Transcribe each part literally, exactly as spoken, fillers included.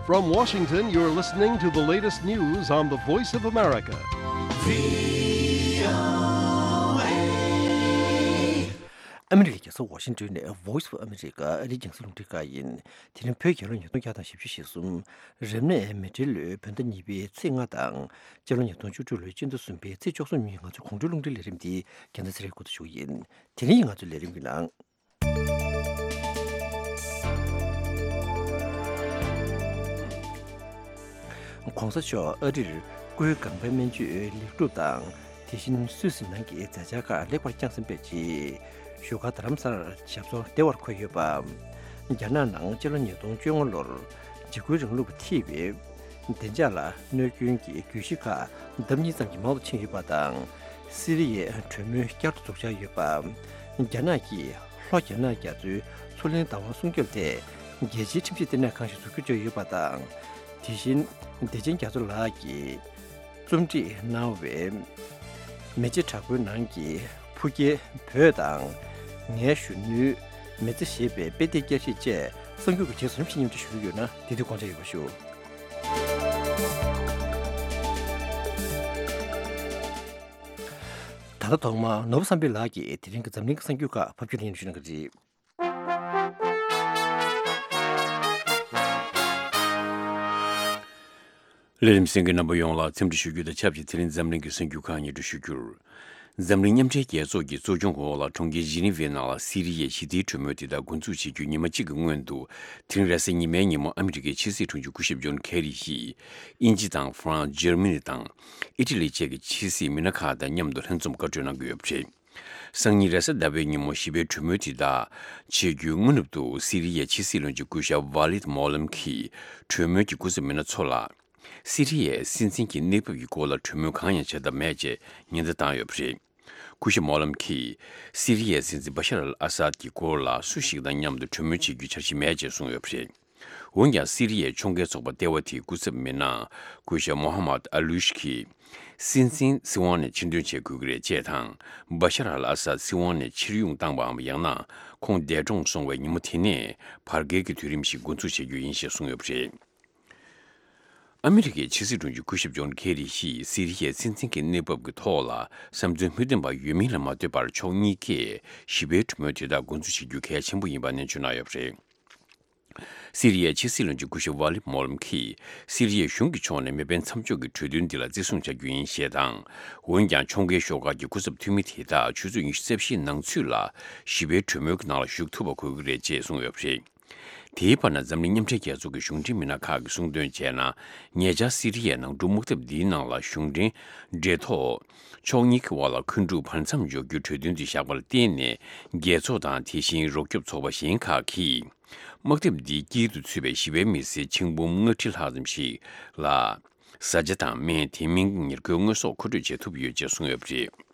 From Washington, you're listening to the latest news on the Voice of America. ཨ་མི་རི་ཀའི་རྒྱལ་ས་ཝ་ཤིང་ཏོན་ནས་Voice of America ཨ་རིའི་རྒྱང་སྲིང་རླུང་འཕྲིན་ཁང་ཡིན། དེ་རིང་བོད་རྒྱལ་ལོ་ཉིས་སྟོང་བརྒྱ་དང་བཞི་བཅུ་ཞེ་གསུམ། རབ་གནས་མེ་སྤྲེལ་ལོའི་བོད་ཟླ་གཉིས་པའི་ཚེས་ལྔ་དང་། སྤྱི་ལོ་ཉིས་སྟོང་བཅུ་དྲུག་ལོའི་སྤྱི་ཟླ་གསུམ་པའི་ཚེས་བཅུ་གསུམ་ཉིན་ང་ཚོའི་དགོང་དྲོའི་རླུང་འཕྲིན་ལས་རིམ་འདི་རྒྱལ་མཚན་ཚེ་རིང་སྐུ་ཚེ་ཞུ་གི་ཡིན། དེ་རིང་ང་ཚོའི་ལས་རིམ་གྱི་ནང་། ༸གོང་ས་མཆོག་ཨ་རིར་སྐུའི་ལྒང་པའི་སྨན་བཅོས་ལེགས་གྲུབ་དང་། དེ་བཞིན་སུད་སི་ནང་གི་མཛད་འཆར་ཁག་ལེགས་པར་བསྐྱངས་ཟིན་པའི་རྗེས། བཞུགས་སྒར་རྡ་རམ་ས་ལར་ཞབས་སོར་བདེ་བར་འཁོད་ཡོད་པ། རྒྱ་ནག་ནང་སྤྱི་ལོ་ཉིས་སྟོང་བཅོ་ལྔ་ལོར་འཇིགས་སྐུལ་རིང་ལུགས་ཀྱིས་འཐུས་པའི་བདེ་འཇགས་ལ་གནོད་སྐྱོན་གྱི་གྱོད་གཞི་ཁག་ལྡབ་གཉིས་ཙམ་གྱིས་མང་དུ་ཕྱིན་ཡོད་པ་དང་། སི་རི་ཡའི་གྲོས་མོལ་བསྐྱར་དུ་འཛུགས་འཆར་ཡོད་པ། རྒྱ་ནག་གིས་ལྷོ་རྒྱ་ནག་རྒྱ་མཚོའི་མཚོ་གླིང་བདག་དབང་སྲུང་སྐྱོབ་ཐད་རྒྱལ་སྤྱིའི་ཁྲིམས་ཞིབ་ལྟེ་གནས་ཁང་ཞིག་འཛུགས་རྒྱུ་བརྗོད་ཡོད་པ་དང་། དེ་བཞིན་བདེ་ཆེན་རྒྱ་མཚོ་ལགས་ཀྱིས་རྩོམ་སྒྲིག་གནང་བའི་མེ་ལྕེ་དྲག་པོའི་ནང་གི་ཕུགས་སྐྱེལ་བོད་དང་། ངའི་གཞོན་ནུའི་མི་ཚེ་ཞེས་པའི་དཔེ་དེབ་བསྐྱར་ཞིབ་བཅས་གསར་འགྱུར་གྱི་རྗེས་སུ་རིམ་བཞིན་སྙན་སྒྲོན་ཞུ་གི་ཡོད་ན། དེ་དུས་དགོངས་འཇགས་ཡོད་པ་ཞུ། ད་ལྟ་ཐོག་མར་ནོར་བུ་བསམ་འཕེལ་ལགས་ཀྱིས་དེ་རིང་གི་འཛམ་གླིང་གི་གསར་འགྱུར་ཁག་ཕབ་སྒྱུར་སྙན་སྒྲོན་ཞུ་གནང་གི་རེད། ལས་རིམ་གསན་མཁན་རྣམ་པ་ཡོངས་ལ་འཚམས་འདྲི་ཞུ་རྒྱུ་དང་ཆབས་ཅིག་དེ་རིང་འཛམ་གླིང་གི་གསར་འགྱུར་ཁག་སྙན་སྒྲོན་ཞུ་རྒྱུར། འཛམ་གླིང་མཉམ་འབྲེལ་རྒྱལ་ཚོགས་ཀྱི་གཙོ་སྐྱོང་འོག་ལ་གྲོང་ཁྱེར་ཇི་ནི་ཝའི་ནང་ལ་སི་རི་ཡའི་ཞི་བདེའི་གྲོས་མོལ་དེ་དག་འགོ་འཛུགས་བྱེད་རྒྱུའི་ཉི་མ་གཅིག་གི་སྔོན་དུ། དེ་རིང་རེས་གཟའ་ཉི་མའི་ཉིན་མོ་ཨ་མི་རི་ཀའི་ཕྱི་སྲིད་དྲུང་ཆེ་སྐུ་ཞབས་ཇོན་ཁེ་རི་ཡིས་དབྱིན་ཇི་དང་ཧྥ་རན་སི། འཇར་མ་ནི་དང་ཨི་ཊ་ལི་བཅས་ཀྱི་ཕྱི་སྲིད་མི་སྣ་ཁག་དང་མཉམ་དུ་ལྷན་འཛོམས་བཀའ་གྲོས་གནང་གི་ཡོད་པ་རེད། སང་ཉིན་རེས་གཟའ་ཟླ་བའི་ཉིན་མོ་ཞི་བའི་གྲོས་མོལ་དེ་དག་བྱེད་རྒྱུའི་སྔ་ནུབ་ཏུ་སི་རི་ཡའི་ཕྱི་སྲིད་བློན་ཆེན་སྐུ་ཞབས་ཝ་ལིད་མོ་ལམ་གྱིས་གྲོས་མོལ་གྱི་སྐུ་ཚབ་མི་སྣ་ཚོ་ལ། སི་རི་ཡའི་སྲིད་འཛིན་གྱི་གནས་བབ་ཀྱི་སྐོར་ལ་གྲོས་མོལ་གང་ཡང་བྱ་ཐབས་མེད་ཅེས་ཉེན་བརྡ་བཏང་ཡོད་པ་རེད། སྐུ་ཞབས་མོ་ལམ་གྱིས་སི་རི་ཡའི་སྲིད་འཛིན་བ་ཤར་ཨལ་ཨ་སཱད་ཀྱི་སྐོར་ལ་སུ་ཞིག་དང་མཉམ་དུ་གྲོས་མོལ་བྱེད་རྒྱུའི་འཆར་གཞི་མེད་ཅེས་གསུངས་ཡོད་པ་རེད། འོན་ཀྱང་སི་རི་ཡའི་ཕྱོགས་འགལ་ཚོགས་པ་ལྟེ་བ་དེའི་སྐུ་ཚབ་མི་སྣ་སྐུ་ཞབས་མོ་ཧ་མད་ཨ་ལུ་ཤི་གིས། སྲིད་འཛིན་སྲིད་དབང་ནས་ཕྱིར་འདོན་བྱེད་དགོས་ཀྱི་རེད་ཅེས་དང་། བ་ཤར་ཨལ་ཨ་སཱད་སྲིད་དབང་ནས་ཕྱིར་དབྱུང་བཏང་པའམ་ཡང་ན་ཁོང་འདས་གྲོངས་སོང་བའི་ཉིན་མོ་དེ་ནས་བར་བརྒལ་གྱི་དུས་རིམ་ཞིག་འགོ་འཛུགས་བྱེད་རྒྱུ་ཡིན་ཞེས་གསུངས་ཡོད་པ་རེད། ཨ་མི་རི་ཀའི་ཕྱི་སྲིད་དྲུང་ཆེ་སྐུ་ཞབས་ཇོན་ཁེ་རི་ཡིས་སི་རི་ཡའི་སྲིད་འཛིན་གྱི་གནས་བབ་ཀྱི་ཐོག་ལ་བསམ་ཚུལ་མི་མཐུན་པ་ཡོད་མིན་ལ་མ་ལྟོས་པར་ཕྱོགས་གཉིས་ཀས་ཞི་བའི་གྲོས་མོལ་དེ་དག་འགོ་འཛུགས་བྱེད་རྒྱུ་གལ་ཆེན་པོ་ཡིན་པ་ནན་བརྗོད་གནང་ཡོད་པ་རེད། སི་རི་ཡའི་ཕྱི་སྲིད་བློན་ཆེན་སྐུ་ཞབས་ཝ་ལི་མོ་ལམ་གྱིས་སི་རི་ཡའི་གཞུང་གི་ཕྱོགས་ནས་མེ་འཕེན་མཚམས་འཇོག་གི་གྲོས་མཐུན་འདི་ལ་བརྩི་སྲུང་བྱ་རྒྱུ་ཡིན་ཞེས་དང་། འོན་ཀྱང་ཕྱོགས་འགལ་ཤོག་ཁག་གི་སྐུ་ཚབ་འཐུས་མི་དེ་དག་ཆུ་ཚོད་ཉི་ཤུ་རྩ་བཞིའི་ནང་ཚུད་ལ་ཞི་བའི་གྲོས་མོལ་གྱི་ནང་ལ་ཞུགས་ཐུབ་པ་དགོས་ཀྱི་རེད་ཅེས་གསུངས་ཡོད་པ་རེད། དེའི་བར་ན་འཛམ་གླིང་མཉམ་འབྲེལ་རྒྱལ་ཚོགས་ཀྱི་གཞུང་འབྲེལ་མི་སྣ་ཁག་གིས་གསུངས་དོན་བྱས་ན། ཉེ་ཆར་སི་རི་ཡའི་ནང་འཁྲུག་དམག་འཐབ་འདིའི་ནང་ལ་གཞུང་འབྲེལ་འབྲེལ་ཐོག་ཕྱོགས་གཉིས་ཀྱི་དབར་ལ་འཁོན་འཁྲུག་བར་མཚམས་འཇོག་རྒྱུའི་གྲོས་མཐུན་དེ་བཞག་པ་ལ་བརྟེན་ནས། རྒྱལ་ཚོགས་དང་དེ་བཞིན་རོགས་སྐྱོབ་ཚོགས་པ་གཞན་ཁག་གིས། དམག་འཐབ་འདིའི་དཀྱིལ་དུ་ཚུད་པའི་ཞི་བའི་མི་སེར་ཆིག་འབུམ་ལྔ་ཁྲི་ལྷག་ཙམ་ཞིག་ལ། བཟའ་བཅའ་དང་སྨན། དེ་མིན་ཉེར་མཁོའི་དངོས་ཟོག་མཁོ་སྤྲོད་བྱེད་ཐུབ་ཡོད་ཅེས་གསུངས་ཡོད་པ་རེད།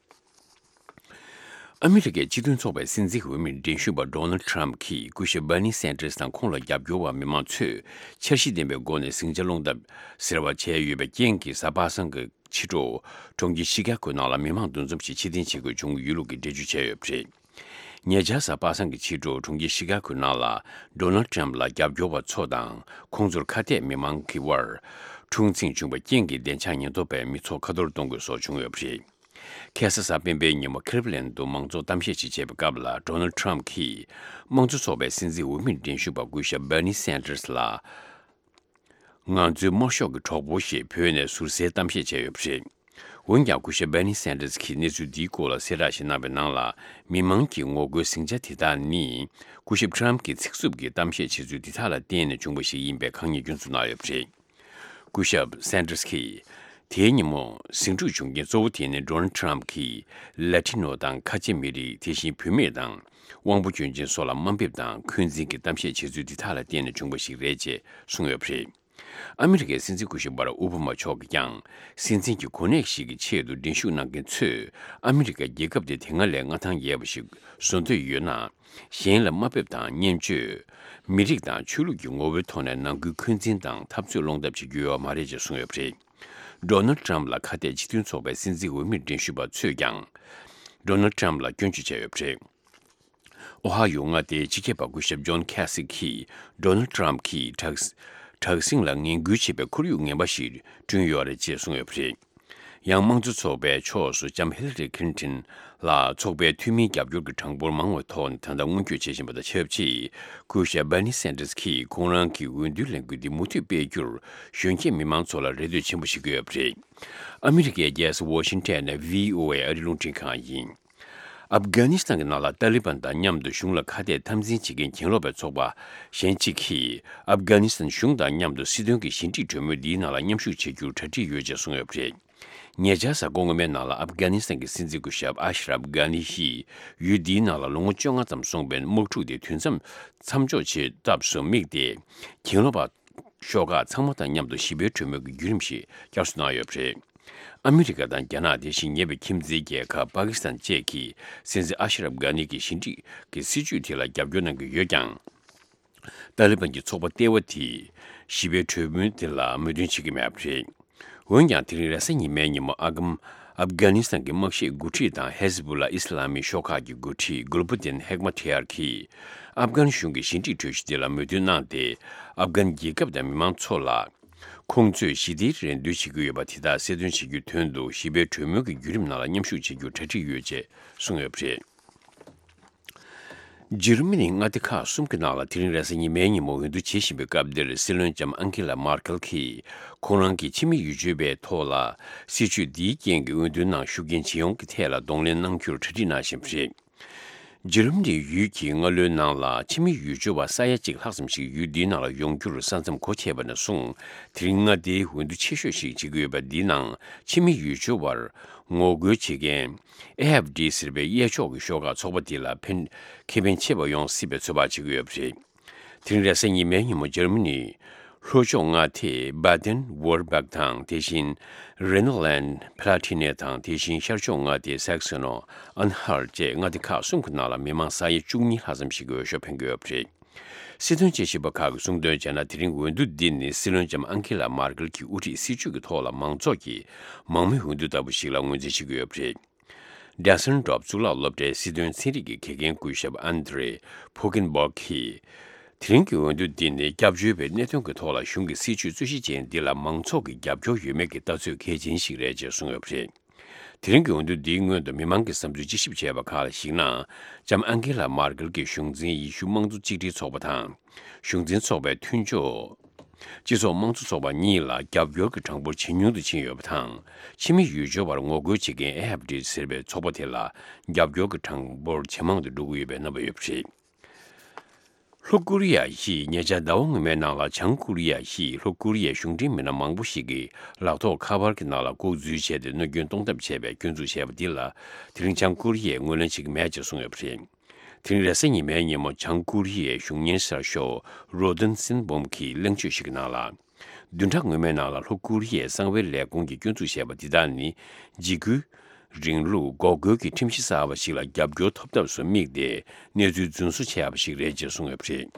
ཨ་མི་རི་ཀའི་སྤྱི་མཐུན་ཚོགས་པའི་སྲིད་འཛིན་འོས་མིར་འགྲན་ཞུགས་པ་ཌོ་ནལ་ཊམ་གྱིས་སྐུ་ཞབས་བྷར་ནི་སན་ཏྲེས་དང་ཁོང་ལ་རྒྱབ་སྐྱོར་བ་མི་མང་ཚོས་འཆར་གཞི་ལྡན་པའི་སྒོ་ནས་ཟིང་ཆ་སློང་ཐབས་ཟེར་བ་བྱས་ཡོད་པའི་རྐྱེན་གྱིས། གཟའ་པ་སངས་ཀྱི་ཕྱི་དྲོ་གྲོང་ཁྱེར་ཤི་ཀ་གོའི་ནང་ལ་མི་མང་འདུ་འཛོམས་ཤིག་ཕྱིར་འཐེན་བྱེད་དགོས་བྱུང་ཡོད་ལུགས་ཀྱི་འགྲེལ་བརྗོད་བྱས་ཡོད་པ་རེད། ཉེ་ཆར་གཟའ་པ་སངས་ཀྱི་ཕྱི་དྲོ་གྲོང་ཁྱེར་ཤི་ཀ་གོའི་ནང་ལ་ཌོ་ནལ་ཊམ་ལ་རྒྱབ་སྐྱོར་བ་ཚོ་དང་ཁོང་ཚོར་ཁ་གཏད་མི་མང་གི་དབར་འཁྲུག་འཛིང་བྱུང་བའི་རྐྱེན་གྱིས། བདེ་འཇགས་ཉེན་རྟོག་པས་མི་ཚོགས་ཁ་ཐོར་གཏོང་དགོས་སོགས་བྱུང་ཡོད་པ་རེད། ཁ་སང་གཟའ་སྤེན་པའི་ཉིན་མོ་ཁི་ལིབ་ལན་དུ་མང་ཚོགས་གཏམ་བཤད་ཅིག་བྱས་པའི་སྐབས་ལ། ཌོ་ནལ་ཊམ་གྱིས་དམངས་གཙོ་ཚོགས་པའི་སྲིད་འཛིན་འོས་མིར་འགྲན་ཞུགས་པ་སྐུ་ཞབས་བྷར་ནི་སན་ཏྲེས་ལ། ང་ཚོའི་དམར་ཤོག་གི་གྲོགས་པོ་ཞེས་བོས་ནས་ཟུར་ཟའི་གཏམ་བཤད་བྱས་ཡོད་པ་རེད། འོན་ཀྱང་སྐུ་ཞབས་བྷར་ནི་སན་ཏྲེས་ཀྱིས་གནས་ཚུལ་འདིའི་སྐོར་ལ་གསལ་བསྒྲགས་ཤིག་གནང་བའི་ནང་ལ། མི་མང་གིས་ངོ་རྒོལ་ཟིང་ཆ་དེ་དག་ནི། སྐུ་ཞབས་ཊམ་གྱིས་ཚིག་རྩུབ་ཀྱི་གཏམ་བཤད་བྱེད་ཚུལ་འདི་དག་ལ་བརྟེན་ནས་བྱུང་བ་ཞིག་ཡིན་པའི་ཁ་ཉེས་སྐྱོན་འཛུགས་གནང་ཡོད་པ་རེད། སྐུ་ཞབས་སན་ཏྲེས་ཀྱིས། དེའི་ཉིན་མོ་ཟིང་འཁྲུག་བྱུང་རྐྱེན་གཙོ་བོ་དེ་ནི་ཌོ་ནལ་ཊམ་གྱིས་ལ་ཏི་ནོ་དང་ཁ་ཆེ་མི་རིགས། དེ་བཞིན་བུད་མེད་དང་དབང་པོ་སྐྱོན་ཅན་སོགས་ལ་དམའ་འབེབས་དང་འཁོན་འཛིན་གྱི་གཏམ་བཤད་བྱེད་ཚུལ་འདི་དག་ལ་བརྟེན་ནས་བྱུང་བ་ཞིག་རེད་ཅེས་གསུངས་ཡོད་པ་རེད། ཨ་མི་རི་ཀའི་སྲིད་འཛིན་སྐུ་ཞབས་བྷ་རག་ཨོ་བྷ་མ་མཆོག་གིས་ཀྱང་། སྲིད་འཛིན་གྱི་གོ་གནས་ཤིག་གི་ཆེད་དུ་འགྲན་ཞུགས་གནང་མཁན་ཚོས་ཨ་མི་རི་ཀའི་རྒྱལ་ཁབ་དེ་དེ་སྔ་ལས་མངའ་ཐང་རྒྱས་པ་ཞིག་བཟོ་འདོད་ཡོད་ན། གཞན་ལ་དམའ་འབེབས་དང་བརྙས་བཅོས། མི་རིགས་དང་ཆོས་ལུགས་ཀྱི་ངོ་བོའི་ཐོག་ནས་ནང་ཁུལ་འཁོན་འཛིན་དང་འཐབ་རྩོད་སློང་ཐབས་བྱེད་རྒྱུ་ཡོད་མ་རེད་ཅེས་གསུངས་ཡོད་པ་རེད། ཌོ་ནལ་ཊམ་ལ་ཁ་གཏད་སྤྱི་མཐུན་ཚོགས་པའི་སྲིད་འཛིན་འོས་མིར་འགྲན་ཞུགས་པ་ཚོས་ཀྱང་ཌོ་ནལ་ཊམ་ལ་སྐྱོན་བརྗོད་བྱས་ཡོད་པ་རེད། ཨོ་ཧ་ཡོ་མངའ་སྡེའི་སྤྱི་ཁྱབ་པ་སྐུ་ཞབས་ཇོན་ཁེ་སི་ཀིས་ཌོ་ནལ་ཊམ་གྱིས་དྲག་ དྲག་ཟིང་ལ་ངན་སྐུལ་བྱེད་པའི་ཁོར་ཡུག་ངན་པ་ཞིག་བསྐྲུན་ཡོད་རེད་ཅེས་གསུངས་ཡོད་པ་རེད། ཡང་དམངས་གཙོ་ཚོགས་པའི་ཕྱོགས་སུ་ལྕམ་ཧི་ལ་རི་ཁི་ལིན་ཏོན་ལ་ཚོགས་པའི་འཐུས་མིའི་རྒྱབ་སྐྱོར་གྱི་གྲངས་འབོར་མང་བའི་ཐོག་ནས་ད་ལྟ་སྔོན་སྐྱོད་བྱེད་བཞིན་པ་དང་ཆབས་ཅིག་སྐུ་ཞབས་བྷར་ནི་སན་ཏར་སི་གིས་ཁོང་རང་གི་འོས་བསྡུའི་ལས་འགུལ་འདི་མུ་མཐུད་སྤེལ་རྒྱུར་གཞོན་སྐྱེས་མི་མང་ཚོ་ལ་རེ་ལྟོས་ཆེན་པོ་བྱེད་ཀྱི་ཡོད་པ་རེད། ཨ་མི་རི་ཀའི་རྒྱལ་ས་ཝ་ཤིང་ཊོན་ནས་བྷི་ཨོ་ཨེ་ཨ་རིའི་རླུང་འཕྲིན་ཁང་ཡིན། ཨབ་གྷ་ནི་སི་ཐན་གྱི་ནང་ལ་ཏཱ་ལི་བན་དང་མཉམ་དུ་གཞུང་ལ་ཁ་གཏད་འཐབ་འཛིང་བྱེད་མཁན་གྱེན་ལོག་པའི་ཚོགས་པ་གཞན་གཅིག་གིས་ཨབ་གྷ་ནི་སི་ཐན་གཞུང་དང་མཉམ་དུ་སྲིད་དོན་གྱི་ཞི་འགྲིག་གྲོས་མོལ་འདིའི་ནང་ལ་མཉམ་ཞུགས་བྱེད་རྒྱུར་གྲ་སྒྲིག་ཡོད་ཅེས་གསུངས་ཡོད་པ་རེད། ཉེ་ཆར་གཟའ་འཁོར་སྔོན་མའི་ནང་ལ་ཨབ་གྷ་ནི་སི་ཐན་གྱི་སྲིད་འཛིན་སྐུ་ཞབས་ཨ་ཤ་རབ་གྷ་ནི་ཡིས་ཡུལ་འདིའི་ནང་ལ་ལོ་ངོ་བཅོ་ལྔ་ཙམ་སོང་བའི་དམག་འཁྲུག་དེ་དུས་མཚམས་མཚམས་འཇོག་བྱེད་ཐབས་སུ་དམིགས་ཏེ། གྱེན་ལོག་པ་ཤོག་ཁག་ཚང་མ་དང་མཉམ་དུ་ཞི་བའི་གྲོས་མོལ་གྱི་བརྒྱུད་རིམ་ཞིག་བསྐྱར་གསོ་གནང་ཡོད་པ་རེད། ཨ་མི་རི་ཀ་དང་རྒྱ་ནག་དེ་བཞིན་ཉེ་བའི་ཁྱིམ་མཚེས་རྒྱལ་ཁབ་པ་ཀི་སི་ཐན་བཅས་ཀྱིས་སྲིད་འཛིན་ཨ་ཤ་རབ་གྷ་ནི་གི་ཞི་འགྲིག་གི་སྲིད་བྱུས་དེ་ལ་རྒྱབ་སྐྱོར་གནང་གི་ཡོད་ཀྱང་། ཏཱ་ལི་བན་གྱི་ཚོགས་པ་ལྟེ་བ་དེས་ཞི་བའི་གྲོས་མོལ་དེ་ལ་མོས་མཐུན་བྱེད་ཀྱི་མེད་པ་རེད། འོན་ཀྱང་དེ་རིང་རེས་གཟའ་ཉི་མའི་ཉིན་མོ་ཨ་གམ་ཨབ་གྷ་ནི་སི་ཐན་གྱི་དམག་ཤེད་འགོ་ཁྲིད་དང་ཧེ་ཟི་བུ་ལ་ཨི་སི་ལ་མི་ཤོག་ཁག་གི་འགོ་ཁྲིད་གུལ་བུ་དིན་ཧེག་མ་ཐེ་ཡར་གྱིས་ཨབ་གྷན་གཞུང་གི་ཞི་འགྲིག་གྲོས་གཞི་དེ་ལ་མོས་མཐུན་གནང་སྟེ། ཨབ་གྷན་རྒྱལ་ཁབ་དང་མི་མང་ཚོ་ལ། ཁོང་ཚོས་ཞི་བདེའི་རེ་འདུན་བྱེད་ཀྱི་ཡོད་པ་དེ་དག་གསལ་སྟོན་བྱེད་རྒྱུའི་དོན་དུ་ཞི་བའི་གྲོས་མོལ་གྱི་བརྒྱུད་རིམ་ནང་ལ་མཉམ་ཞུགས་བྱེད་རྒྱུར་གྲ་སྒྲིག་ཡོད་ཅེས་གསུངས་ཡོད་པ་རེད། འཇར་མ་ནིའི་མངའ་སྡེ་ཁག་གསུམ་གྱི་ནང་ལ་དེ་རིང་རེས་གཟའ་ཉི་མའི་ཉིན་མོ་འོས་བསྡུ་བྱེད་བཞིན་པའི་སྐབས་འདིར་སྲིད་བློན་ལྕམ་ཨན་ཁི་ལ་མར་ཁེལ་གྱིས་ཁོང་རང་གི་ཕྱི་མི་ཡུལ་སྐྱོར་བའི་ཐོག་ལ་སྲིད་བྱུས་འདིའི་རྐྱེན་གྱིས་འོས་བསྡུའི་ནང་ཤུགས་རྐྱེན་ཇི་ཡོང་གི་ཐད་ལ་གདོང་ལེན་གནང་རྒྱུར་གྲ་སྒྲིག་གནང་བཞིན་པ་རེད། འཇར་མ་ནིའི་ཡུལ་གྱི་སྔ་ལོའི་ནང་ལ་ཕྱི་མི་ཡུལ་སྐྱོར་བ་ས་ཡ་གཅིག་ལྷག་ཙམ་ཞིག་ཡུལ་འདིའི་ནང་ལ་ཡོང་རྒྱུར་ས་མཚམས་སྒོ་ཕྱེ་བ་ནས་བཟུང་དེ་རིང་མངའ་སྡེའི་འོས་བསྡུ་ཆེ་ཤོས་ཤིག་བྱེད་ཀྱི་ཡོད་པ་འདིའི་ནང་ཕྱི་མི་ཡུལ་སྐྱོར་བར་ངོ་རྒོལ་བྱེད་མཁན་ཨེ་ཧྥ་ཌི་ཟེར་བའི་གཡས་ཕྱོགས་ཀྱི་ཤོག་ཁག་ཚོགས་པ་འདི་ལ་ཕན་ཁེ་ཕན་ཆེ་བ་ཡོང་སྲིད་པའི་ཚོད་དཔག་བྱེད་ཀྱི་ཡོད་པ་རེད། དེ་རིང་རེས་གཟའ་ཉི་མའི་ཉིན་མོ་འཇར་མ་ནིའི་ལྷོ་ཕྱོགས་མངའ་སྡེ་བྷ་དེན་ཝུར་སྦག་དང་དེ་བཞིན་རེ་ན་ལན་ཕ་ལ་ཐི་ནེ་དང་དེ་བཞིན་ཤར་ཕྱོགས་མངའ་སྡེ་སེག་སོན་ཨན་ཧལ་བཅས་མངའ་སྡེ་ཁག་གསུམ་གྱི་ནང་ལ་མི་མང་ས་ཡ་བཅུ་གཉིས་ལྷག་ཙམ་ཞིག་གིས་འོས་ཤོག་འཕེན་གྱི་ཡོད་པ་རེད། སྲིད་དོན་དཔྱད་ཞིབ་པ་ཁག་གིས་གསུངས་དོན་བྱས་ན་དེ་རིང་འོས་བསྡུ་འདི་ནི་སྲིད་བློན་ལྕམ་ཨན་ཁི་ལ་མར་ཀེལ་གྱིས་དབུ་ཁྲིད་སྲིད་བྱུས་ཀྱི་ཐོག་ལ་མང་ཚོགས་ཀྱིས་མང་མོས་འོས་བསྡུ་ལྟ་བུ་ཞིག་ལ་ངོས་འཛིན་བྱེད་ཀྱི་ཡོད་པ་རེད། ཌེ་སན་ཌོབ་གཙུག་ལག་སློབ་གྲྭའི་སྲིད་དོན་ཚན་རིག་གི་དགེ་རྒན་སྐུ་ཞབས་ཨན་དྲེ་ཕོ་ཀིན་སྦོག་གིས། དེ་རིང་གི་འོས་བསྡུ་འདི་ནི་སྐྱབས་བཅོལ་བའི་གནད་དོན་གྱི་ཐོག་ལ་གཞུང་གི་སྲིད་བྱུས་རྩོད་གཞི་ཅན་འདི་ལ་མང་ཚོགས་ཀྱི་རྒྱབ་སྐྱོར་ཡོད་མེད་ཀྱི་ལྟ་ཚུལ་གལ་ཆེན་ཞིག་རེད་ཅེས་གསུངས་ཡོད་པ་རེད། དེ་རིང་གི་འོས་བསྡུ་འདིའི་སྔོན་དུ་མི་མང་གི་བསམ་ཚུལ་དཔྱད་ཞིབ་བྱས་པ་ཁག་ལ་གཞིགས་ན། ལྕམ་ཨན་ཁི་ལ་མར་ཀེལ་གྱི་གཞུང་འཛིན་ཡེ་ཤུ་དམངས་གཙོ་གཅིག་སྒྲིལ་ཚོགས་པ་དང་། གཞུང་འཛིན་ཚོགས་པའི་མཐུན་ཕྱོགས། སྤྱི་ཚོགས་དམངས་གཙོ་ཚོགས་པ་གཉིས་ལ་རྒྱབ་སྐྱོར་གྱི་གྲངས་འབོར་ཇེ་ཉུང་དུ་ཕྱིན་ཡོད་པ་དང་། ཕྱི་མི་ཡུལ་སྐྱོར་བར་ངོ་རྒོལ་བྱེད་མཁན་ཨེ་ཧྥ་ཌི་ཟེར་བའི་ཚོགས་པ་དེ་ལ་རྒྱབ་སྐྱོར་གྱི་གྲངས་འབོར་ཇེ་མང་དུ་འགྲོ་གི་ཡོད་པའི་རྣམ་པ་ཡོད་པ་རེད། ལྷོ་ཀོ་རི་ཡ་ཡིས་ཉེ་ཆར་ཟླ་བ་སྔོན་མའི་ནང་ལ་བྱང་ཀོ་རི་ཡ་ཡིས་ལྷོ་ཀོ་རི་ཡའི་གཞུང་འབྲེལ་མི་སྣ་མང་པོ་ཞིག་གི་ལག་ཐོགས་ཁ་པར་གྱི་ནང་ལ་ལྐོག་འཛུལ་བྱས་ཏེ་གནོད་སྐྱོན་གཏོང་ཐབས་བྱས་པའི་སྐྱོན་འཛུགས་བྱས་པ་འདི་ལ་དེ་རིང་བྱང་ཀོ་རི་ཡས་ངོས་ལེན་བྱེད་ཀྱི་མེད་ཅེས་གསུངས་ཡོད་པ་རེད། དེ་རིང་རེས་གཟའ་ཉི་མའི་ཉིན་མོ་བྱང་ཀོ་རི་ཡའི་གཞུང་གཉེར་གསར་ཤོག་རོ་ཏན་སིན་བོམ་གྱིས་གླེང་བརྗོད་ཞིག་གི་ནང་ལ། བདུན་ཕྲག་སྔོན་མའི་ནང་ལ་ལྷོ་ཀོ་རི་ཡའི་གསང་བའི་ལས་ཁུངས་ཀྱིས་སྐྱོན་འཛུགས་བྱས་པ་འདི་དག་ནི་འཇིགས་སྐུལ་རིང་ལུགས་འགོག་རྒོལ་གྱི་ཁྲིམས་གཞི་གསར་བ་ཞིག་ལ་རྒྱབ་སྐྱོར་ཐོབ་ཐབས་སུ་དམིགས་ཏེ་གནས་ཚུལ་རྫུན་བཟོ་བྱས་པ་ཞིག་རེད་ཅེས་གསུངས་ཡོད་པ་རེད།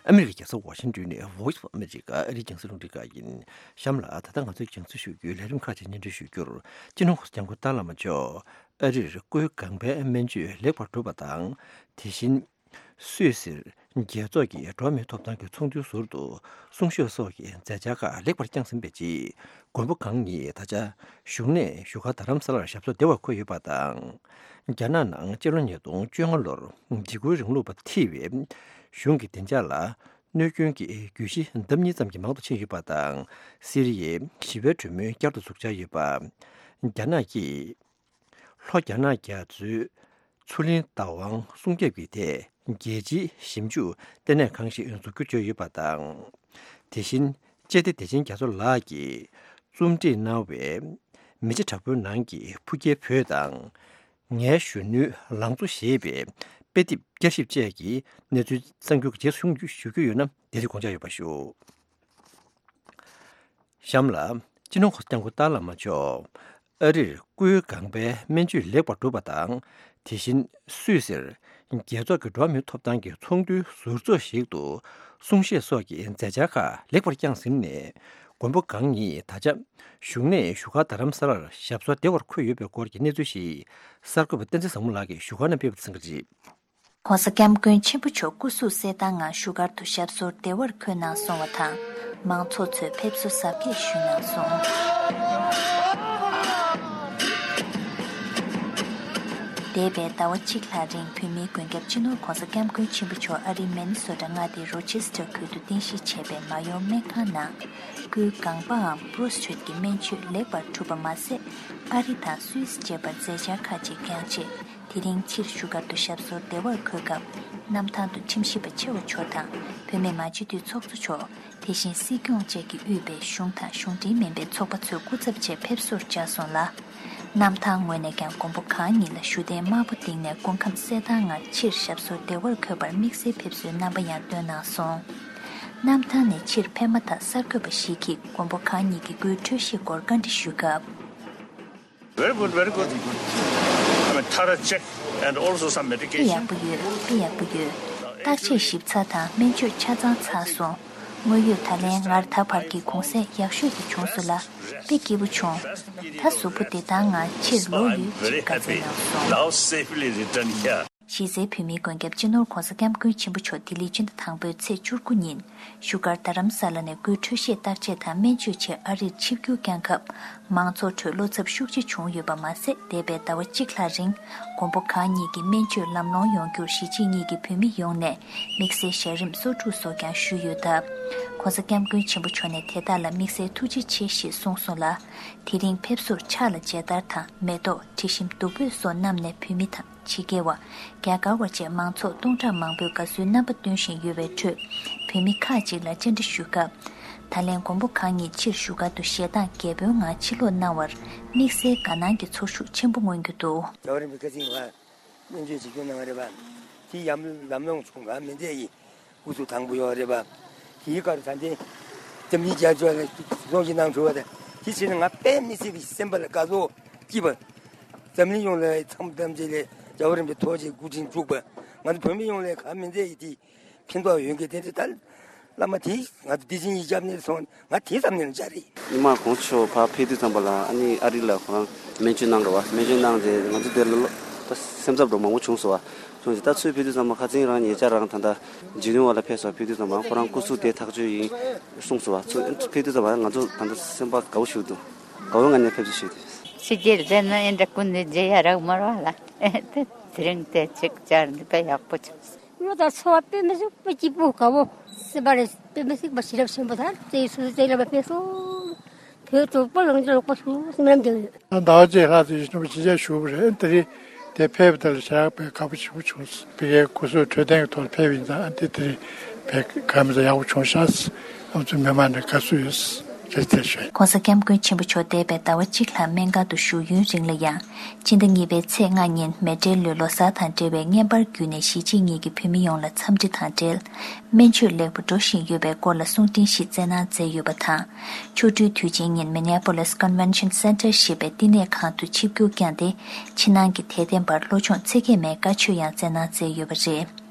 ཨ་མི་རི་ཀའི་རྒྱལ་ས་ཝ་ཤིང་ཏོན་ནས་Voice of America ཨ་རིའི་རྒྱང་སྲིང་རླུང་འཕྲིན་ཁང་ཡིན། གཤམ་ལ་ད་ལྟ་ང་ཚོའི་རྒྱང་སྲིང་ཞུ་རྒྱུའི་ལས་རིམ་ཁག་ཅིག་སྙན་སྒྲོན་ཞུ་རྒྱུར། སྤྱི་ནོར་༧གོང་ས་༧སྐྱབས་མགོན་ཏཱ་བླ་མ་མཆོག་ཨ་རིར་སྐུའི་ལྒང་པའི་སྨན་བཅོས་ལེགས་པར་གྲུབ་པ་དང་། དེ་བཞིན། སུད་སིར་རྒྱལ་ཚོགས་ཀྱི་འགྲོ་བ་མིའི་ཐོབ་ཐང་གི་ཚོགས་འདུའི་ཟུར་དུ་གསུང་བཤད་སོགས་ཀྱི་མཛད་འཆར་ཁག་ལེགས་པར་བསྐྱངས་ཟིན་པའི་རྗེས། མགོན་པོ་གང་ཉིད་ད་ཆ་གཞུང་ནས་བཞུགས་སྒར་རྡ་རམ་ས་ལར་ཞབས་སོར་བདེ་བར་འཁོད་ཡོད་པ་དང་། རྒྱ་ནག་ནང་སྤྱི་ལོ་ཉིས་སྟོང་བཅོ་ལྔ་ལོར་འཇིགས་སྐུལ་རིང་ལུགས་པ་ཐེ་བའི་གཞུང་གི་བདེ་འཇགས་ལ་གནོད་སྐྱོན་གྱི་གྱོད་གཞི་ལྡབ་གཉིས་ཙམ་གྱིས་མང་དུ་ཕྱིན་ཡོད་པ་དང་། སི་རི་ཡའི་ཞི་བའི་གྲོས་མོལ་བསྐྱར་དུ་འཛུགས་འཆར་ཡོད་པ། རྒྱ་ནག་གིས། ལྷོ་རྒྱ་ནག་རྒྱ་མཚོའི་མཚོ་གླིང་བདག་དབང་སྲུང་སྐྱོབ་ཀྱི་ཐད་རྒྱལ་སྤྱིའི་ཞིབ་འཇུག་ལྟེ་གནས་ཁང་ཞིག་འཛུགས་རྒྱུ་བརྗོད་ཡོད་པ་དང་། དེ་བཞིན་སྤྱི་བདེ་བདེ་ཆེན་རྒྱ་མཚོ་ལགས་ཀྱིས་རྩོམ་སྒྲིག་གནང་བའི་མེ་ལྕེ་དྲག་པོའི་ནང་གི་ཕུགས་རྒྱའི་བོད་དང་། ངའི་གཞོན་ནུའི་ལང་ཚོ་ཞེས་པའི་དཔེ་དེབ་བསྐྱར་ཞིབ་བཅས་ཀྱི་གནས་ཚུལ་གསར་འགྱུར་གྱི་རྗེས་སུ་ཞུ་རྒྱུ་ཡོད་ན་དེ་དུས་དགོངས་འཇགས་ཡོད་པ་ཞུ། གཤམ་ལ། སྤྱི་ནོར་༧གོང་ས་༧སྐྱབས་མགོན་ཏཱ་བླ་མ་མཆོག་ཨ་རིར་སྐུའི་ལྒང་པའི་སྨན་བཅོས་ལེགས་པར་གྲུབ་པ་དང་། དེ་བཞིན་སུད་སིར་རྒྱལ་ཚོགས་ཀྱི་འགྲོ་བ་མིའི་ཐོབ་ཐང་གི་ཚོགས་འདུའི་ཟུར་ཚོགས་ཤིག་ཏུ་གསུང་བཤད་སོགས་ཀྱི་མཛད་འཆར་ཁག་ལེགས་པར་བསྐྱངས་ཟིན་ནས། མགོན་པོ་གང་ཉིད་ད་ཆ་བཞུགས་གནས་བཞུགས་སྒར་རྡ་རམ་ས་ལར་ཞབས་སོར་བདེ་བར་འཁོད་ཡོད་པའི་སྐོར་གྱི་གནས་ཚུལ་ཞིག་གསར་འགོད་པ་བསྟན་འཛིན་བཟང་མོ་ལགས་ཀྱིས་བཞུགས་སྒར་ནས་སྤེལ་བ་དང་འཚམས་ཀྱི་རེད། ྋགོང་ས་ྋསྐྱབས་མགོན་ཆེན་པོ་མཆོག་སྐུ་གཟུགས་གསལ་ཐང་ངང་བཞུགས་སྒར་དུ་ཞབས་སོར་བདེ་བར་འཁོད་གནང་སོང་བ་དང་། མང་ཚོགས་ཚོས་ཕེབས་བསུ་གཟབ་རྒྱས་ཞུས་གནང་སོང་། འདས་པའི་ཟླ་བ་གཅིག་ལྷག་རིང་བོད་མིའི་མགོན་སྐྱབས་སྤྱི་ནོར་ྋགོང་ས་ྋསྐྱབས་མགོན་ཆེན་པོ་མཆོག་ཨ་རིའི་མི་ནི་སོ་ཊ་མངའ་སྡེའི་རོ་ཆེ་སི་ཊར་ཁུལ་དུ་རྟེན་གཞི་བྱས་པའི་མ་ཡོང་སྨན་ཁང་ནང་སྐུའི་ལྒང་པའམ་པྲོ་སི་ཊེཊ་ཀྱི་སྨན་བཅོས་ལེགས་པར་གྲུབ་པ་མ་ཟད། ཨ་རི་དང་སུད་སི་བཅས་པར་མཛད་འཆར་ཁག་ཅིག་བསྐྱངས་རྗེས། དེ་རིང་ཕྱིར་བཞུགས་སྒར་དུ་ཞབས་སོར་བདེ་བར་འཁོད་སྐབས། གནམ་ཐང་དུ་ཁྲིམས་ཞིབ་པ་ཆེ་བ་མཆོག་དང་བོད་མི་མང་སྤྱི་འཐུས་ཚོགས་གཙོ་མཆོག་དེ་བཞིན་སྲིད་སྐྱོང་བཅས་ཀྱིས་དབུས་པའི་གཞུང་དང་གཞུང་འབྲེལ་མིན་པའི་ཚོགས་པ་ཚོའི་སྐུ་ཚབ་ཆེད་ཕེབས་བསུར་བཅར་སོང་ལ། གནམ་ཐང་ངོས་ནས་ཀྱང་མགོན་པོ་གང་ཉིད་ལ་བཞུགས་གདན་དམར་པོ་བཏིང་ནས་སྐུ་ཁམས་གསལ་ཐང་ངང་ཕྱིར་ཞབས་སོར་བདེ་བར་འཁོད་པར་དམིགས་བསལ་ཕེབས་བསུའི་རྣམ་པ་ཡང་སྟོན་གནང་སོང་། གནམ་ཐང་ནས་ཕྱིར་ཕེབས་མ་ཐག་གསར་འགོད་པ་ཞིག་གིས་མགོན་པོ་གང་ཉིད་ཀྱི་སྐུའི་འཕྲོད་བཞེས་སྐོར་བཀའ་འདྲི་ཞུས་སྐབས། Very good, very good. I mean, thorough check and also some དཔེ་medication. ཡག་པོ་ཡོད། དཔེ་ཡག་པོ་ཡོད། བརྟག་དཔྱད་ཞིབ་ཚགས་དང་སྨན་བཅོས་ཆ་ཚང་ཚར་སོང་། དངོས་ཡོད་ད་ལན་སྔར་ད་བར་གྱི་གུང་སེང་ཡག་ཤོས་དེ་བྱུང་སོང་ལ། དཔེ་སྐྱིད་པོ་བྱུང་། ད་གཟུགས་པོ་བདེ་ཐང་ངང་ཕྱིར་ལོག་ཡོད་ཅེས་བཀའ་སྩལ་གནང་སོང་། Now safely return here. གཞི་རྩའི་བོད་མིའི་མགོན་སྐྱབས་སྤྱི་ནོར་ྋགོང་ས་ྋསྐྱབས་མགོན་ཆེན་པོ་མཆོག་ལྡི་ལི་སྤྱི་ཟླ་དང་པོའི་ཚེས་བཅུ་དགུ་ཉིན་བཞུགས་སྒར་རྡ་རམ་ས་ལ་ནས་སྐུའི་འཕྲོད་བཞེས་བརྟག་དཔྱད་དང་སྨན་བཅོས་ཆེད་ཨ་རིར་ཆིབས་བསྒྱུར་བསྐྱངས་སྐབས། མང་ཚོགས་ཁྲོད་བློ་འཚབ་ཤུགས་ཆེ་བྱུང་ཡོད་པ་མ་ཟད། འདས་པའི་ཟླ་བ་གཅིག་ལྷག་རིང་མགོན་པོ་གང་ཉིད་ཀྱི་སྨན་བཅོས་ལམ་ལྷོང་ཡོང་རྒྱུར་གཞིས་བྱེས་གཉིས་ཀྱི་བོད་མི་ཡོངས་ནས་དམིགས་བསལ་ཞལ་རིམ་གསོལ་ཕྲུག་སོགས་ཀྱང་ཞུས་ཡོད་སྟབས། ྋགོང་ས་ྋསྐྱབས་མགོན་ཆེན་པོ་མཆོག་ནས་དེ་དག་ལ་དམིགས་བསལ་ཐུགས་རྗེ་ཆེ་ཞེས་གསུངས་སོང་ལ། དེ་རིང་ཕེབས་བསུར་ཕྱག་ལ་མཇལ་དར་དང་མེ་ཏོག་དྲི་ཞིམ་བདུག་སྤོས་སོགས་བསྣམས་ནས་བོད་མི་དང་། ཕྱི་རྒྱལ་བ། རྒྱ་གར་བ་བཅས་མང་ཚོགས་སྟོང་ཕྲག་མང་པོས་དགའ་བསུའི་རྣམ་པ་སྟོན་བཞིན་ཡོད་པའི་ཁྲོད། བོད་མི་ཁག་ཅིག་ལ་བཅར་འདྲི་ཞུས་སྐབས། ད་ལན་མགོན་པོ་གང་ཉིད་ཕྱིར་བཞུགས་སྒར་དུ་ཞལ་གདངས་རྒྱས་པོའི་ངང་ཕྱིར་ལོག་གནང་བར་དམིགས་བསལ་དགའ་སྣང་གི་ཚོར་ཤུགས་ཆེན་པོ་མངོན་རྒྱུ་འདུག། རྒྱལ་བ་རིན་པོ་ཆེ་སྐུ་ཚེ་ཡུན་རིང་བ། སྨན་བཅོས་བྱེད་རྒྱུ་གནང་བ་རེད་པ། དེ་ཡམ་ལམ་ལྷོང་བྱུང་ག་མི་མཛད་ཡིན། སྐུ་གཟུགས་དྭངས་པོ་ཡོད་རེད་པ། དེའི་སྐབས་ད་ལྟའི་འཛམ་གླིང་རྒྱལ་ཚོགས་ལ་གསུང་བཤད་གནང་གྲུབ་པ་དང་། དེ་བྱས་ན་ང་དཔེ་མི་སྲིད་པའི་སེམས་པ་ལ་དགའ་ཚོར་སྐྱིད་པ། འཛམ་གླིང་ཡོངས་ལ་འཚམས་འདམ་བྱས་ལས་རྒྱལ་བ་རིན་པོ་ཆེ་ཐུགས་རྗེ་སྐུ་དྲིན་གྲུབ་པ། ང་ཚོ་བོད་མི་ཡོངས་ལ་གང་མི་མཛད་ཡིན་དེ་ཕན་ཐོགས་ཡོད་མཁན་དེ་ཚོ་ད་བླ་མ་དེ་ང་ཚོ་བདེ་ཆེན་གྱི་སྐྱབས་གནས་སོང་ང་དེ་ཙམ་ནས་ལ་འཇགས་རེད། ཉི་མ་གོང་ཆོ་ཕར་ཕེབས་དུས་ཙམ་པ་ལ་ཨ་ནི་ཨ་རི་ལ་ཁོ་རང་སྨན་བཅོས་གནང་རོགས་བ། སྨན་བཅོས་གནང་རྗེས་ང་ཚོ་དེ་ལ་ལོ་ད་སེམས་འཚབ་འགྲོ་མང་པོ་བྱུང་སོང་བ། སོང་ཙང་ད་ཚུར་ཕེབས་དུས་ཙམ་པ་ཁ་རྩང་རང་ཉེ་ཆར་རང་ད་ལྟ་ཇི་ནི་ཝ་ལ་ཕེབས་སོང་། ཕེབས་དུས་ཙམ་པ་ཁོ་རང་སྐུ་གཟུགས་བདེ་ཐག་ཆོད་ཡིན་གསུངས་སོང་བ། ཚུར་ཕེབས་དུས་ཙམ་པ་ང་ཚོ་ད་ལྟ་སེམས་པ་དགའ་བོ་ཞིག་འདུག། དགའ་བོའི་ངང་ནས་ཕེབས་བསུ་ཞུས་ཏེ། ཕྱི་རྒྱལ་བསྡད་ན་ཨེ་འདྲ་ཀུན་ནས་མཇལ་ཡ་རག་མ་རག་ལ། དེ་རིང་དེ་ཅིག་བཅར་འདི་དཔེ་ཡག་པོ་བྱུང་། བློ་དང་ཚོར་བ་དཔེ་མི་སྲིད་པ་སྐྱིད་པོ་དགའ་བོ་སེམས་པ་རེ་དཔེ་མི་སྲིད་པ་ཞེ་དྲག་ཆེན་པོ་དང་བརྩེ་ཡི་སོ་སོ་བརྩེ་ལ་མ་ཕེབས་སོང་། བོད་གྲོགས་པོ་ལང་ཅི་ལོག་པ་ཞུ་སེམས་ལམ་དེ་ཡོད། ཟླ་བ་གཅིག་ལྷག་ཙམ་ཞིག་ནུབ་ཕྱི་རྒྱལ་བཞུགས་པ་རེད། དེ་རིང་དེ་ཕེབས་པ་དེ་ལ་ཞེ་དྲག་དཔེ་དགའ་པོ་ཞེ་པོ་བྱུང་སོང་། ཕ་གིའི་སྐུ་གཟུགས་འཕྲོད་བསྟེན་གྱི་ཐོག་ལ་ཕེབས་པ་ཡིན་ཙང་དེ་དེ་རིང་དཔེ་ག་མི་ཚ་ཡག་པོ་བྱུང་ཤག། ང་ཚོ་མི་མང་ནས་དགའ་བསུ་ཡོད་ཟེར་ཐལ་ཞུ། ྋགོང་ས་ྋསྐྱབས་མགོན་ཆེན་པོ་མཆོག་འདས་པའི་ཟླ་བ་གཅིག་ལྷག་སྨན་ཁང་དུ་བཞུགས་ཡུན་རིང་ལ་ཡང་། སྤྱི་ཟླ་གཉིས་པའི་ཚེས་ལྔ་ཉིན་མེ་ཊལ་ལོའི་ལོ་གསར་དང་འབྲེལ་བའི་བརྔན་པར་བརྒྱུད་ནས་གཞིས་བྱེས་གཉིས་ཀྱི་བོད་མི་ཡོངས་ལ་འཚམས་འདྲི་དང་འབྲེལ། སྨན་བཅོས་ལེགས་པོ་འགྲོ་བཞིན་ཡོད་པའི་སྐོར་ལ་གསུང་འཕྲིན་ཞིག་བསྩལ་གནང་མཛད་ཡོད་པ་དང་། ཆོ་འཕྲུལ་དུས་ཆེན་ཉིན་Minneapolis Convention Center ཞེས་པའི་བསྟི་གནས་ཁང་དུ་ཆིབས་བསྒྱུར་བསྐྱངས་ཏེ། ཕྱི་ནང་གི་དད་ལྡན་པར་བློ་སྦྱོང་ཚིག་བརྒྱད་མའི་བཀའ་ཆོས་ཡང་བསྩལ་གནང་མཛད་ཡོད་པ་རེད།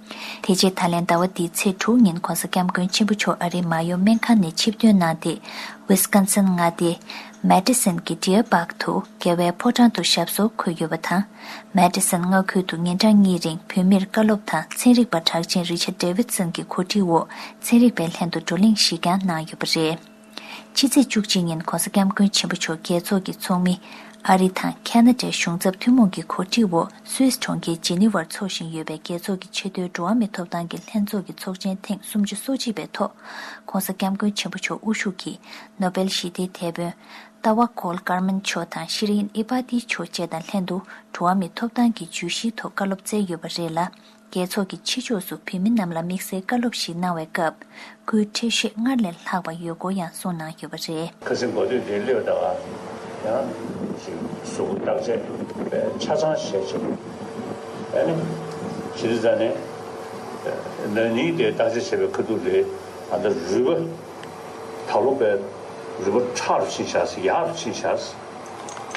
དེ་རྗེས་ད་ལན་ཟླ་བ་འདིའི་ཚེས་དྲུག་ཉིན་ྋགོང་ས་ྋསྐྱབས་མགོན་ཆེན་པོ་མཆོག་ཨ་རིའི་མ་ཡོ་སྨན་ཁང་ནས་ཆིབས་ཐོན་གནང་སྟེ། Wisconsin་མངའ་སྡེའི་Madison་གྱི་Deer Park་དུ་རྒྱལ་བའི་ཕོ་བྲང་དུ་ཞབས་སོར་འཁོད་ཡོད་པ་དང་། Madison་མངའ་ཁུལ་དུ་ཉིན་གྲངས་གཉིས་རིང་བོད་མིར་བཀའ་སློབ་དང་ཚན་རིག་པ་གྲགས་ཅན་Richard Davidson་གྱི་གོ་སྒྲིག་འོག་ཚན་རིག་པའི་ལྷན་དུ་བགྲོ་གླེང་ཞིག་ཀྱང་གནང་ཡོད་པ་རེད། ཕྱི་ཚེས་བཅུ་གཅིག་ཉིན་ྋགོང་ས་ྋསྐྱབས་མགོན་ཆེན་པོ་མཆོག་རྒྱལ་ཚོགས་ཀྱི་ཚོགས་མི། ཨ་རི་དང་ཁ་ན་ཌའི་གཞུང་ཚབ་ཐུན་མོང་གི་གོ་སྒྲིག་འོག་སུད་སི་གྲོང་ཁྱེར་ཇི་ནི་ཝར་འཚོགས་བཞིན་ཡོད་པའི་རྒྱལ་ཚོགས་ཀྱི་ཆེས་མཐོའི་འགྲོ་བ་མིའི་ཐོབ་ཐང་གི་ལྷན་ཚོགས་ཀྱི་ཚོགས་ཆེན་ཐེངས་སུམ་ཅུ་སོ་གཅིག་པའི་ཐོག ྋགོང་ས་ྋསྐྱབས་མགོན་ཆེན་པོ་མཆོག་དབུ་བཞུགས་ཀྱིས་ནོ་བེལ་ཞི་བདེའི་དེད་དཔོན་ཏཱ་ཝ་ཀོལ་ཀར་མན་མཆོག་དང་ཤི་རིན་ཨི་པ་ཏི་མཆོག་བཅས་དང་ལྷན་དུ་འགྲོ་བ་མིའི་ཐོབ་ཐང་གི་བརྗོད་གཞིའི་ཐོག་བཀའ་སློབ་སྩལ་ཡོད་པ་རེད་ལ། རྒྱལ་ཚོགས་ཀྱི་ཕྱི་ཕྱོགས་སུ་བོད་མི་རྣམས་ལ་དམིགས་བསལ་བཀའ་སློབ་ཞིག་གནང་བའི་སྐབས། སྐུའི་འཕྲོད་བཞེས་སྔར་ལས་ལྷག་པ་ཡོད་སྐོར་ཡང་གསུངས་གནང་ཡོད་པ་རེད། ཁ་སང་གོ་ཐོས་དེ་སླེབས་ད་ག་ཡང་ཞིག་གཟུགས་པོ་བརྟག་དཔྱད་ཆ་ཚང་བྱས་བྱས། ཨ་ནི་ཇི་ལྟར་ཟ་ནས་ན་ནིང་དེ་བརྟག་དཔྱད་བྱས་པའི་ཁ་ཐུག་ལས་ཨ་ད་རུས་པ་ད་ལོ་པའི་རུས་པ་ཁྲག་རུ་ཕྱིན་བཞག་ཟེར། ཡག་རུ་ཕྱིན་བཞག་ཟེར།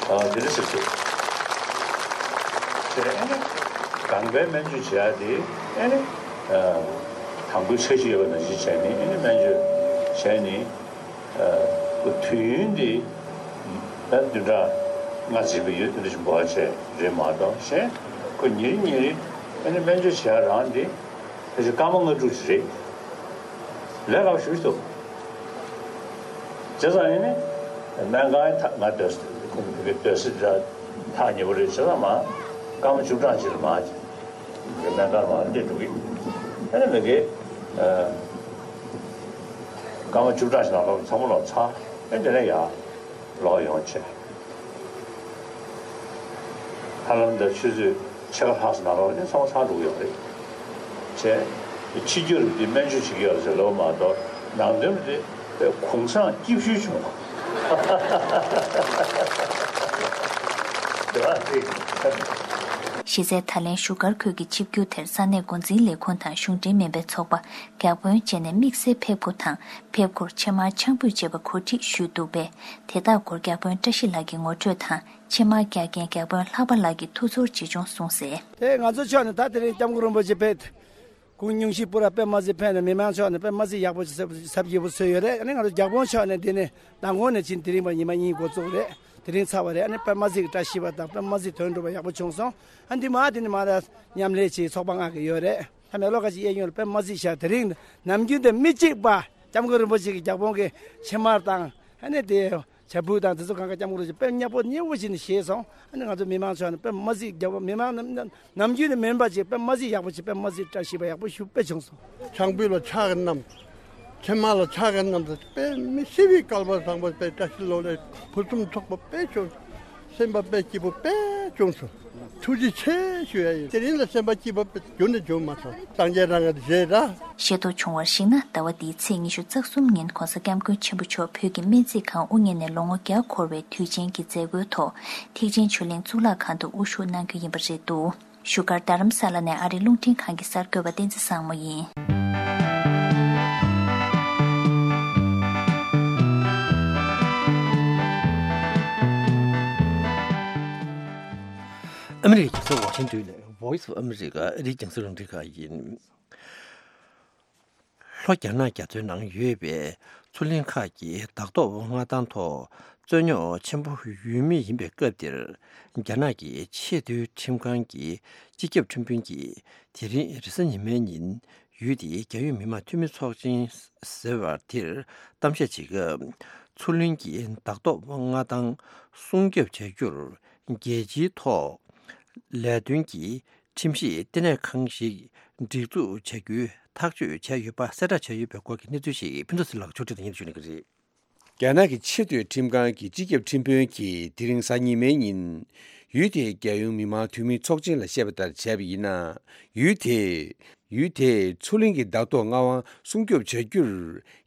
ཨ་དེ་འདྲ་ཟེར་ཚུལ། དེ་ཨ་ནི་ལྒང་པའི་སྨན་བཅོས་བྱེད་ཡག་དེ་ཨ་ནི་ཨ་དང་པོའི་འཆར་གཞི་ཡོད་པ་ནང་བཞིན་བྱས་ནས་ཨ་ནི་སྨན་བཅོས་བྱས་ནས་ཨ་ དུས་ཡུན་འདི་ད་བདུན་ཕྲག་ལྔ་ཙམ་ཡོད། དེ་འདྲ་ཞིག་འགོར་བ་བྱས་རེད་མ་གཏོགས། གཞན་ཁོ་ཉིན་རེ་ཉིན་རེ་ཨ་ནི་སྨན་བཅོས་བྱེད་ཡ་རང་འདི་ཕལ་ཆེར་སྐར་མ་ལྔ་དྲུག་ཅིག་རེད། ལས་སླ་པོ་ཞེ་པོ་ཅིག་འདུག་བྱས་ཙང་ཡིན་ནའི་སྨན་ཁང་ཐག་ང་སྡོད་ས་ཁོང་གི་སྡོད་ས་འདྲ་ཐག་ཉེ་པོ་རེད། བྱས་ཙང་མ་སྐར་མ་བཅུ་གྲངས་ཅིག་ལ་མ་སྨན་ཁང་ལ་མ་སླེབས་འགྲོ་གི། ཨ་ནི་མི་དགེ་སྐར་མ་བཅུ་གྲངས་ཤིག་ནང་ལོགས་ཚང་མ་ལོག་ཚར། ཨ་ནི་དེ་ནས་ཡར་ལོག་ཡོང་བྱས། ཧ་ལམ་ད་ཆུ་ཚོད་ཕྱེད་ཀ་ལྷག་ཙམ་ནང་ལོགས་ནས་ཚང་མ་ཚར་འགྲོ་གི་ཡོད་རེད། བྱས། ཕྱི་རྒྱུ་རུ་འདི་སྨན་བཅོས་བྱེད་ཀྱི་ཡོད་ཟེར་ལབ་མ་གཏོགས་ནང་དོན་དེ་དཔེ་གུང་སེང་སྐྱིད་ཤོས་བྱུང་བ། དེ་བ་རེད། གཞི་རྩའི་ད་ལན་བཞུགས་སྒར་ཁུལ་གྱི་ཆིབས་བསྒྱུར་དེར་ས་གནས་འགོ་འཛིན་ལས་ཁུངས་དང་གཞུང་འབྲེལ་མིན་པའི་ཚོགས་པ། བརྒྱ་དཔོན་བཅས་ནས་དམིགས་བསལ་ཕེབས་སྒོ་དང་ཕེབས་སྒོར་ཕྱེ་མར་ཆང་ཕུད་བཅས་པ་གོ་སྒྲིག་ཞུས་འདུག་པས། དེ་དག་སྐོར་བརྒྱ་དཔོན་བཀྲ་ཤིས་ལགས་ཀྱིས་ངོ་སྤྲོད་དང་། ཕྱེ་མར་རྒྱག་མཁན་བརྒྱ་དཔོན་ལྷག་པ་ལགས་ཀྱིས་ཐུགས་ཚོར་ཇི་བྱུང་གསུངས་གསལ། དེ་ང་ཚོ་ཕྱོགས་ནས་ད་དེ་རིང་སྐྱབས་མགོན་རིན་པོ་ཆེ་ཕེབས། སྐུ་ཉུང་ཤས་པུ་ར་དཔེ་མ་སྲིད་ཕེབས་ནས་མི་མང་ཕྱོགས་ནས་དཔེ་མ་སྲིད་ཡག་པོ་ཞིག་ཟབ་ཞིབ་པོ་བཟོས་ཡོད་རེད། ཨ་ནི་ང་ཚོ་བརྒྱ་དཔོན་ཕྱོགས་ནས་འདི་ནས་མདང་དགོང་ནས་ཕྱིན་དེ་རིང་བར་ཉི་མ་གཉིས་འགོ་བཙུགས་རེད། དེ་རིང་ཚར་བ་རེད། ཨ་ནི་དཔེ་མ་སྲིད་ཀྱི་བཀྲ་ཤིས་པ་དང་དཔེ་མ་སྲིད་དོན་འགྲུབ་པ་ཡག་པོ་བྱུང་སོང་། ཨ་འདི་མ་དེ་ནས་མ་ར་མཉམ་ལས་བྱེད་ཚོགས་པ་ལྔ་གི་ཡོད་རེད། ད་མེ་ལོ་ཁ་ཅིག་གཡས་གཡོན་ལ་དཔེ་མ་སྲིད་ཤག་དེ་རིང་ནམ་རྒྱུན་དང་མི་གཅིག་པ་སྐྱབས་མགོན་རིན་པོ་ཆེ་གི་བརྒྱ་དཔོན་གྱི་ཕྱེ་མར་དང་ཨ་ནི་དེ་བྱ་ཕུད་དང་དེ་ཚོ་གང་ག་སྐྱབས་མགོན་རིན་པོ་ཆེ་དཔེ་མཉེས་པོ་མཉེས་པོ་བྱས་ནས་བཞེས་སོང་། ཨ་ནི་ང་ཚོ་མི་མང་ཚོ་ནི་དཔེ་མ་སྲིད་རྒྱ་བོད་མི་མང་རྣམས་ནམ་རྒྱུན་ནས་མིན་པ་ཅིག་དཔེ་མ་སྲིད་ཡག་པོ་ཅིག་དཔེ་མ་སྲིད་བཀྲ་ཤིས་པ་ཡག་པོ་ཞུ་དཔེ་བྱུང་སོང་། ཆང་ཕུད་ལ་ཕྱག་གི་བསྣམས། ཕྱེ་མར་ལ་ཕྱག་གི་བསྣམས་ཏེ་དཔེ་མི་སྲིད་པའི་སྐལ་བ་བཟང་པོ་དཔེ་བཀྲ་ཤིས་ལོ་ལེགས་ཕུན་སུམ་ཚོགས་པ་དཔེ་བྱུང་། སེམས་པ་དཔེ་སྐྱིད་པོ་དཔེ་བྱུང་སོང་། ཐུགས་རྗེ་ཆེ་ཞུ་ཡ་ཡིན། དེ་རིང་ལ་སེམས་པ་སྐྱིད་པོ་དཔེ་རྒྱུན་ནས་བྱུང་མ་སོང་། སངས་རྒྱས་རང་གི་རྗེས་ར། ཤེས་རྟོགས་བྱུང་བར་གཞིགས་ན། ཟླ་བ་འདིའི་ཚེས་ཉི་ཤུ་རྩ་གསུམ་ཉིན་༧གོང་ས་༧སྐྱབས་མགོན་ཆེན་པོ་མཆོག་བོད་ཀྱི་སྨན་རྩིས་ཁང་དབུ་བརྙེས་ནས་ལོ་ངོ་བརྒྱ་འཁོར་བའི་དུས་ཆེན་གྱི་མཛད་སྒོའི་ཐོག་ཐེག་ཆེན་ཆོས་གླིང་གཙུག་ལག་ཁང་དུ་དབུ་བཞུགས་གནང་རྒྱུ་ཡིན་པ་རེད་འདུག་བཞུགས་སྒར་རྡ་རམ་ས་ལ་ནས་ཨ་རིའི་རླུང་འཕྲིན་ཁང་གི་གསར་འགོད་པ་བསྟན་འཛིན་བཟང་མོ་ཡིན། ཨ་མི་རི་ཀའི་རྒྱལ་ས་ཝ་ཤིང་ཏོན་ནས་Voice of America ཨ་རིའི་རྒྱང་སྲིང་རླུང་འཕྲིན་ཁང་ཡིན། ལྷོ་རྒྱ་ནག་རྒྱ་མཚོའི་ནང་ཡོད་པའི་མཚོ་གླིང་ཁག་གི་བདག་ཐོག་མངའ་ཐང་ཐོག་རྩོད་རྙོག་ཆེན་པོ་ཡོད་མུས་ཡིན་པའི་སྐབས་འདིར། རྒྱ་ནག་གི་ཆེས་མཐོའི་ཁྲིམས་ཁང་གི་སྤྱི་ཁྱབ་ཁྲིམས་དཔོན་གྱིས་དེ་རིང་རེས་གཟའ་ཉི་མའི་ཉིན་ཡུལ་དེའི་རྒྱལ་ཡོངས་མི་དམངས་འཐུས་མི་ཚོགས་ཆེན་ཟེར་བ་དེར་གཏམ་བཤད་བྱེད་སྐབས། མཚོ་གླིང་གི་བདག་ཐོག་མངའ་ཐང་སྲུང་སྐྱོབ་བྱ་རྒྱུར་རྒྱལ་སྤྱིའི་ཐོག་ལས་དོན་གྱི་ཁྲིམས་ཞིབ་ལྟེ་གནས་ཁང་ཞིག་སྒྲིག་འཛུགས་བྱ་རྒྱུའི་ཐག་གཅོད་བྱས་ཡོད་པ་གསལ་བསྒྲགས་བྱས་ཡོད་པའི་སྐོར་གྱི་གནས་ཚུལ་ཞིག་ཕུན་ཚོགས་ཟེར་ལགས་ཕྱོགས་སྒྲིག་དང་སྙན་ཞུ་གནང་གི་རེད། རྒྱ་ནག་གི་ཆེས་མཐོའི་ཁྲིམས་ཁང་གི་སྤྱི་ཁྱབ་ཁྲིམས་དཔོན་གྱིས་དེ་རིང་གཟའ་ཉི་མའི་ཉིན། ཡུལ་དེའི་རྒྱལ་ཡོངས་མི་དམངས་འཐུས་མིའི་ཚོགས་ཆེན་ལ་བཤད་པ་ལྟར་བྱས་པ་ཡིན་ན། ཡུལ་དེས། ཡུལ་དེའི་མཚོ་གླིང་གི་བདག་ཐོག་མངའ་དབང་སྲུང་སྐྱོབ་བྱ་རྒྱུར།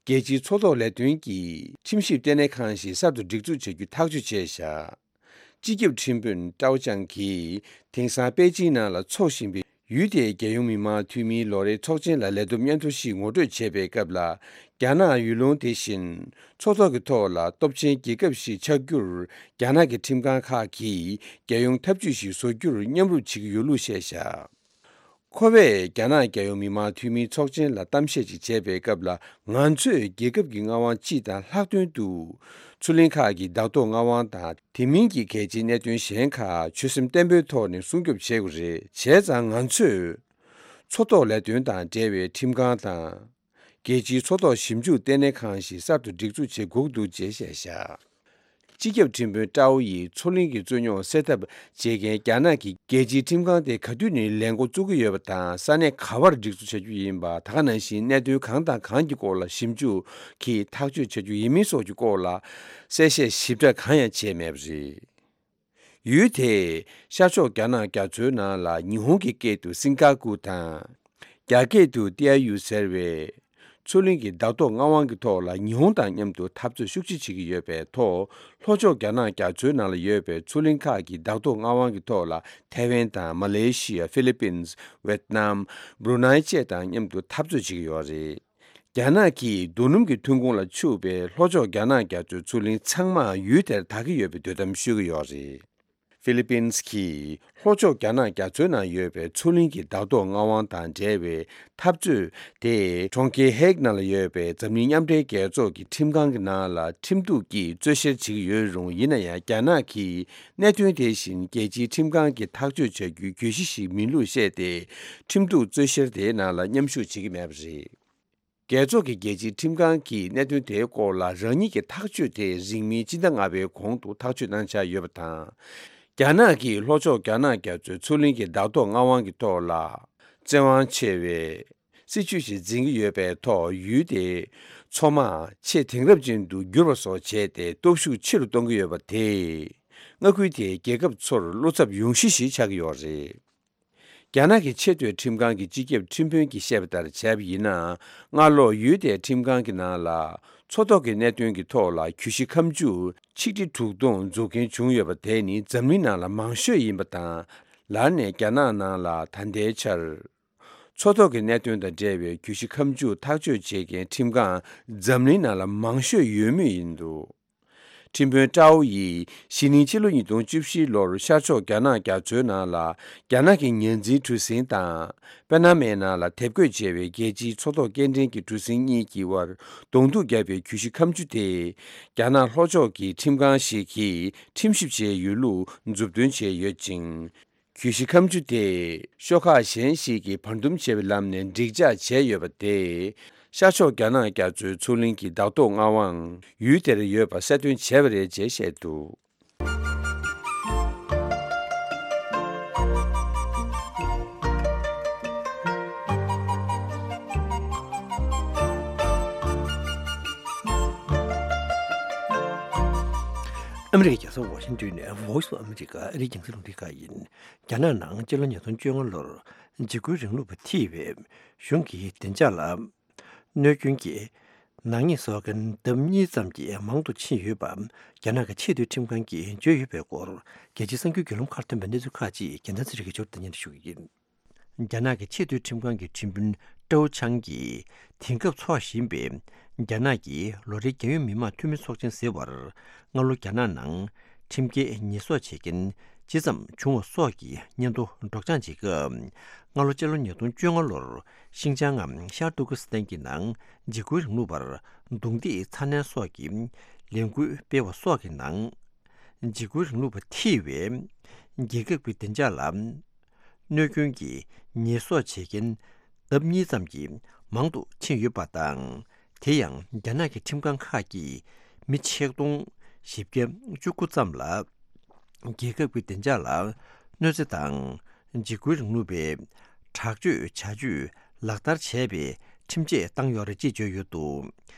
རྒྱལ་སྤྱིའི་མཚོ་ཐོག་ལས་དོན་གྱི་ཁྲིམས་ཞིབ་ལྟེ་གནས་ཁང་ཞིག་གསར་དུ་སྒྲིག་འཛུགས་བྱ་རྒྱུ་ཐག་གཅོད་བྱས་བཞག་སྤྱི་ཁྱབ་ཁྲིམས་དཔོན་ཀྲའོ་ཅང་གིས་དེང་སང་པེ་ཅིང་ནང་ལ་འཚོགས་བཞིན་པའི་ཡུལ་དེའི་རྒྱལ་ཡོངས་མི་དམངས་འཐུས་མིའི་ལོ་རེའི་ཚོགས་ཆེན་ལ་ལས་བསྡོམས་སྙན་ཐོ་ཞིག་ངོ་སྤྲོད་བྱེད་པའི་སྐབས་ལ། རྒྱ་ནག་ཡུལ་ལུང་དེ་བཞིན་མཚོ་ཐོག་གི་ཐོག་ལ་སྟོབས་ཆེན་རྒྱལ་ཁབ་ཞིག་ཆགས་རྒྱུར། རྒྱ་ནག་གི་ཁྲིམས་ཁང་ཁག་གིས་རྒྱལ་ཡོངས་འཐབ་ཇུས་ཤིག་བཟོ་རྒྱུར་མཉམ་རུབ་བྱེད་ཀྱི་ཡོད་ལུགས་བཤད་བཞག་ཁོ་བས་རྒྱ་ནག་རྒྱལ་ཡོངས་མི་དམངས་འཐུས་མིའི་ཚོགས་ཆེན་ལ་གཏམ་བཤད་ཅིག་བྱས་པའི་སྐབས་ལ། ང་ཚོས་རྒྱལ་ཁབ་ཀྱི་མངའ་དབང་སྤྱི་དང་ལྷག་དོན་དུ། མཚོ་གླིང་ཁག་གི་བདག་ཐོག་མངའ་དབང་དང་དེ་མིན་གྱི་གལ་ཆེའི་གནད་དོན་གཞན་ཁག་ཆོད་སེམས་བརྟན་པོའི་ཐོག་ནས་སྲུང་སྐྱོབ་བྱེད་དགོས་རེད། བྱས་ཙང་ང་ཚོས། མཚོ་ཐོག་ལས་དོན་དང་འབྲེལ་བའི་ཁྲིམས་ཁང་དང་། རྒྱལ་སྤྱིའི་མཚོ་ཐོག་ཞིབ་འཇུག་ལྟེ་གནས་ཁང་ཞིག་གསར་དུ་སྒྲིག་འཛུགས་བྱེད་དགོས་འདུག་ཅེས་བཤད་བཞག་སྤྱི་ཁྱབ་ཁྲིམས་དཔོན་ཀྲའོ་ཡིས་མཚོ་གླིང་གི་རྩོད་རྙོག་སེལ་ཐབས་བྱེད་མཁན་རྒྱ་ནག་གི་རྒྱལ་སྤྱིའི་ཁྲིམས་ཁང་དེ་ག་དུས་ནས་ལས་འགོ་བཙུགས་ཀྱི་ཡོད་པ་དང་། ས་གནས་ག་བར་སྒྲིག་འཛུགས་བྱ་རྒྱུ་ཡིན་པ། ད་ག་ནང་བཞིན་གནད་དོན་གང་དང་གང་གི་སྐོར་ལ་ཞིབ་འཇུག་གིས་ཐག་གཅོད་བྱ་རྒྱུ་ཡིན་མིན་སོགས་ཀྱི་སྐོར་ལ་གསལ་བཤད་ཞིབ་ཕྲ་གང་ཡང་བྱས་མེད་པ་རེད། ཡུལ་དེས་ཤར་ཕྱོགས་རྒྱ་ནག་རྒྱ་མཚོའི་ནང་ལ་ཉི་ཧོང་གི་སྐད་དུ་སིང་ག་གུ་དང་། རྒྱ་སྐད་དུ་ཏི་ཨའི་ཡུ་ཟེར་བའི་མཚོ་གླིང་གི་བདག་ཐོག་མངའ་དབང་གི་ཐོག་ལ་ཉི་ཧོང་དང་མཉམ་དུ་འཐབ་རྩོད་ཤུགས་ཆེ་བྱེད་ཀྱི་ཡོད་པའི་ཐོག་ལྷོ་ཕྱོགས་རྒྱ་ནག་རྒྱ་མཚོའི་ནང་ལ་ཡོད་པའི་མཚོ་གླིང་ཁག་གི་བདག་ཐོག་མངའ་དབང་གི་ཐོག་ལ་ཐའེ་ཝན་དང་མ་ལེ་ཤི་ཡ། ཧྥི་ལི་པིན། ཝེད་ནམ། སྦྲུ་ནའི་བཅས་དང་མཉམ་དུ་འཐབ་རྩོད་བྱེད་ཀྱི་ཡོད་རེད། རྒྱ་ནག་གིས་རྡོ་སྣུམ་གྱི་ཐོན་ཁུངས་ལ་ཕྱུག་པའི་ལྷོ་ཕྱོགས་རྒྱ་ནག་རྒྱ་མཚོའི་མཚོ་གླིང་ཚང་མ་ཡུལ་དེར་བདག་གི་ཡོད་པའི་འདོད་གཏམ་ཤོད་ཀྱི་ཡོད་རེད། ཧྥི་ལི་པིན་གྱིས་ལྷོ་ཕྱོགས་རྒྱ་ནག་རྒྱ་མཚོའི་ནང་ཡོད་པའི་མཚོ་གླིང་གི་བདག་ཐོག་མངའ་དབང་དང་འབྲེལ་བའི་འཐབ་རྩོད་དེ་གྲོང་ཁྱེར་ཧེག་ནང་ལ་ཡོད་པའི་འཛམ་གླིང་མཉམ་འབྲེལ་རྒྱལ་ཚོགས་ཀྱི་ཁྲིམས་ཁང་གི་ནང་ལ་ཁྲིམས་གཏུག་གིས་རྩོད་བཤེར་བྱེད་ཀྱི་ཡོད་རུང་། ཡིན་ན་ཡང་རྒྱ་ནག་གིས་གནད་དོན་དེ་བཞིན་རྒྱལ་སྤྱིའི་ཁྲིམས་ཁང་གིས་ཐག་གཅོད་བྱ་རྒྱུའི་གྱོད་གཞི་ཞིག་མིན་ལུགས་བཤད་དེ། ཁྲིམས་གཏུག་རྩོད་བཤེར་དེའི་ནང་ལ་མཉམ་ཞུགས་བྱེད་ཀྱི་མེད་པ་རེད། རྒྱལ་ཚོགས་ཀྱི་རྒྱལ་སྤྱིའི་ཁྲིམས་ཁང་གིས་གནད་དོན་དེའི་སྐོར་ལ་རང་ཉིད་ཀྱི་ཐག་གཅོད་དེ་རིང་མིན་སྤྱི་ཟླ་ལྔ་པའི་གོང་དུ་ཐག་གཅོད་གནང་འཆར་ཡོད་པ་དང་། རྒྱ་ནག་གིས་ལྷོ་ཕྱོགས་རྒྱ་ནག་རྒྱ་མཚོའི་མཚོ་གླིང་གི་བདག་ཐོག་མངའ་དབང་གི་ཐོག་ལ་བཙན་དབང་ཆེ་བའི་སྲིད་བྱུས་ཤིག་འཛིན་གྱི་ཡོད་པའི་ཐོག་ཡུལ་དེའི་མཚོ་དམག་ཆེས་དེང་རབས་ཅན་དུ་བསྒྱུར་བ་སོགས་བྱས་ཏེ་སྟོབས་ཤུགས་ཆེ་རུ་གཏོང་གི་ཡོད་པ་དེས། མངའ་ཁུལ་དེའི་རྒྱལ་ཁབ་ཚོར་བློ་འཚབ་ཡོང་གཞི་ཞིག་ཆགས་ཀྱི་ཡོད་རེད། རྒྱ་ནག་གི་ཆེས་མཐོའི་ཁྲིམས་ཁང་གི་སྤྱི་ཁྱབ་ཁྲིམས་དཔོན་གྱིས་བཤད་པ་ལྟར་བྱས་པ་ཡིན་ན། སྔ་ལོ་ཡུལ་དེའི་ཁྲིམས་ཁང་གི་ནང་ལ་མཚོ་ཐོག་གི་གནད་དོན་གྱི་ཐོག་ལ་གྱོད་གཞི་ཁ་མཆུ་ཆིག་ཁྲི་དྲུག་སྟོང་འཛུགས་མཁན་བྱུང་ཡོད་པ་དེ་ནི་འཛམ་གླིང་ནང་ལ་མང་ཤོས་ཡིན་པ་དང་། ལར་ནས་རྒྱ་ནག་ནང་ལ་ད་ལྟའི་ཆར་མཚོ་ཐོག་གི་གནད་དོན་དང་འབྲེལ་བའི་གྱོད་གཞི་ཁ་མཆུ་ཐག་གཅོད་བྱེད་མཁན་ཁྲིམས་ཁང་འཛམ་གླིང་ནང་ལ་མང་ཤོས་ཡོད་མུས་ཡིན་འདུག་ཁྲིམས་དཔོན་ཀྲའོ་ཡིས་གཞེས་ནིང་ཕྱི་ལོ་ཉིས་སྟོང་བཅུ་བཞི་ལོར་ཤར་ཕྱོགས་རྒྱ་ནག་རྒྱ་མཚོའི་ནང་ལ་རྒྱ་ནག་གི་ཉ་འཛིན་གྲུ་གཟིངས་དང་། པེ་ན་མའི་ནང་ལ་དེབ་འགོད་བྱས་པའི་རྒྱལ་སྤྱིའི་མཚོ་ཐོག་སྐྱེལ་འདྲེན་གྱི་གྲུ་གཟིངས་གཉིས་ཀྱི་དབར་གདོང་ཐུག་བརྒྱབ་པའི་གྱོད་གཞི་ཁ་མཆུ་དེ། རྒྱ་ནག་ལྷོ་ཕྱོགས་ཀྱི་ཁྲིམས་ཁང་ཞིག་གིས་ཁྲིམས་ཞིབ་བྱས་ཡོད་ལུགས་མཛུབ་སྟོན་བྱས་ཡོད་ཅིང་། གྱོད་གཞི་ཁ་མཆུ་དེ་ཤོག་ཁག་གཞན་ཞིག་གིས་བར་འདུམ་བྱས་པའི་ལམ་ནས་འགྲིག་འཇགས་བྱས་ཡོད་པ་དེས། ཤར་ཕྱོགས་རྒྱ་ནག་རྒྱ་མཚོའི་མཚོ་གླིང་གི་བདག་ཐོག་མངའ་དབང་ཡུལ་དེར་ཡོད་པ་གསལ་སྟོན་བྱས་པ་རེད་ཅེས་བཤད་འདུག་ཨ་མི་རི་ཀའི་རྒྱལ་ས་ཝ་ཤིང་ཏོན་ནས་Voice of America ཨ་རིའི་རྒྱང་སྲིང་རླུང་འཕྲིན་ཁང་ཡིན། རྒྱ་ནག་ནང་སྤྱི་ལོ་ཉིས་སྟོང་བཅོ་ལྔ་ལོར་འཇིགས་སྐུལ་རིང་ལུགས་པ་ཐེ་ཝན་གཞུང་གི་བདེ་འཇགས་ལ་གནོད་སྐྱོན་གྱི་ནག་ཉེས་བཟོ་མཁན་ལྡབ་གཉིས་ཙམ་གྱིས་མང་དུ་ཕྱིན་ཡོད་པ་རྒྱ་ནག་གི་ཆེས་མཐོའི་ཁྲིམས་ཁང་གིས་བརྗོད་ཡོད་པའི་སྐོར། རྒྱལ་སྤྱིའི་གསར་འགྱུར་བརྒྱུད་ལམ་ཁག་ཐོན་པའི་གནས་ཚུལ་ཁག་ཅིག་རྒྱལ་མཚན་ཚེ་རིང་གིས་ཞུ་གཏུག་ཉན་དུ་ཞུ་གི་ཡིན། རྒྱ་ནག་གི་ཆེས་མཐོའི་ཁྲིམས་ཁང་གི་ཁྲིམས་དཔོན་ཀྲའོ་ཆང་གིས་དེང་སྐབས་འཚོགས་བཞིན་པའི་རྒྱ་ནག་གི་ལོ་རེའི་རྒྱལ་ཡོངས་མི་དམངས་འཐུས་མི་ཚོགས་ཆེན་ཟེར་བར། སྔ་ལོ་རྒྱ་ནག་ནང་ཁྲིམས་འགལ་ཉེས་གསོག་བྱེད་མཁན་ཇི་ཙམ་བྱུང་བ་སོགས་ཀྱི་སྙན་ཐོ་སྒྲོག་སྦྱང་བྱེད་སྐབས། སྔ་ལོ་སྤྱི་ལོ་ཉིས་སྟོང་བཅོ་ལྔ་ལོར་ཤིང་ཅང་ངམ་ཤར་ཏུར་ཀི་སི་ཐན་གྱི་ནང་འཇིགས་སྐུལ་རིང་ལུགས་པར་རྡུང་རྡེག་ཚ་ནན་སོགས་ཀྱི་ལས་འགུལ་སྤེལ་བ་སོགས་ཀྱི་ནང་། འཇིགས་སྐུལ་རིང་ལུགས་པ་ཐེ་ཝན་རྒྱལ་ཁབ་ཀྱི་བདེ་འཇགས་ལ་གནོད་སྐྱོན་གྱི་ཉེས་གསོག་བྱེད་མཁན་ལྡབ་གཉིས་ཙམ་གྱིས་མང་དུ་ཕྱིན་ཡོད་པ་དང་། དེ་ཡང་རྒྱ་ནག་གི་ཁྲིམས་ཁང་ཁག་གིས་མི་ཆིག་སྟོང་བཞི་བརྒྱ་བཅུ་དགུ་ཙམ་ལ་རྒྱལ་ཁབ་ཀྱི་བདེ་འཇགས་ལ་གནོད་འཚེ་དང་འཇིགས་སྐུལ་རིང་ལུགས་པའི་དྲག་སྤྱོད་བྱ་སྤྱོད་ལག་བསྟར་བྱས་པའི་ཁྲིམས་ཆད་བཏང་ཡོད་རེད་ཅེས་བརྗོད་ཡོད་འདུག་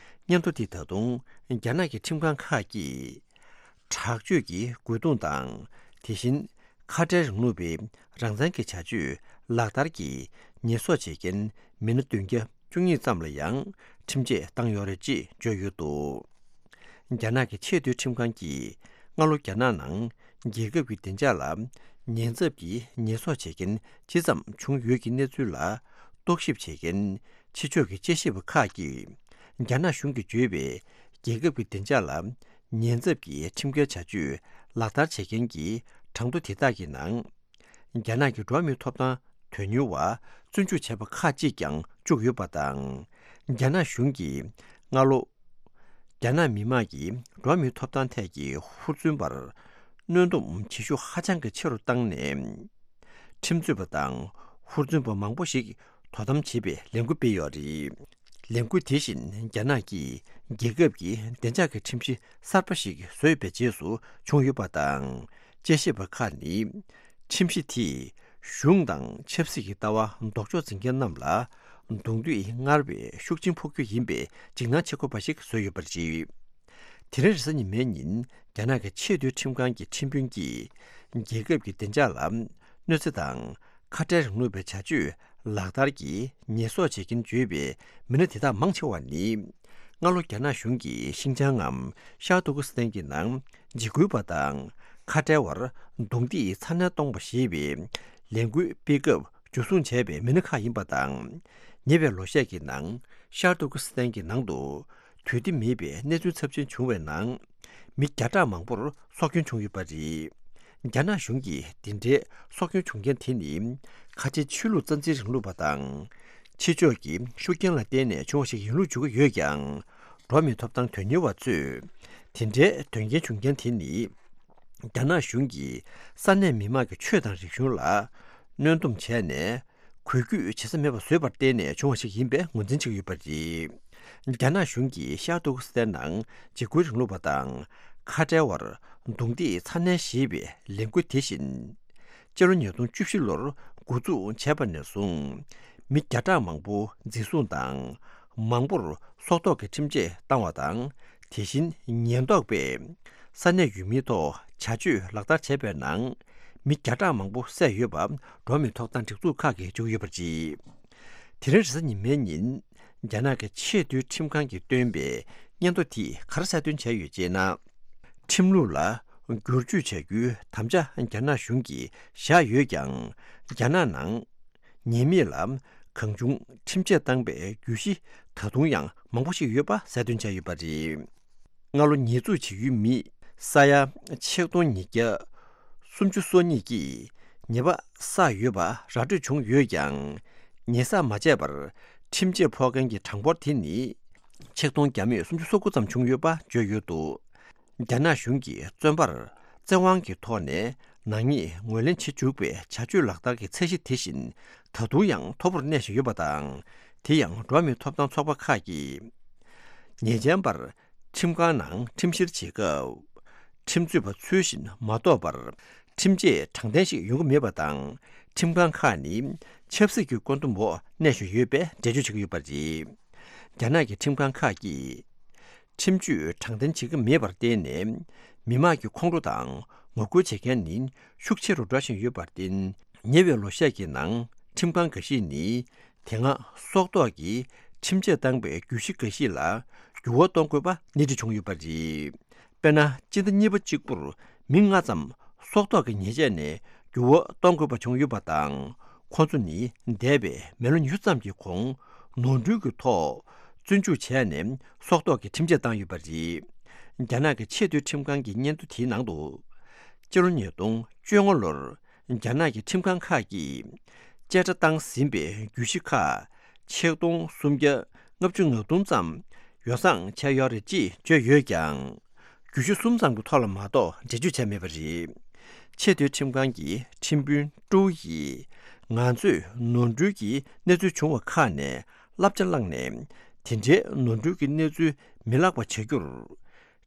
སྙན་ཐོ་དེ་ད་དུང་རྒྱ་ནག་གི་ཁྲིམས་ཁང་ཁག་གིས། དྲག་སྤྱོད་ཀྱི་རྒོལ་རྡུང་དང་། དེ་བཞིན་ཁ་བྲལ་རིང་ལུགས་པའི་རང་བཙན་གྱི་བྱ་སྤྱོད་ལག་བསྟར་གྱིས་ཉེས་གསོག་བྱེད་མཁན་མི་སྣ་བདུན་བརྒྱ་བཅུ་གཉིས་ཙམ་ལ་ཡང་ཁྲིམས་ཆད་བཏང་ཡོད་རེད་ཅེས་བརྗོད་ཡོད་འདུག་རྒྱ་ནག་གི་ཆེས་མཐོའི་ཁྲིམས་ཁང་གིས་སྔ་ལོ་རྒྱ་ནག་ནང་རྒྱལ་ཁབ་ཀྱི་བདེ་འཇགས་ལ་ཉེན་ཚབས་ཀྱི་ཉེས་གསོག་བྱེད་མཁན་ཇི་ཙམ་བྱུང་ཡོད་ཀྱི་གནས་ཚུལ་ལ་རྟོག་ཞིབ་བྱེད་མཁན་ཕྱི་ཕྱོགས་ཀྱི་དཔྱད་ཞིབ་པ་ཁག་གིས་རྒྱ་ནག་གཞུང་གིས་བརྗོད་པའི་རྒྱལ་ཁབ་ཀྱི་བདེ་འཇགས་ལ་ཉེན་ཚབས་ཀྱི་ཁྲིམས་འགལ་བྱ་སྤྱོད་ལག་བསྟར་བྱེད་མཁན་གྱི་གྲངས་ཐོ་དེ་དག་གི་ནང་། རྒྱ་ནག་གི་འགྲོ་བ་མིའི་ཐོབ་ཐང་དོན་གཉེར་བ་བཙོན་འཇུག་བྱས་པ་ཁག་ཅིག་ཀྱང་བཅུག་ཡོད་པ་དང་། རྒྱ་ནག་གཞུང་གིས་སྔ་ལོ། རྒྱ་ནག་མི་དམངས་ཀྱི་འགྲོ་བ་མིའི་ཐོབ་ཐང་ཐད་ཀྱི་ཧུར་བརྩོན་པར་གནོན་སྡོམ་བྱེད་ཤུགས་ཧ་ཅང་གི་ཆེ་རུ་བཏང་ནས། ཁྲིམས་རྩོད་པ་དང་ཧུར་བརྩོན་པ་མང་པོ་ཞིག་དོ་དམ་བྱེད་པའི་ལས་འགུལ་སྤེལ་ཡོད་རེད། ལས་འགུལ་དེ་བཞིན་རྒྱ་ནག་གིས་རྒྱལ་ཁབ་ཀྱི་བདེ་འཇགས་ཀྱི་ཁྲིམས་གཞི་གསར་པ་ཞིག་བཟོས་པའི་རྗེས་སུ་བྱུང་ཡོད་པ་དང་། དཔྱད་ཞིབ་པ་ཁག་ནི། ཁྲིམས་གཞི་དེས་གཞུང་དང་ཆབ་སྲིད་ཀྱི་ལྟ་བ་ལྡོག་ཕྱོགས་འཛིན་མཁན་རྣམས་ལ་གདོང་འདུས་སྔར་བས་ཤུགས་ཆེན་ཕོག་རྒྱུ་ཡིན་པའི་འཇིགས་སྣང་བྱེད་དགོས་པ་ཞིག་བཟོས་ཡོད་པ་རེད། དེ་རིང་རེས་གཟའ་ཉི་མའི་ཉིན་རྒྱ་ནག་གི་ཆེས་མཐོའི་ཁྲིམས་ཁང་གི་ཁྲིམས་དཔོན་གྱིས་རྒྱལ་ཁབ་ཀྱི་བདེ་འཇགས་ལ་གནོད་འཚེ་དང་ཁ་བྲལ་རིང་ལུགས་པའི་བྱ་སྤྱོད་ལག་བསྟར་གྱིས་ཉེས་གསོག་བྱེད་མཁན་བརྗོད་པའི་མི་སྣ་དེ་དག་མང་ཆེ་བ་ནི། སྔ་ལོ་རྒྱ་ནག་གཞུང་གིས་ཤིན་ཅང་ངམ་ཤར་ཏུར་ཀི་སི་ཐན་གྱི་ནང་འཇིགས་སྐུལ་བ་དང་ཁ་བྲལ་བར་རྡུང་རྡེག་ཚ་ནན་གཏོང་བ་ཞེས་པའི་ལས་འགུལ་སྤེལ་སྐབས་འཇུ་བཟུང་བྱས་པའི་མི་སྣ་ཁག་ཡིན་པ་དང་། ཉེ་བའི་ལོ་ཤས་ཀྱི་ནང་ཤར་ཏུར་ཀི་སི་ཐན་གྱི་ནང་དུ་དུས་བདེ་མེད་པའི་གནས་ཚུལ་ཚབས་ཆེན་བྱུང་བའི་ནང་། མི་བརྒྱ་ཕྲག་མང་པོར་སྲོག་སྐྱོན་བྱུང་ཡོད་པ་རེད། རྒྱ་ནག་གཞུང་གིས་འདི་འདྲའི་སྲོག་སྐྱོན་བྱུང་རྐྱེན་དེ་ནི། ཁ་ཆེ་ཆོས་ལུགས་རྩ་འཛིན་རིང་ལུགས་པ་དང་། ཕྱི་ཕྱོགས་ཀྱི་ཤུགས་རྐྱེན་ལ་བརྟེན་ནས་བྱུང་བ་ཞིག་ཡིན་ལུགས་བརྗོད་ཀྱི་ཡོད་ཀྱང་། འགྲོ་བ་མིའི་ཐོབ་ཐང་དོན་གཉེར་བ་ཚོས། དེ་འདྲའི་དོན་རྐྱེན་བྱུང་རྐྱེན་དེ་ནི། རྒྱ་ནག་གཞུང་གིས་ས་གནས་མི་མང་གི་ཆོས་དང་རིག་གཞུང་ལ་གནོན་སྡོམ་བྱས་ནས། འགུལ་སྐྱོད་བྱེད་ས་མེད་པ་བཟོས་པར་བརྟེན་ནས་བྱུང་བ་ཞིག་ཡིན་པའི་ངོས་འཛིན་བྱེད་ཀྱི་ཡོད་པ་རེད། རྒྱ་ནག་གཞུང་གིས་ཤར་ཏུར་ཀི་སི་ཐན་ནང་འཇིགས་སྐུལ་རིང་ལུགས་པ་དང་ཁ་བྲལ་བར་རྡུང་རྡེག་ཚ་ནན་བྱེད་པའི་ལས་འགུལ་དེ་བཞིན། སྤྱི་ལོ་ཉིས་སྟོང་བཅུ་བཞི་ལོར་འགོ་འཛུགས་བྱས་པ་ནས་བཟུང་། མི་བརྒྱ་ཕྲག་མང་པོ་འཛིན་བཟུང་དང་། མང་པོར་སྲོག་ཐོག་གི་ཁྲིམས་ཆད་བཏང་བ་དང་། དེ་བཞིན་ཉེན་རྟོག་པས་ས་གནས་ཡུལ་མིའི་ཐོག་བྱ་སྤྱོད་ལག་བསྟར་བྱས་པའི་ནང་། མི་བརྒྱ་ཕྲག་མང་པོ་བསད་ཡོད་པ་འགྲོ་བ་མིའི་ཐོབ་ཐང་སྒྲིག་འཛུགས་ཁག་གིས་བརྗོད་ཀྱི་ཡོད་པ་རེད། དེ་རིང་རེས་གཟའ་ཉི་མའི་ཉིན། རྒྱ་ནག་གི་ཆེས་མཐོའི་ཁྲིམས་ཁང་གིས་བཏོན་པའི་སྙན་ཐོ་དེས་ག་རེ་གསལ་སྟོན་བྱས་ཡོད་ཅེ་ན། ཁྲིམས་ལུགས་ལ་བསྒྱུར་བཅོས་བྱ་རྒྱུའི་དམ་བཅའ་རྒྱ་ནག་གཞུང་གིས་བཞག་ཡོད་ཀྱང་། རྒྱ་ནག་ནང་ཉེས་མེད་ལ་གང་བྱུང་ཁྲིམས་ཆད་བཏང་པའི་བརྒྱུད་གཞི་ད་དུང་ཡང་མང་པོ་ཞིག་ཡོད་པ་གསལ་སྟོན་བྱས་ཡོད་པ་རེད། སྔ་ལོ་ཉེས་འཛུགས་བྱེད་ཡུལ་མི་ས་ཡ་ཆིག་སྟོང་ཉིས་བརྒྱ་སུམ་ཅུ་སོ་གཉིས་ཀྱིས་ཉེས་པ་བསགས་ཡོད་པ་ར་སྤྲོད་བྱུང་ཡོད་ཀྱང་། ཉེས་བསགས་མ་བྱས་པར་ཁྲིམས་ཆད་ཕོག་མཁན་གྱི་གྲངས་འབོར་དེ་ནི་ཆིག་སྟོང་བརྒྱ་མེད་སུམ་ཅུ་སོ་དགུ་ཙམ་བྱུང་ཡོད་པ་བརྗོད་ཡོད་འདུག་རྒྱ་ནག་གཞུང་གིས་བཙོན་པར་བཙན་དབང་གི་ཐོག་ནས་ནག་ཉེས་ངོས་ལེན་བྱེད་འཇུག་པའི་བྱ་སྤྱོད་ལག་བསྟར་གྱི་ཚད་གཞི་དེ་བཞིན་ད་དུང་ཡང་མཐོ་པོར་གནས་བཞིན་ཡོད་པ་དང་། དེ་ཡང་འགྲོ་བ་མིའི་ཐོབ་ཐང་ཚོགས་པ་ཁག་གིས་ཉེས་ཅན་པར་ཁྲིམས་ཁང་ནང་ཁྲིམས་བཤེར་བྱེད་སྐབས། ཁྲིམས་རྩོད་པ་ཚུལ་བཞིན་མ་གཏོགས་པར་ཁྲིམས་ཆད་དྲང་བདེན་ཞིག་ཡོང་གི་མེད་པ་དང་། ཁྲིམས་ཁང་ཁག་ནི་ཆབ་སྲིད་ཀྱི་བཀོད་འདོམས་འོག་གནས་བཞིན་ཡོད་པའི་འགྲེལ་བརྗོད་བྱེད་ཀྱི་ཡོད་པ་རེད། རྒྱ་ནག་གི་ཁྲིམས་ཁང་ཁག་གིས། ཁྲིམས་གཅོད་དྲང་བདེན་བྱེད་ཀྱི་མེད་པར་བརྟེན་ནས། མི་དམངས་ཀྱི་ཁོང་ཁྲོ་དང་ངོ་རྒོལ་བྱེད་མཁན་ནི་ཤུགས་ཆེ་རུ་འགྲོ་བཞིན་ཡོད་པར་བརྟེན། ཉེ་བའི་ལོ་ཤས་ཀྱི་ནང་ཁྲིམས་ཁང་འགའ་ཤས་ནི། དེ་སྔ་སྲོག་ཐོག་གི་ཁྲིམས་ཆད་བཏང་པའི་བརྒྱུད་གཞི་འགའ་ཞིག་ལ་འགྱུར་བ་གཏོང་དགོས་པ་སྣེ་ཁྲིད་བྱུང་ཡོད་པ་རེད། དཔེར་ན། སྤྱི་ཟླ་གཉིས་པ་གཅིག་པུར་མི་ལྔ་ཙམ་སྲོག་ཐོག་གི་ཉེས་ཆད་ནས་འགྱུར་བ་གཏོང་དགོས་པ་བྱུང་ཡོད་པ་དང་། ཁོ་ཚོ་ནི་འདས་པའི་མི་ལོ་ཉི་ཤུ་ཙམ་གྱི་གོང་ནོར་འཁྲུལ་གྱི་ཐོག་བཙོན་འཇུག་བྱས་ནས་སྲོག་ཐོག་གི་ཁྲིམས་ཆད་བཏང་ཡོད་པ་རེད། རྒྱ་ནག་གི་ཆེས་མཐོའི་ཁྲིམས་ཁང་གི་སྙན་ཐོ་དེའི་ནང་དུ། སྤྱི་ལོ་ཉིས་སྟོང་བཅོ་ལྔ་ལོར་རྒྱ་ནག་གི་ཁྲིམས་ཁང་ཁག་གིས་བཅད་ཁྲ་བཏང་ཟིན་པའི་བརྒྱུད་གཞི་ཁག་ཆིག་སྟོང་སུམ་བརྒྱ་ལྔ་བཅུ་ང་གསུམ་ཙམ་ཡོ་བསྲང་བྱས་ཡོད་རེད་ཅེས་བརྗོད་ཡོད་ཀྱང་། བརྒྱུད་གཞི་གསུམ་ཙམ་གྱི་ཐོག་ལ་མ་གཏོགས་འགྲེལ་བརྗོད་བྱས་མེད་པ་རེད། ཆེས་མཐོའི་ཁྲིམས་ཁང་གི་ཁྲིམས་དཔོན་ཀྲོའུ་ཡིས། ང་ཚོས་ནོར་འཁྲུལ་གྱི་གནས་ཚུལ་བྱུང་བ་ཁག་ནས་བསླབ་བྱ་བླངས་ནས། དེ་འདྲའི་ནོར་འཁྲུལ་གྱི་གནས་ཚུལ་མི་ལྷག་པ་བྱ་རྒྱུར།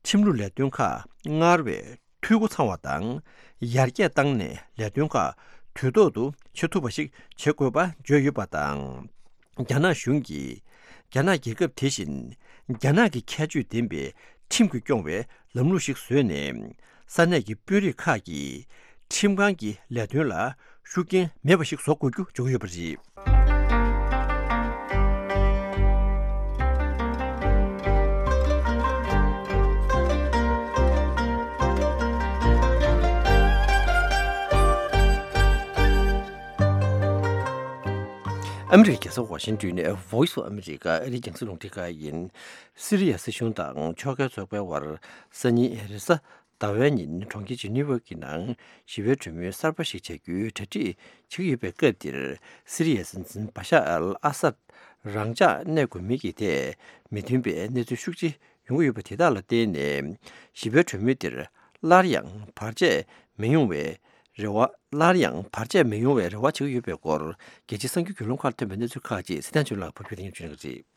ཁྲིམས་ལུགས་ལས་དོན་ཁག་སྔར་བས་འཐུས་སྒོ་ཚང་བ་དང་ཡར་རྒྱས་བཏང་ནས་ལས་དོན་ཁག་དུས་ཐོག་ཏུ་བྱེད་ཐུབ་པ་ཞིག་བྱེད་དགོས་པ་བརྗོད་ཡོད་པ་དང་། རྒྱ་ནག་གཞུང་གིས་རྒྱ་ནག་རྒྱལ་ཁབ་དེ་བཞིན་རྒྱ་ནག་གི་ཁྱད་ཆོས་ལྡན་པའི་ཁྲིམས་ཀྱིས་སྐྱོང་བའི་ལམ་ལུགས་ཤིག་བཟོས་ནས། ས་གནས་ཀྱི་དཔོན་རིགས་ཁག་གིས་ཁྲིམས་ཁང་གི་ལས་དོན་ལ་ཤུགས་རྐྱེན་མེད་པ་ཞིག་བཟོ་དགོས་རྒྱུ་བརྗོད་ཀྱི་ཡོད་པ་རེད། ཨ་མི་རི་ཀའི་རྒྱལ་ས་ཝ་ཤིང་ཏོན་ནས་Voice of America ཨ་རིའི་རྒྱང་སྲིང་རླུང་འཕྲིན་ཁང་ཡིན། སི་རི་ཡ་སྲིད་གཞུང་དང་ཕྱོགས་འགལ་ཚོགས་པའི་དབར་སང་ཉིན་རེས་གཟའ་ཟླ་བའི་ཉིན་གྲོང་ཁྱེར་ཇི་ནི་ཝ་གི་ནང་ཞི་བའི་གྲོས་མོལ་གསར་པ་ཞིག་བྱ་རྒྱུའི་གྲ་སྒྲིག་བྱེད་ཀྱི་ཡོད་པའི་སྐབས་འདིར། སི་རི་ཡའི་སྲིད་འཛིན་བ་ཤར་ཨལ་ཨ་སད་རང་འཇགས་གནས་དགོས་མིན་གྱི་ཐད་མི་མཐུན་པའི་གནས་ཚུལ་ཤུགས་ཆེ་ཡོང་གི་ཡོད་པ་དེ་དག་ལ་བརྟེན་ནས། ཞི་བའི་གྲོས་མོལ་འདིར་སླར་ཡང་བར་ཆད་མི་ཡོང་བའི་རེ་བ། སླར་ཡང་བར་ཆད་མི་ཡོང་བའི་རེ་བ་བྱེད་ཀྱི་ཡོད་པའི་སྐོར། རྒྱལ་སྤྱིའི་གསར་འགྱུར་བརྒྱུད་ལམ་ཁག་ཐོན་པའི་གནས་ཚུལ་ཁག་ཅིག་སི་ཐན་ཆོས་ལགས་ཕབ་སྒྱུར་དང་སྙན་སྒྲོན་ཞུ་གནང་གི་རེད།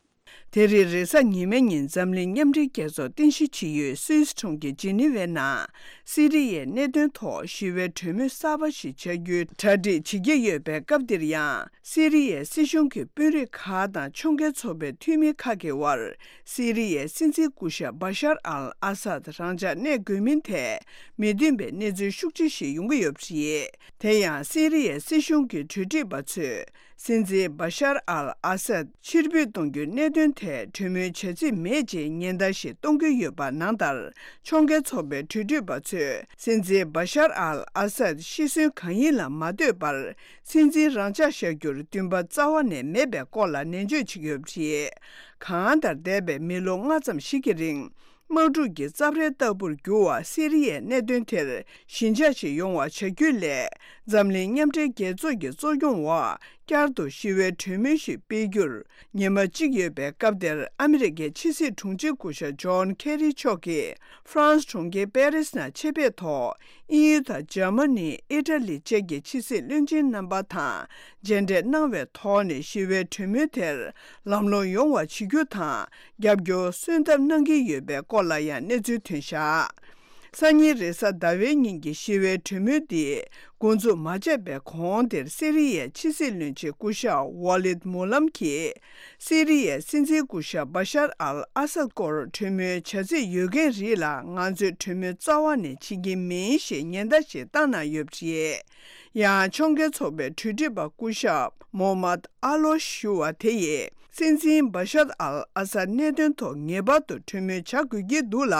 དེ་རིང་རེས་གཟའ་ཉི་མའི་ཉིན་འཛམ་གླིང་མཉམ་འབྲེལ་རྒྱལ་ཚོགས་རྟེན་གཞི་བྱེད་ཡུལ་སུད་སི་གྲོང་ཁྱེར་ཇི་ནི་ཝའི་ནང་སི་རི་ཡའི་གནད་དོན་ཐོག་ཞི་བའི་གྲོས་མོལ་གསར་པ་ཞིག་བྱ་རྒྱུའི་གྲ་སྒྲིག་བྱེད་ཀྱི་ཡོད་པའི་སྐབས་འདིར་ཡང་། སི་རི་ཡའི་སྲིད་གཞུང་གི་དཔོན་རིགས་ཁག་དང་ཕྱོགས་འགལ་ཚོགས་པའི་འཐུས་མི་ཁག་གི་དབར། སི་རི་ཡའི་སྲིད་འཛིན་སྐུ་ཞབས་བ་ཤར་ཨལ་ཨ་སད་རང་འཇགས་གནས་དགོས་མིན་ཐད་མི་མཐུན་པའི་གནས་ཚུལ་ཤུགས་ཆེ་ཞིག་ཡོང་གི་ཡོད་པ་རེད། དེ་ཡང་སི་རི་ཡའི་སྲིད་གཞུང་གི་གྲོས་སྒྲིག་པ་ཚོས། སྲིད་འཛིན་བ་ཤར་ཨལ་ཨ་སད་ཕྱིར་འབུད་གཏོང་རྒྱུའི་གནད་དོན་ཐད་གྲོས་མོལ་བྱ་རྩིས་མེད་ཅེས་ཉེན་བརྡ་ཞིག་གཏོང་གི་ཡོད་པ་ནང་ལྟར། ཕྱོགས་འགལ་ཚོགས་པའི་གྲོས་སྒྲིག་པ་ཚོས་སྲིད་འཛིན་བ་ཤར་ཨལ་ཨ་སད་ཤི་གསོན་གང་ཡིན་ལ་མ་ལྟོས་པར། སྲིད་འཛིན་རང་འཇགས་བཞག་རྒྱུར་འདུན་པ་རྩ་བ་ནས་མེད་པའི་སྐོར་ལ་ནན་བརྗོད་བྱེད་ཀྱི་ཡོད་པ་རེད། གང་ལྟར་འདས་པའི་མི་ལོ་ལྔ་ཙམ་ཞིག་གི་རིང་། དམག་འཁྲུག་གི་རྩབ་ཧྲལ་ལྟ་བུར་གྱུར་བ་སི་རི་ཡའི་གནད་དོན་དེར་ཞི་འཇགས་ཤིག་ཡོང་བ་བྱ་རྒྱུ་ལས། འཛམ་གླིང་མཉམ་འབྲེལ་རྒྱལ་ཚོགས་ཀྱི་གཙོ་སྐྱོང་འོག་བསྐྱར་དུ་ཞི་བའི་གྲོས་མོལ་ཞིག་སྤེལ་རྒྱུར་ཉི་མ་གཅིག་ཡོད་པའི་སྐབས་དེར། ཨ་མི་རི་ཀའི་ཕྱི་སྲིད་དྲུང་ཆེ་སྐུ་ཞབས་ཇོན་ཁེ་རི་མཆོག་གིས་ཧྥ་རན་སི་གྲོང་ཁྱེར་པེ་རིས་ནང་ཆེད་ཕེབས་ཐོག་དབྱིན་ཡུལ་དང་འཇར་མ་ནི། ཨི་ཊ་ལི་བཅས་ཀྱི་ཕྱི་སྲིད་བློན་ཆེན་རྣམ་པ་དང་མཇལ་འཕྲད་གནང་བའི་ཐོག་ནས་ཞི་བའི་གྲོས་མོལ་དེར་ལམ་ལྷོང་ཡོང་བ་བྱེད་རྒྱུ་དང་། རྒྱབ་སྐྱོར་སོན་ཐབས་གནང་གི་ཡོད་པའི་སྐོར་ལ་ཡང་གནས་ཚུལ་ཐོན་བཞག་སང་ཉིན་རེས་གཟའ་ཟླ་བའི་ཉིན་གྱི་ཞི་བའི་གྲོས་མོལ་འདི་འགོ་འཛུགས་མ་བྱས་པའི་གོང་དེར། སི་རི་ཡའི་ཕྱི་སྲིད་བློན་ཆེན་སྐུ་ཞབས་ཝ་ལིད་མུ་ལམ་གྱིས། སི་རི་ཡའི་སྲིད་འཛིན་སྐུ་ཞབས་བ་ཤར་ཨལ་ཨ་སད་སྐོར་གྲོས་མོལ་བྱ་རྩིས་ཡོད་མཁན་རིགས་ལ། ང་ཚོས་གྲོས་མོལ་རྩ་བ་ནས་བྱེད་ཀྱི་མིན་ཞེས་ཉེན་བརྡ་ཞིག་བཏང་གནང་ཡོད་པ་རེད། ཡང་ཕྱོགས་འགལ་ཚོགས་པའི་གྲོས་སྒྲིག་པ་སྐུ་ཞབས་མོ་མད་ཨ་ལོ་ཞུ་བ་དེ་ཡིས། སྲིད་འཛིན་བ་ཤར་ཨལ་ཨ་སད་གནད་དོན་ཐོག་ངེས་པར་དུ་གྲོས་མོལ་བྱ་དགོས་ཀྱི་འདུག་ལ།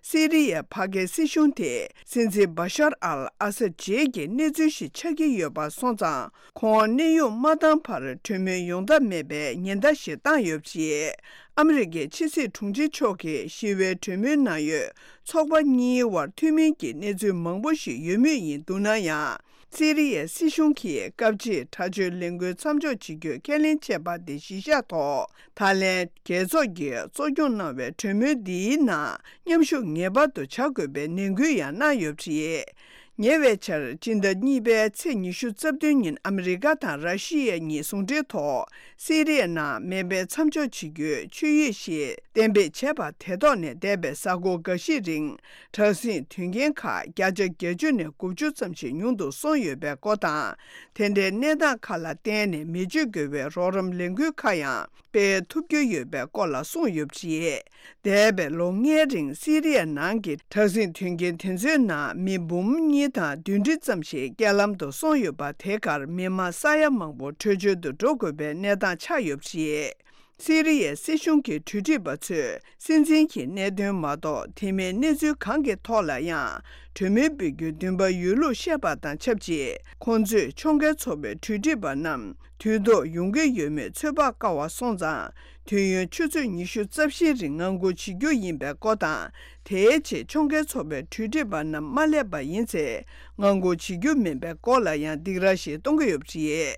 སི་རི་ཡའི་ཕ་སྐད་སྲིད་གཞུང་དེ་སྲིད་འཛིན་བ་ཤར་ཨལ་ཨ་སད་རྗེས་ཀྱི་གནས་ཚུལ་ཞིག་ཆགས་ཀྱི་ཡོད་པ་སོང་ཙང་། ཁོང་གནས་དབྱུང་མ་བཏང་བར་གྲོས་མོལ་ཡོང་ཐབས་མེད་པའི་ཉེན་བརྡ་ཞིག་བཏང་ཡོད་པ་རེད། ཨ་མི་རི་ཀའི་ཕྱི་སྲིད་དྲུང་ཆེ་མཆོག་གིས་ཞི་བའི་གྲོས་མོལ་ནང་ཡོད་ཚོགས་པ་གཉིས་དབར་མཐུན་མིན་གྱི་གནས་ཚུལ་མང་པོ་ཞིག་ཡོད་མུས་ཡིན་འདུག་ན་ཡང་། སི་རི་ཡའི་སྲིད་གཞུང་གིས་སྐབས་གཅིག་དྲག་སྤྱོད་ལས་འགུལ་མཚམས་འཇོག་བྱེད་རྒྱུའི་ཁས་ལེན་བྱས་པ་དེ་གཞི་བཞག་ཐོག་ད་ལན་རྒྱལ་ཚོགས་ཀྱིས་གཙོ་སྐྱོང་གནང་བའི་གྲོས་མོལ་འདིའི་ནང་མཉམ་ཞུགས་ངེས་པར་དུ་བྱ་དགོས་པའི་ནན་སྐུལ་ཡང་གནང་ཡོད་པ་རེད། ཉེ་བའི་ཆར་སྤྱི་ཟླ་གཉིས་པའི་ཚེས་ཉི་ཤུ་རྩ་བདུན་ཉིན་ཨ་མི་རི་ཀ་དང་ར་ཤི་ཡ་གཉིས་ཟུང་འབྲེལ་ཐོག་སི་རི་ཡའི་ནང་མེ་འཕེན་མཚམས་འཇོག་བྱེད་རྒྱུའི་ཆོད་ཡིག་ཞིག་གཏན་འབེབས་བྱས་པ་དེ་ཐོག་ནས་འདས་པའི་གཟའ་འཁོར་འགའ་ཤས་རིང་དྲག་ཟིང་དོན་རྐྱེན་ཁག་བརྒྱ་ཆ་བརྒྱད་ཅུ་ནས་དགུ་བཅུ་ཙམ་ཞིག་ཉུང་དུ་སོང་ཡོད་པའི་སྐོར་དང་། དེ་འདྲའི་གནས་སྟངས་ཁག་ལ་བརྟེན་ནས་མེ་མཆོད་དགོས་པའི་རོགས་རམ་ལས་འགུལ་ཁག་ཡང་སྤེལ་ཐུབ་རྒྱུ་ཡོད་པའི་སྐོར་ལ་གསུངས་ཡོད་པ་རེད། འདས་པའི་ལོ་ལྔའི་རིང་སི་རི་ཡ་ནང་གི་དྲག་ཟིང་དོན་རྐྱེན་དེ་ཚོའི་ནང་མི་འབུམ་གཉིས་དང་བདུན་ཁྲི་ཙམ་ཞིག་རྐྱེན་ལམ་དུ་སོང་ཡོད་པ་དེ་གར་མི་མང་ས་ཡ་མང་པོ་བྲོས་བྱོལ་དུ་འགྲོ་དགོས་པའི་གནས་སྟངས་ཆགས་ཡོད་པ་རེད། སི་རི་ཡའི་སྲིད་གཞུང་གི་གྲོས་སྒྲིག་པ་ཚོས་སྲིད་འཛིན་གྱི་གནད་དོན་མ་གཏོགས་དེ་མིན་གནས་ཚུལ་གང་གི་ཐོག་ལ་ཡང་གྲོས་མོལ་སྤེལ་རྒྱུའི་འདུན་པ་ཡོད་ལུགས་བཤད་པ་དང་ཆབས་ཅིག་ཁོང་ཚོས་ཕྱོགས་འགལ་ཚོགས་པའི་གྲོས་སྒྲིག་པ་རྣམས་དུས་ཐོག་ཡོང་གི་ཡོད་མེད་ཚོད་དཔག་དཀའ་བ་སོང་ཙང་། དུས་ཡུན་ཆུ་ཚོད་ཉི་ཤུ་རྩ་བཞིའི་རིང་ངང་སྒུག་བྱེད་རྒྱུ་ཡིན་པའི་སྐོར་དང་། དེའི་རྗེས་ཕྱོགས་འགལ་ཚོགས་པའི་གྲོས་སྒྲིག་པ་རྣམས་མ་སླེབས་པ་ཡིན་ཚེ། ངང་སྒུག་བྱེད་རྒྱུ་མིན་པའི་སྐོར་ལ་ཡང་སྡིགས་ར་ཞིག་གཏོང་གི་ཡོད་པ་རེད།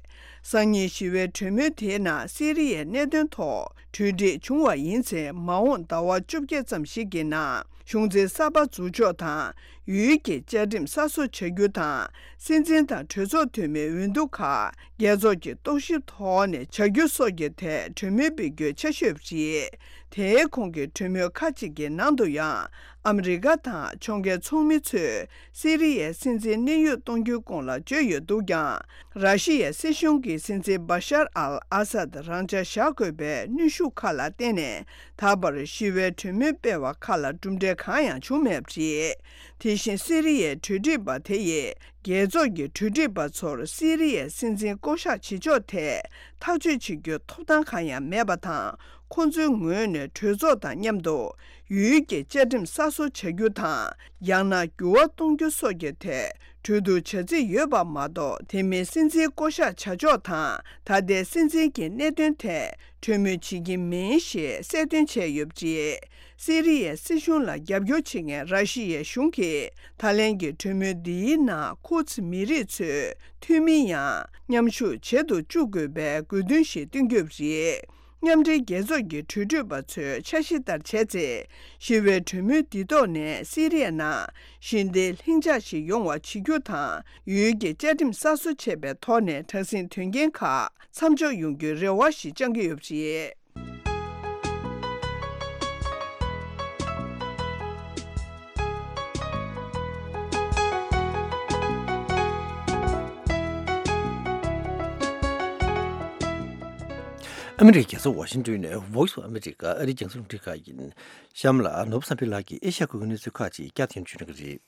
སང་ཉིན་ཞི་བའི་གྲོས་མོལ་དེའི་ནང་སི་རི་ཡའི་གནད་དོན་ཐོག་གྲོས་འགྲིག་བྱུང་བ་ཡིན་ཚེ། མ་འོངས་ཟླ་བ་བཅོ་བརྒྱད་ཙམ་ཞིག་གི་ནང་གཞུང་འཛིན་གསར་པ་འཛུགས་ཕྱོགས་དང་། ཡུལ་གྱི་བཅའ་ཁྲིམས་གསར་བཟོ་བྱ་རྒྱུ་དང་། སྲིད་འཛིན་དང་གྲོས་ཚོགས་འཐུས་མིའི་འོས་བསྡུ་ཁག་རྒྱལ་ཚོགས་ཀྱི་རྟོག་ཞིབ་ཐོག་ནས་བྱ་རྒྱུ་སོགས་ཀྱི་ཐད་གྲོས་མོལ་སྤེལ་རྒྱུའི་འཆར་གཞི་ཡོད་པ་རེད། དེའི་གོང་གི་གྲོས་མོལ་ཁག་ཅིག་གི་ནང་དུ་ཡང་ཨ་མི་རི་ཀ་དང་ཕྱོགས་འགལ་ཚོགས་མི་ཚོས་སི་རི་ཡའི་སྲིད་འཛིན་གནས་དབྱུང་གཏོང་རྒྱུའི་སྐོར་ལ་བརྗོད་ཡོད་འདུག་ཀྱང་། ར་ཤི་ཡའི་སྲིད་གཞུང་གིས་སྲིད་འཛིན་བ་ཤར་ཨལ་ཨ་སད་རང་འཇགས་བཞག་དགོས་པའི་གནོན་ཤུགས་ཁག་ལ་བརྟེན་ནས། ད་བར་ཞི་བའི་གྲོས་མོལ་སྤེལ་བ་ཁག་ལ་གྲུབ་འབྲས་གང་ཡང་བྱུང་མེད་པ་རེད། དེ་བཞིན་སི་རི་ཡའི་གྲོས་སྒྲིག་པ་དེ་ཡིས་རྒྱལ་ཚོགས་ཀྱི་གྲོས་སྒྲིག་པ་ཚོར་སི་རི་ཡའི་སྲིད་འཛིན་བསྐོ་གཞག་བྱེད་ཕྱོགས་ཐད་ཐག་གཅོད་བྱེད་རྒྱུའི་ཐོབ་ཐང་གང་ཡང་མེད་པ་དང་། ཁོང་ཚོའི་ངོས་ནས་གྲོས་ཚོགས་དང་མཉམ་དུ་ཡུལ་གྱི་བཅའ་ཁྲིམས་གསར་བཟོ་བྱ་རྒྱུ་དང་། ཡང་ན་འགྱུར་བ་གཏོང་རྒྱུ་སོགས་ཀྱི་ཐད་གྲོས་བསྡུར་བྱ་རྩིས་ཡོད་པ་མ་གཏོགས། དེ་མིན་སྲིད་འཛིན་བསྐོ་གཞག་བྱ་ཕྱོགས་དང་། ད་ལྟའི་སྲིད་འཛིན་གྱི་གནད་དོན་ཐད་གྲོས་མོལ་བྱེད་ཀྱི་མིན་ཞེས་གསལ་སྟོན་བྱས་ཡོད་པ་རེད། སི་རི་ཡའི་སྲིད་གཞུང་ལ་རྒྱབ་སྐྱོར་བྱེད་མཁན་ར་ཤི་ཡའི་གཞུང་གིས་ད་ལན་གྱི་གྲོས་མོལ་འདིའི་ནང་ཁུར་ཙི་མི་རིགས་ཚོས་འཐུས་མི་ཡང་མཉམ་ཞུགས་བྱེད་དུ་བཅུག་དགོས་པའི་དགོས་འདུན་ཞིག་བཏོན་ཡོད་པ་རེད། མཉམ་འབྲེལ་རྒྱལ་ཚོགས་ཀྱི་གྲོས་སྒྲིག་པ་ཚོའི་འཆར་གཞི་ལྟར་བྱས་ཚེ། ཞི་བའི་གྲོས་མོལ་འདི་ཐོག་ནས་སི་རི་ཡ་ནང་ཞི་བདེ་ལྷིང་འཇགས་ཤིག་ཡོང་བ་བྱེད་རྒྱུ་དང་། ཡུལ་གྱི་བཅའ་ཁྲིམས་གསར་བཟོ་བྱས་པའི་ཐོག་ནས་དྲག་ཟིང་དོན་རྐྱེན་ཁག་མཚམས་འཇོག་ཡོང་རྒྱུའི་རེ་བ་ཞིག་བཅང་གི་ཡོད་པ་རེད། ཨ་མི་རི་ཀའི་རྒྱལ་ས་ཝ་ཤིང་ཏོན་ནས་Voice of America ཨ་རིའི་རྒྱང་སྲིང་རླུང་འཕྲིན་ཁང་ཡིན། གཤམ་ལ་ནོར་བུ་བསམ་འཕེལ་ལགས་ཀྱིས་ཨེ་ཤ་ཡ་ཁུལ་གྱི་གནས་ཚུལ་ཁག་ཅིག་བསྐྱར་དུ་སྙན་སྒྲོན་ཞུ་གནང་གི་རེད།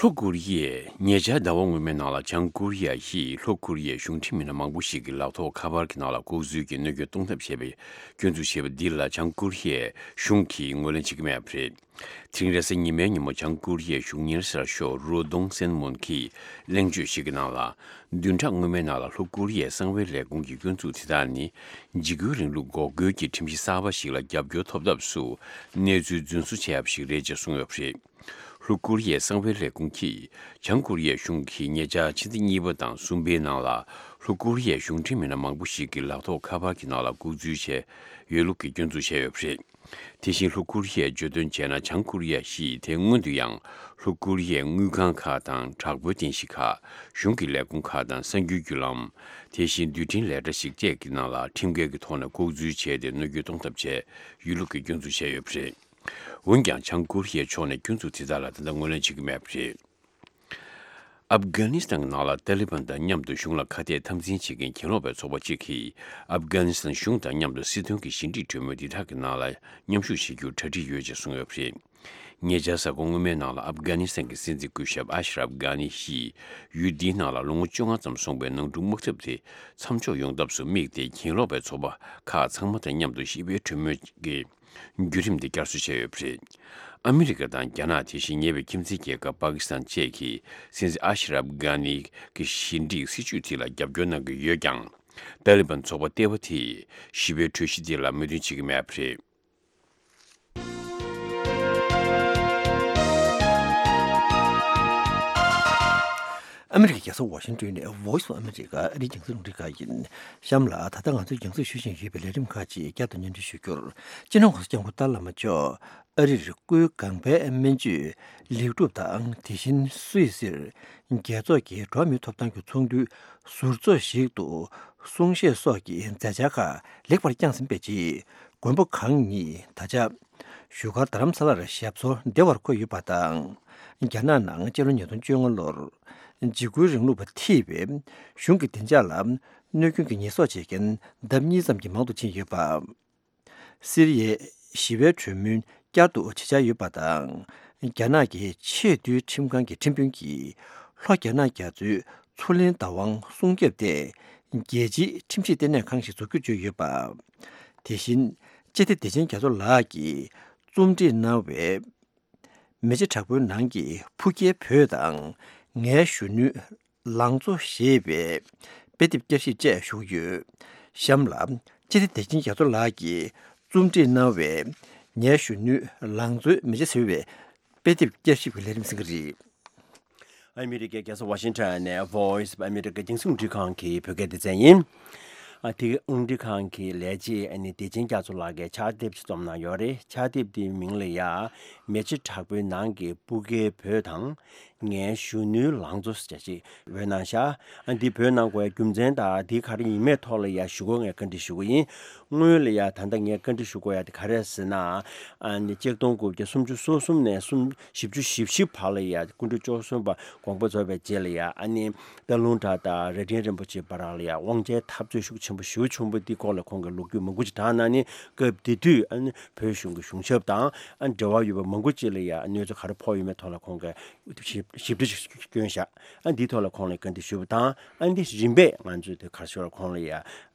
ལྷོ་ཀོ་རི་ཡས་ཉེ་ཆར་ཟླ་བ་སྔོན་མའི་ནང་ལ་བྱང་ཀོ་རི་ཡ་ཞེས་ལྷོ་ཀོ་རི་ཡའི་གཞུང་འབྲེལ་མི་སྣ་མང་པོ་ཞིག་གི་ལག་ཐོགས་ཁ་པར་གྱི་ནང་ལ་ལྐོག་འཛུལ་གྱིས་གནོད་སྐྱོན་གཏོང་ཐབས་བྱས་པའི་སྐྱོན་འཛུགས་བྱས་པ་འདི་ལ་བྱང་ཀོ་རི་ཡའི་གཞུང་གིས་ངོས་ལེན་བྱེད་ཀྱི་མེད་པ་རེད། དེ་རིང་རེས་གཟའ་ཉི་མའི་ཉིན་མོ་བྱང་ཀོ་རི་ཡའི་གཞུང་གཉེར་གསར་ཤོག་རོ་ཏོང་སན་མོན་གྱིས་གླེང་བརྗོད་ཞིག་གི་ནང་ལ། བདུན་ཕྲག་སྔོན་མའི་ནང་ལ་ལྷོ་ཀོ་རི་ཡའི་གསང་བའི་ལས་ཁུངས་ཀྱི་སྐྱོན་འཛུགས་དེ་དག་ནི། འཇིགས་སྐུལ་རིང་ལུགས་འགོག་རྒོལ་གྱི་ཁྲིམས་གཞི་གསར་པ་ཞིག་ལ་རྒྱབ་སྐྱོར་ཐོབ་ཐབས་སུ་གནས་ཚུལ་རྫུན་བཟོ་བྱས་པ་ཞིག་རེད་ཅེས་གསུངས་ཡོད་པ་རེད། ལྷོ་ཀོ་རི་ཡའི་གསང་བའི་ལས་ཁུངས་ཀྱིས་བྱང་ཀོ་རི་ཡའི་གཞུང་གིས་ཉེ་ཆར་ཕྱི་ཟླ་གཉིས་པ་དང་གསུམ་པའི་ནང་ལ་ལྷོ་ཀོ་རི་ཡའི་གཞུང་འབྲེལ་མི་སྣ་མང་པོ་ཞིག་གི་ལག་ཐོགས་ཁ་པར་གྱི་ནང་ལ་ལྐོག་འཛུལ་བྱས་ཡོད་ལུགས་ཀྱི་སྐྱོན་འཛུགས་བྱས་ཡོད་པ་རེད། དེ་བཞིན་ལྷོ་ཀོ་རི་ཡས་བརྗོད་དོན་བྱས་ན། བྱང་ཀོ་རི་ཡ་ཞེས་དེ་སྔོན་དུ་ཡང་ལྷོ་ཀོ་རི་ཡའི་དངུལ་ཁང་ཁག་དང་དྲག་པོའི་རྟེན་གཞི་ཁག་གཞུང་གི་ལས་ཁུངས་ཁག་དང་གསར་འགྱུར་བརྒྱུད་ལམ། དེ་བཞིན་རྡུལ་ཕྲན་ལས་གྲྭ་ཞིག་བཅས་ཀྱི་ནང་ལ་ཁྲིམས་འགལ་གྱི་ཐོག་ནས་ལྐོག་འཛུལ་བྱས་ཏེ་གནོད་སྐྱོན་གཏོང་ཐབས་བྱས་ཡོད་ལུགས་ཀྱི་སྐྱོན་འཛུགས་བྱས་ཡོད་པ་རེད། འོན་ཀྱང་། བྱང་ཀོ་རི་ཡའི་ཕྱོགས་ནས་སྐྱོན་འཛུགས་དེ་དག་ལ་ད་ལྟ་ངོས་ལེན་བྱེད་ཀྱི་མེད་པ་རེད། ཨབ་གྷ་ནི་སི་ཐན་གྱི་ནང་ལ་ཏཱ་ལི་བན་དང་མཉམ་དུ་གཞུང་ལ་ཁ་གཏད་འཐབ་འཛིང་བྱེད་མཁན་གྱེན་ལོག་པའི་ཚོགས་པ་གཅིག་གིས་ཨབ་གྷ་ནི་སི་ཐན་གཞུང་དང་མཉམ་དུ་སྲིད་དོན་གྱི་ཞི་འགྲིག་གྲོས་མོལ་འདི་དག་གི་ནང་ལ་མཉམ་ཞུགས་བྱེད་རྒྱུར་གྲ་སྒྲིག་ཡོད་ཅེས་གསུངས་ཡོད་པ་རེད། ཉེ་ཆར་གཟའ་འཁོར་སྔོན་མའི་ནང་ལ་ཨབ་གྷ་ནི་སི་ཐན་གྱི་སྲིད་འཛིན་སྐུ་ཞབས་ཨ་ཤ་རབ་གྷ་ནི་ཞིས་ཡུལ་འདིའི་ནང་ལ་ལོ་ངོ་བཅོ་ལྔ་ཙམ་སོང་བའི་ནང་འཁྲུག་དམག་འཐབ་དེ་མཚམས་འཇོག་ཡོང་ཐབས་སུ་དམིགས་ཏེ་གྱེན་ལོག་པའི་ཚོགས་པ་ཁག་ཚང་མ་དང་མཉམ་དུ་ཞི་བའི་གྲོས་མོལ་གྱི་བརྒྱུད་རིམ་དེ་བསྐྱར་གསོ་བྱས་ཡོད་པ་རེད། ཨ་མི་རི་ཀ་དང་རྒྱ་ནག་དེ་བཞིན་ཉེ་བའི་ཁྱིམ་མཚེས་རྒྱལ་ཁབ་པ་ཀི་སི་ཐན་བཅས་ཀྱིས་སྲིད་འཛིན་ཨ་ཤ་རབ་གྷ་ནི་གི་ཞི་འགྲིག་སྲིད་བྱུས་དེ་ལ་རྒྱབ་སྐྱོར་གནང་གི་ཡོད་ཀྱང་། ཏཱ་ལི་བན་ཚོགས་པ་ལྟེ་བ་དེས་ཞི་བའི་གྲོས་གཞི་དེ་ལ་མོས་མཐུན་བྱེད་ཀྱི་མེད་པ་རེད། ཨ་མི་རི་ཀའི་རྒྱལ་ས་ཝ་ཤིང་ཏོན་ནས་Voice of America ཨ་རིའི་རྒྱང་སྲིང་རླུང་འཕྲིན་ཁང་ཡིན། གཤམ་ལ་ད་ལྟ་ང་ཚོས་རྒྱང་སྲིང་ཞུ་བཞིན་ཡོད་པའི་ལས་རིམ་ཁག་ཅིག་བསྐྱར་དུ་སྙན་སྒྲོན་ཞུ་རྒྱུར། སྤྱི་ནོར་༸གོང་ས་༸སྐྱབས་མགོན་ཏཱ་ལའི་བླ་མ་མཆོག་ཨ་རིར་སྐུའི་གོང་འཕེལ་སྨན་བཅོས་ལེགས་གྲུབ་དང་། དེ་བཞིན་སུད་སིར་རྒྱལ་ཚོགས་ཀྱི་འགྲོ་བ་མིའི་ཐོབ་ཐང་གི་ཚོགས་འདུའི་ཟུར་ཚོགས་ཤིག་ཏུ་གསུང་བཤད་སོགས་ཀྱི་མཛད་འཆར་ཁག་ལེགས་པར་བསྐྱངས་ཟིན་པའི་རྗེས། མགོན་པོ་གང་ཉིད་ད་ཆ་བཞུགས་སྒར་རྡ་རམ་ས་ལར་ཞབས་སོར་བདེ་བར་འཁོད་ཡོད་པ་དང་། རྒྱ་ནག་ནང་སྤྱི་ལོ་ཉིས་སྟོང་བཅོ་ལྔ་ལོར་འཇིགས་སྐུལ་རིང་ལུགས་པ་ཐེ་བའི་གཞུང་གི་བདེ་འཇགས་ལ་གནོད་སྐྱོན་གྱི་ཉེས་གསོག་བྱེད་མཁན་ལྡབ་གཉིས་ཙམ་གྱིས་མང་དུ་ཕྱིན་ཡོད་པ། སི་རི་ཡའི་ཞི་བའི་གྲོས་མོལ་བསྐྱར་དུ་བྱེད་འཆར་ཡོད་པ་དང་། རྒྱ་ནག་གི་ཆེས་མཐོའི་ཁྲིམས་ཁང་གི་ཁྲིམས་དཔོན་གྱིས་ལྷོ་རྒྱ་ནག་རྒྱ་མཚོའི་མཚོ་གླིང་བདག་དབང་སྲུང་སྐྱོབ་ཐད་རྒྱལ་སྤྱིའི་ཁྲིམས་ཞིབ་ལྟེ་གནས་ཁང་ཞིག་འཛུགས་རྒྱུ་བརྗོད་ཡོད་པ། དེ་བཞིན་སྤྱི་བདེ་བདེ་ཆེན་རྒྱ་མཚོ་ལགས་ཀྱིས་རྩོམ་སྒྲིག་གནང་བའི་མེ་ལྕེ་དྲག་པོའི་ནང་གི་ཕུགས་རྒྱའི་བོད་དང་ངའི་གཞོན་ནུའི་ལང་ཚོ་ཞེས་པའི་དཔེ་དེབ་བསྐྱར་ཞིབ་བཅས་ཞུ་གི་ཡོད། གཤམ་ལ་སྤྱི་བདེ་བདེ་ཆེན་རྒྱ་མཚོ་ལགས་ཀྱིས་རྩོམ་སྒྲིག་གནང་བའི་ངའི་གཞོན་ནུའི་ལང་ཚོའི་མེ་ལྕེ་ཟེར་བའི་དཔེ་དེབ་བསྐྱར་ཞིབ་ཀྱི་ལས་རིམ་གསན་གྱི་རེད། ཨ་མི་རི་ཀའི་རྒྱལ་ས་ཝ་ཤིང་ཊོན་ནས་Voice of America རྒྱང་སྲིང་རླུང་འཕྲིན་ཁང་གི་བོད་སྐད་སྡེ་ཚན་ཡིན། ཨ་དེ་རླུང་འཕྲིན་ཁང་གི་ལས་བྱེད་ཨ་ནི་བདེ་ཆེན་རྒྱ་མཚོ་ལགས་ཀྱིས་ཕྱག་དེབ་ཅིག་རྩོམ་གནང་ཡོད་རེད། ཕྱག་དེབ་དེའི་མིང་ལ་ཡ་མེ་ལྕེ་དྲག་པོའི་ནང་གི་སྤུ་གའི་བོད་དང་། ངའི་གཞོན་ནུའི་ལང་ཚོ་ཟེར་ཅིག་འབོད་གནང་ཤག་ཨ་འདི་འབོད་གནང་དགོས་རྒྱུ་མཚན་དང་འདི་ག་རེ་ཡིན་མེད་ཐོག་ལ་ཡ་ཞུ་དགོས་ངས་བཀའ་འདྲི་ཞུ་གི་ཡིན། སྔོན་ལ་ཡ་ད་ལྟ་ངས་བཀའ་འདྲི་ཞུ་དགོས་ཡ་དེ་ག་རེ་ཟེར་ན། ཨ་ནི་ཆིག་སྟོང་དགུ་བརྒྱ་སུམ་ཅུ་སོ་གསུམ་ནས་སུམ་བཞི་བཅུ་ཞེ་བཞི་བར་ལ་ཡ་སྐུ་ཕྲེང་བཅུ་གསུམ་པ་དགོངས་པ་རྫོགས་པའི་རྗེས་ལ་ཡ་ཨ་ནི་སྟག་ལུང་བྲག་དང་རྭ་སྒྲེང་རིན་པོ་ཆེ་བར་ལ་ཡ་དབང་ཆའི་འཐབ་རྩོད་ཤུགས་ཆེན་པོ་ཞེ་པོ་བྱུང་བ་འདི་སྐོར་ལ་ཁོང་གིས་ལོ་རྒྱུས་མང་པོ་ཅིག་དྲངས་གནང་ནས་སྐབས་དེ་དུས་ཨ་ནི་བོད་གཞུང་གི་གཞུང་ཞབས་དང་ཨ་ནི་འབྲེལ་བ་ཡོད་པ་མང་པོ་ཅིག་ལ་ཡ་གནོད་འཚེ་ག་རེ་ཕོག་ཡོད་མེད་ཐོག་ལ་ཁོང་གིས་ཞིབ་ཞིབ་ཕྲ་ཞིག་བསྐྱོན་བཞག་ཨ་འདིའི་ཐོག་ལ་ཁོང་ལ་བཀའ་འདྲི་ཞུས་པ་དང་། ཨ་འདི་རིམ་པས་ང་ཚོས་དེ་གར་ཞོར་ཁོང་ལ་ཡ་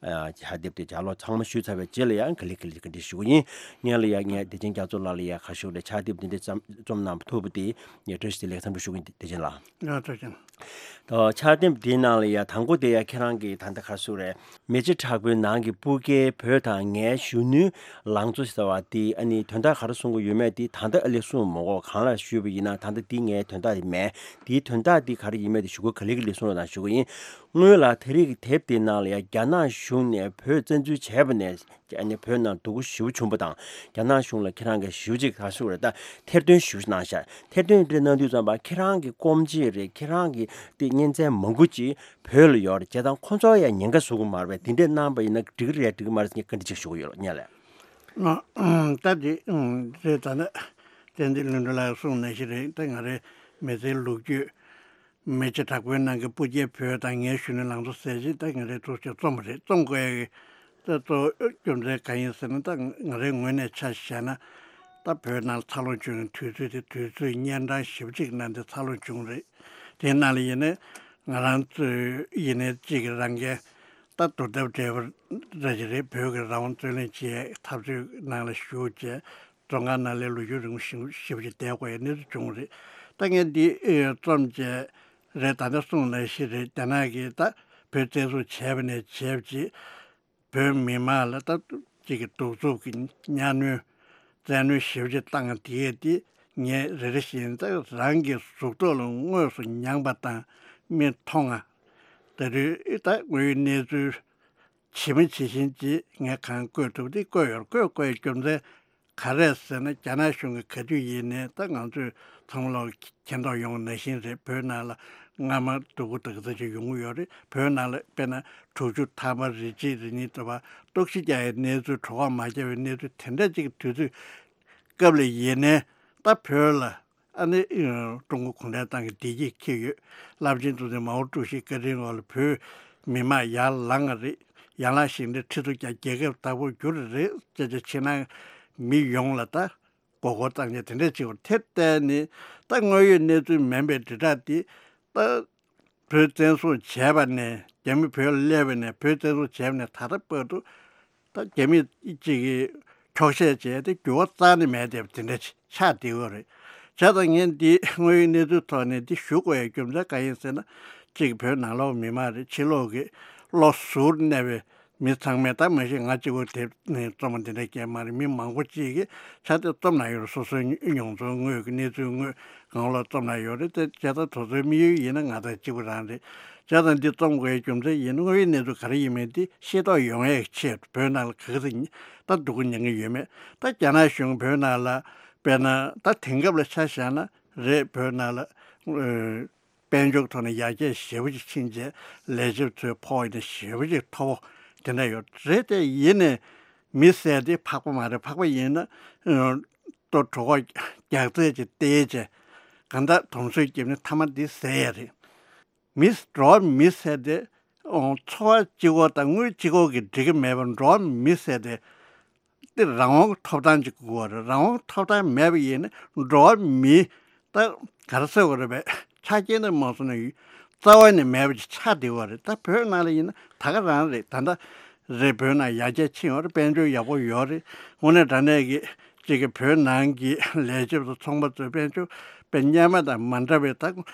ཕྱག་དེབ་དེ་ལྗགས་ཀློག་ཚང་མ་ཞུས་ཚར་བའི་རྗེས་ལ་ཡང་ག་ལེ་ག་ལེ་བཀའ་འདྲི་ཞུ་གི་ཡིན། ངས་ལ་ཡ་ངས་བདེ་ཆེན་རྒྱ་མཚོ་ལགས་ལ་ཡ་གར་ཞོར་ལ་ཕྱག་དེབ་འདི་འདྲ་རྩོམ་གནང་ཐུབ་པ་དེ་ངས་བཀྲ་ཤིས་བདེ་ལེགས་འཚམས་འདྲི་ཞུ་གི་ཡིན། བདེ་ཆེན་ལགས། ཡ་ཐུགས་རྗེ་ཆེ། ཕྱག་དེབ་འདིའི་ནང་ལ་ཡ་དང་པོ་དེ་ཡ་ཁྱེད་རང་གིས་ད་ལྟ་ག་རེ་ཟེར་རེད། མེ་ལྕེ་དྲག་པོའི་ནང་གི་སྤུ་གའི་བོད་དང་ངའི་གཞོན་ནུའི་ལང་ཚོ་ཟེར་བ་དེ་ཨ་ནི་དོན་དག་ག་རེ་གསུང་གི་ཡོད་མེད་དེ་ད་ལྟ་ཨ་ལས་གསུངས་མ་གོ། གང་ལ་ཞུས་པ་ཡིན་ན་ད་ལྟ་འདི་ངའི་དོན་དག་དེ་མེད། དེའི་དོན་དག་འདི་ག་རེ་ཡིན་མེད་དེ་ཞུ་དགོས་ག་ལེ་ག་ལེ་གསུང་རོགས་གནང་ཞུ་གི་ཡིན། སྔོན་ལ་ད་རེས་ཀྱི་དེབ་དེའི་ནང་ལ་ཡ་རྒྱ་ནག་གཞུང་ནས་བོད་བཙན་འཛུལ་བྱས་པ་ནས་ཨ་ནི་བོད་ནང་སྡུག་པོ་ཞེ་པོ་བྱུང་བ་དང་རྒྱ་ནག་གཞུང་ལ་ཁྱེད་རང་གིས་ཞེ་པོ་ཅིག་ག་རེ་ཟེར་དགོས་རེད། ད་ཐེར་འདོན་ཞེ་པོ་ཅིག་གནང་ཤག་ཐེར་འདོན་དེ་གནང་དུས་ཙམ་པ་ཁྱེད་རང་གི་སྐོམ་རྗེས་རེད། ཁྱེད་རང་གི་དེ་གཉེན་ཚན་མང་པོ་ཅིག་བོད་ལ་ཡོད་རེད། བྱས་ཙང་ཁོ་ཚོ་ཡང་ཉེན་ཁ་བཟོ་གི་མ་རེད་པས། དེ་འདྲས་གནང་པ་ཡིན་ན་འགྲིག་གི་རེད་འགྲིག་གི་མ་རེད་ཟེར་ངས་བཀའ་འདྲི་ཅིག་ཞུ་གི་ཡོད་ལ་ཉན་ལ། ད་དེ་རེད། ད་ནི་བསྟན་འཛིན་ལྷུན་གྲུབ་ལགས་གསུངས་ནང་བཞིན་རེད། ད་ང་རའི་མི་ཚེའི་ལོ་རྒྱུས་མེ་ལྕེ་དྲག་པོའི་ནང་གི་སྤུ་རྒྱལ་བོད་དང་ངའི་གཞོན་ནུའི་ལང་ཚོ་ཟེར་ཅིག་ད་ང་རའི་ཐུགས་ཆེ་རྩོམ་པ་རེད། རྩོམ་དགོས་ཡ་གི་ད་གཙོ་བོ་རྒྱུ་མཚན་གང་ཡིན་ཟེར་ན། ད་ང་རའི་ངོས་ནས་ཆ་བཞག་ན། ད་བོད་ནང་འཚར་ལོངས་བྱུང་བའི་དུས་ཚོད་དེ་དུས་ཚོད་སྙན་གྲགས་ཞེ་པོ་ཅིག་གནང་སྟེ་འཚར་ལོངས་བྱུང་རེད། དེའི་ནང་ལ་ཡིན་ནའི་ང་རང་ཚོའི་ཡིན་ནའི་གཅིག་གི་རང་འགན་ད་བསྡུར་ཐབས་བྲལ་བ་ར་ཅིག་རེད། བོད་ཀྱི་རང་དབང་རྩོད་ལེན་བྱེད་ཡའི་འཐབ་རྩོད་ནང་ལ་ཞུགས་བྱས་བཙོན་ཁང་ནང་ལ་ལོ་རྒྱུས་རིང་པོ་ཞེ་པོ་ཞེ་པོ་ཅིག་བསྡད་དགོས་ཡའི་གནས་ཚུལ་བྱུང་རེད། ད་ངས་འདི་ཨེ་རྩོམ་བྱས་རེད། ད་ལྟ་གསུངས་ནང་བཞིན་རེད། རྒྱ་ནག་གིས་ད་བོད་བཙན་བཟུང་བྱས་པ་ནས་བྱས་པ་ཅིག་བོད་མི་མང་ལ་ད་ཅིག་གི་གདུག་རྩུབ་ཀྱི་གཉའ་གནོན་བཙན་གནོན་ཞེ་པོ་ཅིག་བཏང་དེ་དེ་ངས་རེ་རེ་བཞིན་ད་རང་གི་གཟུགས་ཐོག་ལ་དངོས་སུ་མྱངས་པ་དང་མིག་མཐོང་ང་། ད་དུས་ད་དངོས་ཡོད་གནས་ཚུལ་ཇི་མ་ཇི་བཞིན་ཅིག་ངས་གང་བཀོད་ཐུབ་དེ་བཀོད་ཡོད། བཀོད་བཀོད་རྒྱུ་མཚན་ག་རེ་ཟེར་ན། རྒྱ་ནག་གཞུང་གིས་ག་དུས་ཡིན་ནའི་ད་ང་ཚོས་ཚང་མ་ལོག་མཁྱེན་རྟོགས་ཡོང་ནང་བཞིན་རེད། བོད་ནང་ལ་སྔ་མ་སྡུག་པོ་དག་ཙམ་ཅིག་ཡོང་གི་ཡོད་རེད། བོད་ནང་ལ་དཔེར་ན་དྲུག་ཅུ་ཐམ་པ་རེ་གཅིག་རེ་གཉིས་དུ་བ་གཏོར་བཤིག་རྒྱག་ཡའི་གནས་ཚུལ། གྲོད་ཁོག་མ་བརྒྱབ་པའི་གནས་ཚུལ་དེ་འདྲ་ཅིག་གི་དུས་ཚོད་སྐབས་ལ་ཡིན་ནའི་ད་བོད་ལ་ཨ་ནི་ཀྲུང་གོ་གུང་ཁྲན་ཏང་གི་བདེ་སྐྱིད་འཁྱེར་ཡོད། རླབས་ཆེན་གཙོ་འཛིན་མའོ་ཀྲུའུ་ཞི་བཀའ་དྲིན་འོག་ལ་བོད་མི་མང་ཡར་ལངས་པ་རེད། ཡར་ལངས་ཤིང་འདི་ཁྲི་ཚོ་བརྒྱ་རྒྱལ་ཁབ་བདག་པོ་བསྒྱུར་རེད་ཅེས་བྱས་ཕྱི་ནང་མི་ཡོངས་ལ་ད་མགོ་སྐོར་བཏང་ཡ་དེ་འདྲ་བྱེད་པ་དེ་བལྟས་ནས་ད་དངོས་ཡོད་གནས་ཚུལ་མིན་པའི་དྲིལ་བསྒྲགས་དེ་ད་བོད་བཙན་བཟུང་བྱས་པ་ནས་རྒྱ་མི་བོད་ལ་སླེབས་པ་ནས་བོད་བཙན་བཟུང་བྱས་པ་ནས་ད་ལྟ་བར་དུ་ད་རྒྱ་མི་གཅིག་གིས་འཁྱོག་བཤད་བྱས་ཏེ་འགྱུར་བ་རྩ་ནས་མེད་བསྡད་པ་དེ་འདྲ་ཆགས་བསྡད་ཡོད་རེད། བྱས་ཙང་ངས་འདི་དངོས་ཡོད་གནས་ཚུལ་ཐོག་ནས་འདི་ཞུ་དགོས་ཡའི་རྒྱུ་མཚན་གང་ཡིན་ཟེར་ན། གཅིག་བོད་ནང་ལོགས་མི་མང་རེད། ཕྱི་ལོགས་ཀྱི་བློ་གཟུར་གནས་པའི་མི་ཚང་མས་ད་མ་གཞི་ང་གཅིག་པོ་དེ་ནས་རྩོམ་པ་འདི་འདྲ་སྐྱེལ་མ་རེད། མི་མང་པོ་གཅིག་གིས་ཆ་དེ་རྩོམ་གནང་ཡོད་རེད། སོ་སོའི་མྱོང་ཚོར་དངོས་ཀྱི་གནས་ཚུལ་དངོས་གང་ལ་རྩོམ་གནང་ཡོད་རེད། དེ་བྱས་ཙང་དེ་ཚོའི་དམིགས་ཡུལ་ཡིན་ན་ང་དང་གཅིག་པ་རང་རེད། བྱས་ཙང་འདི་རྩོམ་དགོས་ཡའི་རྒྱུ་མཚན་ཡིན། དངོས་ཡོད་གནས་ཚུལ་ག་རེ་ཡིན་མིན་འདི་ཤེས་རྟོགས་ཡོང་ཡའི་ཆེད་དུ་བོད་ནང་ལ་ག་གེ་ད་སྡུག་པོ་མྱངས་ཀྱི་ཡོད་མེད། ད་རྒྱ་ནག་གཞུང་བོད་ནང་ལ་དཔེར་ན་ད་དེང་སྐབས་ལ་ཆ་བཞག་ན་རེད། བོད་ནང་ལ་ཨ་དཔལ་འབྱོར་ཐོག་ནས་ཡར་རྒྱས་ཞེ་པོ་ཅིག་ཕྱིན་རྗེས་ལས་བྱེད་ཚོའི་ཕོགས་ཡིན་ན་ཞེ་པོ་ཅིག་མཐོ་པོ་དེ་འདྲ་ཡོད་རེད། དེ་ཡིན་ནའི་མི་ཟེར་དེ་ཕག་པ་མ་རེད། ཕག་པ་ཡིན་ན་ཨ་ལྟོ་གྲོད་ཁོག་རྒྱགས་ཚད་ཅིག་བལྟས་བྱས་གང་ལྟར་དུམ་གཟོས་བརྒྱབ་ནས་མཐའ་མ་འདི་ཟད་ཡ་རེད། མི་འགྲོ་བ་མི་ཟེར་དེ་ཨོ་འཚོ་བ་གཅིག་པོ་དང་དངུལ་གཅིག་པོ་གིས་འགྲིག་གི་མེད་པར་འགྲོ་བ་མི་ཟེར་དེ་དེ་རང་དབང་ཐོབ་ཐང་ཅིག་དགོས་པ་རེད། རང་དབང་ཐོབ་ཐང་མེད་པ་ཡིན་ན་འགྲོ་བ་མི་ད་ག་རེ་ཟེར་དགོས་རེད་པས། ཆ་རྐྱེན་དེ་མ་སོང་ན་རྩ་བ་ནས་མེད་པ་ཅིག་ཆགས་བསྡད་པ་རེད། ད་བོད་ནང་ལ་ཡིན་ན་ད་ག་རང་རེད། ད་ལྟ་རེད། བོད་ནང་ཡར་རྒྱས་ཕྱིན་ཡོད་རེད། དཔལ་འབྱོར་ཡག་པོ་ཡོད་རེད། དངོས་གནས་དྲང་གནས་ཀྱི་གཅིག་གི་བོད་ནང་གི་ལས་བྱེད་པ་ཚོ་ཚོང་པ་ཚོའི་དཔལ་འབྱོར་དཔེ་སྔོན་མ་དང་མ་འདྲ་བའི་ད་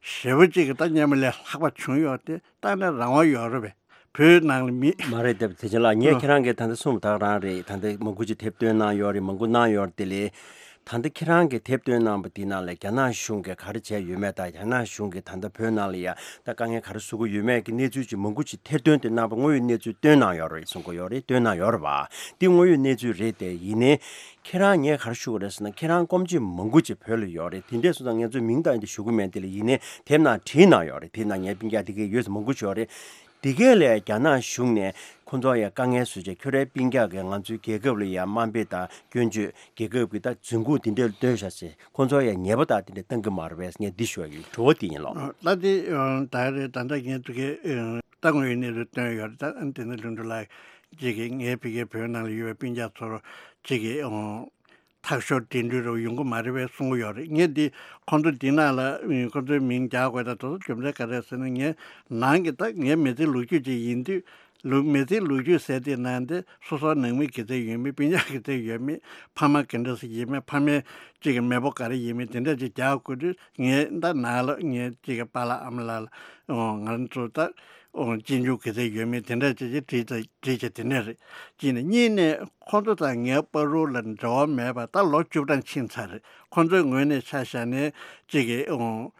ཞེ་པོ་གཅིག་གི་ད་སྔོན་མ་ལས་ལྷག་པ་བྱུང་ཡོད་དེ་ད་ནི་རང་དབང་ཡོད་རེད་པས། བོད་ནང་ལ་མི། མ་རེད། དེ་བདེ་ཆེན་ལགས། ངས་ཨ་ཁྱེད་རང་གིས་ད་ལྟ་གསུངས་པ་དག་རང་རེད། ད་ལྟ་མང་པོ་ཅིག་དེབ་བཏོན་གནང་ཡོད་རེད། མང་པོ་གནང་ཡོད་རེད། དེ་ལས་ད་ལྟ་ཁྱེད་རང་གིས་དེབ་བཏོན་གནང་པ་འདི་ནང་ལ་རྒྱ་ནག་གཞུང་གིས་ག་རེ་བྱས་ཡོད་མེད་དང་། རྒྱ་ནག་གཞུང་གིས་ད་ལྟ་བོད་ནང་ལ་ཡ་ད་དཀའ་ངལ་ག་རེ་བཟོ་གི་ཡོད་མེད་ཀྱི་གནས་ཚུལ་ཅིག་མང་པོ་ཅིག་ཐེར་འདོན་དེ་གནང་པ་དངོས་ཡོད་གནས་ཚུལ་བཏོན་གནང་ཡོད་རེད་གསུང་གི་ཡོད་རེད། བཏོན་གནང་ཡོད་རེད་པ། འདི་དངོས་ཡོད་གནས་ཚུལ་རེད་དེ། ཡིན་ནའི་ཁྱེད་རང་ངས་ག་རེ་ཞུ་གི་རེད་ཟེར་ན། ཁྱེད་རང་སྐོམ་ཆུ་མང་པོ་ཅིག་བོད་ལ་ཡོད་རེད། དེ་འདྲས་སོང་ཙང་ངས་ཚོས་མིང་དང་དེ་ཞུ་གི་མེད། དེ་ལ་ཡིན་ནའི་དེབ་ནང་བྲིས་གནང་ཡོད་རེད། དེ་ནང་ངའི་སྤུན་ཀྱག་དེ་གས་ཡོད་ས་མང་པོ་ཅིག་ཡོད་རེད། དེ་གས་ལས་རྒྱ་ནག་གཞུང་ནས་ཁོང་ཚོ་ཡ་དཀའ་ངལ་བཟོས་བྱས་ཁྱོད་རའི་སྤུན་ཀྱག་གིས་ང་ཚོའི་རྒྱལ་ཁབ་ལ་ཡ་དམའ་འབེབས་དང་སྐྱོན་བརྗོད། རྒྱལ་ཁབ་ཀྱི་ད་འཛིན་ཁུངས་དེ་འདྲ་ལ་སྟོན་བཞག་ཟེར། ཁོང་ཚོ་ཡ་ཉེས་པ་དག་དེ་འདྲ་བཏང་གི་མ་རེད་པས་ངས་འདི་ཞུ་བ་ཡིན། དྲི་བ་དེ་ཡིན་ལགས། ད་དེ་ད་རེད། ད་ལྟ་ངས་དེ་གས་ད་དངོས་ཡོད་གནས་ཚུལ་བཏོན་ཡོད་རེད། ད་དེ་ནས་ལྷུན་གྲུབ་ལགས་ཀྱིས་ངའི་ཕ་གིའི་བོད་ནང་ལ་ཡོད་པའི་སྤུན་ཀྱག་ཚོར་གཅིག་གིས་ཨོ་ཐག་ཤོར་འགྲིམ་འགྲུལ་རུ་ཡོང་གི་མ་རེད་པས་གསུང་གི་ཡོད་རེད། ངས་འདི་ཁོང་ཚོ་འདི་ནང་ལ་ཁོང་ཚོའི་མིང་རྒྱག་དགོས་ད་དེ་ཚོ་རྒྱུ་མཚན་ག་རེ་ཟེར་ན། ངས་ནང་གི་ད་ངའི་མི་ཚེ་ལོ་རྒྱུས་ཅིག་ཡིན་དུས་ལོ་མི་ཚེ་ལོ་རྒྱུས་ཟེར་དེ་ནང་དེ་སོ་སོ་ནང་མི་ག་ཚད་ཡོད་མེད། སྤུན་ཀྱག་ག་ཚད་ཡོད་མེད། ཕ་མ་ག་འདྲ་ཞིག་ཡིན་མེད། ཕ་མའི་གཅིག་གི་མེས་པོ་ག་རེ་ཡིན་མེད་དེ་འདྲ་ཅིག་རྒྱག་དགོས་དུས་ངས་ད་ནང་ལ་ངའི་གཅིག་གི་པཱ་ལགས་ཨ་མ་ལགས་ལ་ང་ཚོ་ད་གཅེན་གཅུང་ག་ཚད་ཡོད་མེད་དེ་འདྲ་ཅིག་ཅིག་བྲིས་བྲིས་བྱས་དེ་འདྲ་རེད། གཅིག་ནས། གཉིས་ནས་ཁོང་ཚོ་དང་ངའི་བར་དུ་ལ་འབྲེལ་བ་མེད་པ་ད་ལོ་བཅུ་གྲངས་ཕྱིན་ཚར་རེད། ཁོང་ཚོའི་ངོས་ནས་ཆ་བཞག་ནས་གཅིག་གི་ཨོ་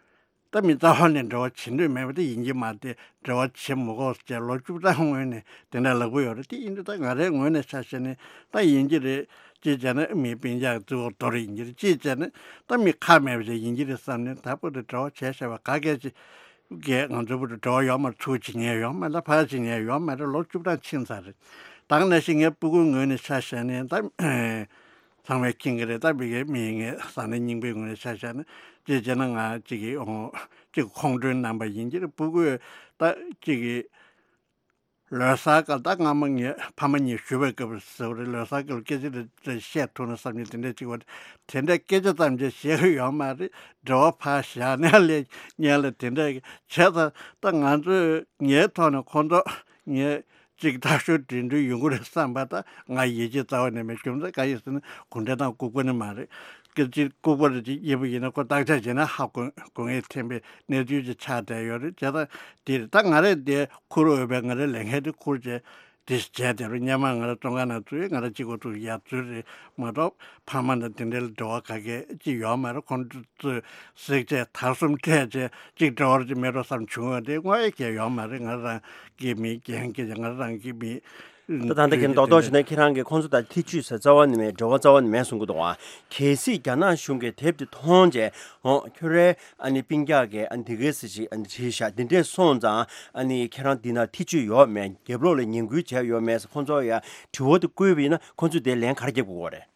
ད་མི་རྩ་བ་ནས་འབྲེལ་བ་བྱེད་འདོད་མེད་པ་དེ་ཡིན་གྱི་མ་རེད། འབྲེལ་བ་བྱེད་མི་དགོས་ཟེར་ལོ་བཅུ་གྲངས་སྔོན་ནས་དེ་འདྲ་ལབ་ཀྱི་ཡོད་རེད། དེ་ཡིན་དུས་ད་ང་རའི་ངོས་ནས་ཆ་བཞག་ནས་ད་ཡིན་གྱི་རེད། གཅིག་བྱས་ན་མི་སྤུན་ཀྱག་གཙོ་བོ་དོ་རེད་ཡིན་གྱི་རེད། གཅིག་བྱས་ན་ད་མི་ཁག་མེད་པ་ཞིག་ཡིན་གྱི་རེད་བསམ་ནས་ད་བར་དུ་འབྲེལ་བ་བྱས་བཞག་པ་ག་གལ་ཆེ། གས་ང་ཚོའི་བར་དུ་འབྲེལ་བ་ཡོད་མ་རེད། ཚུར་བྱེད་མཁན་ཡོད་མ་རེད། ཕར་བྱེད་མཁན་ཡོད་མ་རེད། ལོ་བཅུ་གྲངས་ཕྱིན་ཚར་རེད། ད་ག་ནང་བཞིན་ངའི་སྤུ་གུའི་ངོས་ནས་ཆ་བཞག་ནས་ད་ཚང་མས་མཁྱེན་གྱི་རེད། ད་ཕ་གིའི་མི་ངའི་བཟའ་ཟླ་རྙིང་པའི་ངོས་ནས་ཆ་བཞག་ན་གཅིག་བྱས་ན་ང་གཅིག་གི་ཨོ་གཅིག་ཁོང་ཁྲོའི་རྣམ་པ་ཡིན་གྱི་རེད། སྤུ་གུས་ད་གཅིག་གི་ ལོ་གསར་སྐབས་ད་སྔ་མོ་ངའི་ཕ་མ་གཉིས་ཞུ་བའི་སྐབས་སུ་རེད། ལོ་གསར་སྐབས་སྐད་ཆ་རེ་རེ་བཤད་ཐུབ་ན་བསམ་གྱི་དེ་འདྲ་ཅིག་བ། དེ་འདྲ་སྐད་ཆ་ཙམ་ཅིག་བཤད་གི་ཡོད་མ་རེད། འབྲེལ་བ་ཕར་བཞག་ནས་ལས་ཉན་ལ་དེ་འདྲ་བྱས་ཙང་ད་ང་ཚོས་ངའི་ཐོག་ནས་ཁོང་ཚོ་ངས་ཅིག་ཐག་ཤོད་འདྲི་འདྲི་ཡོང་གི་རེད་བསམ་པ་ད་ང་ཡིད་ཆེས་རྩ་བ་ནས་མེད། རྒྱུ་མཚན་གང་ཡིན་ཟེར་ན་གུང་ཁྲན་ཏང་ལྐུགས་པ་ནི་མ་རེད། སྐད་ཅིག་ལྐུགས་པ་རེད་ཅིག་ཡིན་པ་ཡིན་ན་ཁོ་བརྟག་དཔྱད་བྱས་ན་ཧ་གོ་གོ་ངེས་ཐེན་པའི་གནས་ཚུལ་ཅིག་ཆགས་བསྡད་ཡོད་རེད། བྱས་ཙང་དེ་རེད། ད་ང་རེ་དེ་ཁུར་འོས་པའི་ང་རེ་ལས་འགན་དེ་ཁུར་བྱས། དེ་བྱས་དེ་རུ་སྔོན་མ་ང་ར་བཙོན་ཁང་ནང་ཚུད་ང་ར་གཅིག་པོ་ཚུད་ཡར་ཚུད་རེད་མ་གཏོགས་ཕ་མ་དང་དེ་འདྲའི་འབྲེལ་བ་ག་གེ་ཅི་ཡོད་མ་རེད། ཁོང་ཚོས་བསྲེག་བཅད་དར་གསུམ་སྤྲད་བྱས་གཅིག་འབྲེལ་བ་ཅིག་མེད་འགྲོ་བསམ་བྱུང་བ་དེ་དངོས་ཡོད་ཀྱི་ཡོད་མ་རེད། ང་རང་གི་མི་རྒན་གྱི་ང་རང་གི་མི་ད་ད་ལྟ་ཁྱེད་རྡོག་རྡོག་བྱས་ན་ཁྱེད་རང་གིས་ཁོང་ཚོ་དང་ཐེ་བྱུས་ཟེར་རྩ་བ་ནས་མེད། འབྲེལ་བ་རྩ་བ་ནས་མེད་གསུང་གི་འདུག་ཨ། གལ་སྲིད་རྒྱ་ནག་གཞུང་གིས་དེབ་དེ་མཐོང་རྗེས་འོ་ཁྱོད་རའི་ཨ་ནི་སྤུན་ཀྱག་གིས་ཨ་ནི་དེ་གས་ཟེར་ཞིག་ཨ་ནི་བྲིས་ཤག་འདི་འདྲས་སོང་ཙང་ཨ་ནི་ཁྱེད་རང་འདི་ན་ཐེ་བྱུས་ཡོད་མེད། རྒྱབ་ལོགས་ལ་ངན་སྐུལ་བྱས་ཡོད་མེད་ཟེར་ཁོང་ཚོ་ཡ་དྲི་བ་དེ་བཀོད་པ་ཡིན་ན་ཁོང་ཚོས་དེ་ལན་ག་རེ་རྒྱབ་དགོས་རེད།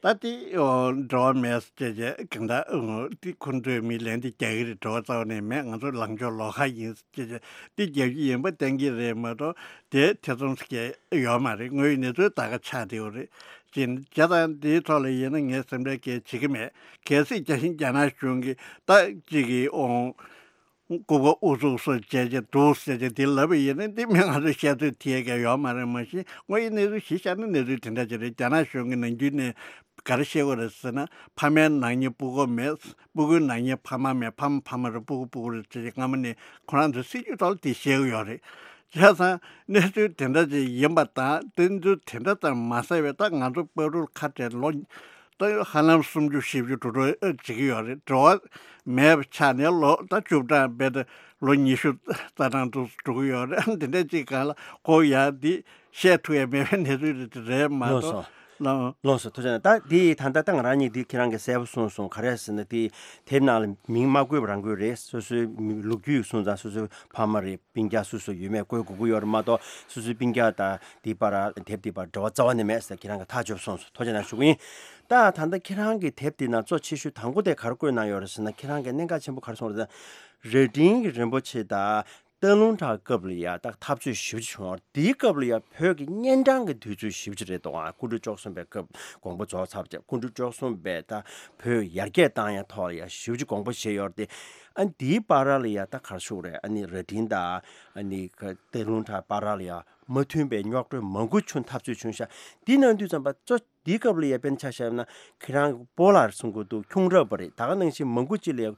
ད་དེ་འགྲོ་བ་མེད་ཟེར་བྱས་གང་ལྟར་དེ་ཁོང་ཚོས་མི་ལན་དེ་རྒྱག་གི་རེད། འགྲོ་བ་རྩ་བ་ནས་མེད། ང་ཚོ་ལངས་ཕྱོགས་ལོགས་ཀ་ཡིན་ཟེར་བྱས་དེ་རྒྱབ་ཀྱི་ཡིན་པ་བསྟན་གྱི་རེད་མ་གཏོགས་དེ་ཐེ་ཚོམ་ཟེར་གྱི་ཡོད་མ་རེད། དངོས་ཡོད་གནས་ཚུལ་ད་ག་ཆགས་བསྡད་ཡོད་རེད། ཅེས་བྱས་ཙང་དེའི་ཐོག་ལ་ཡིན་ན་ངས་སེམས་ཁྲལ་གལ་བྱེད་ཀྱི་མེད། གལ་སྲིད་རྒྱ་ཆེན་རྒྱ་ནག་གཞུང་གིས་ད་གཅིག་གིས་འོང་ལྐུགས་པ་ཨུ་ཚུགས་སུ་བྱས་བྱས་འདུག་ཟེར་བྱས་དེ་ལབ་པ་ཡིན་ན་འདི་མི་ང་ཚོས་བཤད་ཚོད་ཐིག་གི་ཡོད་མ་རེད། མ་གཞི་དངོས་ཡོད་གནས་ཚུལ་གཞི་བཞག་ན་གནས་ཚུལ་དེ་འདྲ་ཅིག་རེད། རྒྱ་ནག་གཞུང་གིས་ནམ་རྒྱུན་ནས་ག་རེ་བཤད་ཀྱི་རེད་ཟེར་ན་ཕ་མའི་ནག་ཉེས་སྤུ་གུ་མེད། སྤུ་གུའི་ནག་ཉེས་ཕ་མ་མེད། ཕ་མ་ཕ་མ་རེད། སྤུ་གུ་སྤུ་གུ་རེད་ཟེར་བྱས་སྔ་མོ་ནས་ཁོ་རང་ཚོའི་སྲིད་ཇུས་ཐོག་ལ་དེ་བཤད་ཀྱི་ཡོད་རེད། བྱས་ཙང་གནས་ཚུལ་དེ་འདྲ་ཅིག་ཡིན་པ་དང་གནས་ཚུལ་དེ་འདྲ་ཙམ་མ་ཟད་པའི་ད་ང་ཚོ་བར་དུ་ཁ་བྲལ་ལོ་ད་ཧ་ལམ་སུམ་ཅུ་བཞི་བཅུ་འགྲོ་འགྲོ་བྱེད་ཀྱི་ཡོད་རེད། འགྲོ་བ་མེད་པ་ཆགས་ནས་ལོ་ད་བཅུ་གྲངས་རྦད་དེ་ལོ་ཉི་ཤུ་རྩ་གྲངས་དུ་འགྲོ་གི་ཡོད་རེད། འདི་འདྲ་ཅིག་སྒང་ལ་ཁོ་ཡ་འདི་བཤད་ཐུབ་ཡ་མེད་པའི་གནས་ཚུལ་རེད་མ་ལགས་གཏོགས་སོ། ལགས། ལགས་སོ། ཐུགས་རྗེ་གནང་། ད་འདི་ད་ལྟ་ད་ང་རང་གཉིས་འདི་ཁྱེད་རང་གིས་གསལ་པོ་གསུངས་སོང་། ག་རེ་ཟེར་ན་འདི་དེབ་ནང་ལ་མིང་མ་བཀོད་པ་རང་བཀོད་རེད། སོ་སོའི་མི་ལོ་རྒྱུས་གསུངས་ཙང་སོ་སོའི་ཕ་མ་རེད། སྤུན་ཀྱག་སུ་སུ་ཡོད་མེད་བཀོད་དགོས་ཀྱི་ཡོད་རེད་མ་གཏོགས་སོ་སོའི་སྤུན་ཀྱག་དང་འདི་བར་དེབ་འདི་བར་འབྲེལ་བ་རྩ་བ་ནས་མེད་ཟེར་ཁྱེད་རང་གིས་ཐག་གཅོད་སོང་སོང་། ཐུགས་རྗེ་གནང་ཞུ་གི་ཡིན། ད་ད་ལྟ་ཁྱེད་རང་གི་དེབ་འདི་ནང་གཙོ་ཆེ་ཤོས་དང་པོ་དེ་ག་རེ་བཀོད་གནང་ཡོད་རེད་ཟེར་ན་ཁྱེད་རང་གིས་གནད་འགག་ཆེན་པོ་ག་རེ་གསུངས་རེད་ཟེར་ན་རྭ་སྒྲེང་གི་རིན་པོ་ཆེ་དང་སྟག་ལུང་བྲག་སྐབས་ལ་ཡ་ད་འཐབ་རྩོད་ཞེ་པོ་ཅིག་བྱུང་བ་རེད། དེའི་སྐབས་ལ་ཡ་བོད་ཀྱི་གཉན་འཕྲང་གི་དུས་ཚོད་ཞེ་པོ་ཅིག་རེད་འདུག་ཨ། སྐུ་ཕྲེང་བཅུ་གསུམ་པའི་སྐབས་དགོངས་པ་རྫོགས་ཚར་བ་དེ་སྐུ་ཕྲེང་བཅུ་གསུམ་པའི་ད་བོད་ཡར་རྒྱས་བཏང་ཡ་ཐོག་ལ་ཡ་ཞེ་པོ་ཅིག་དགོངས་པ་བཞེས་ཡོད་རེད་དེ། ཨ་ནི་དེའི་བར་ལ་ཡ་ད་ག་རེ་ཞུ་དགོས་རེད། ཨ་ནི་རྭ་སྒྲེང་དང་ཨ་ནི་ག་སྟག་ལུང་བྲག་བར་ལ་ཡ་མ་མཐུན་པའི་རྙོག་དྲ་མང་པོ་བྱུང་། འཐབ་རྩོད་བྱུང་ཤག་འདི་གནང་དུས་ཙམ་པ་གཙོ་འདིའི་སྐབས་ལ་ཡ་དཔེར་ན་ཆ་བཞག་ན་ཁྱེད་རང་གི་སྤོ་ལགས་གསུང་གི་འདུག་ཁྱུང་རབས་པ་རེད། ད་ག་ནང་བཞིན་མང་པོ་ཅིག་ལ་ཡ་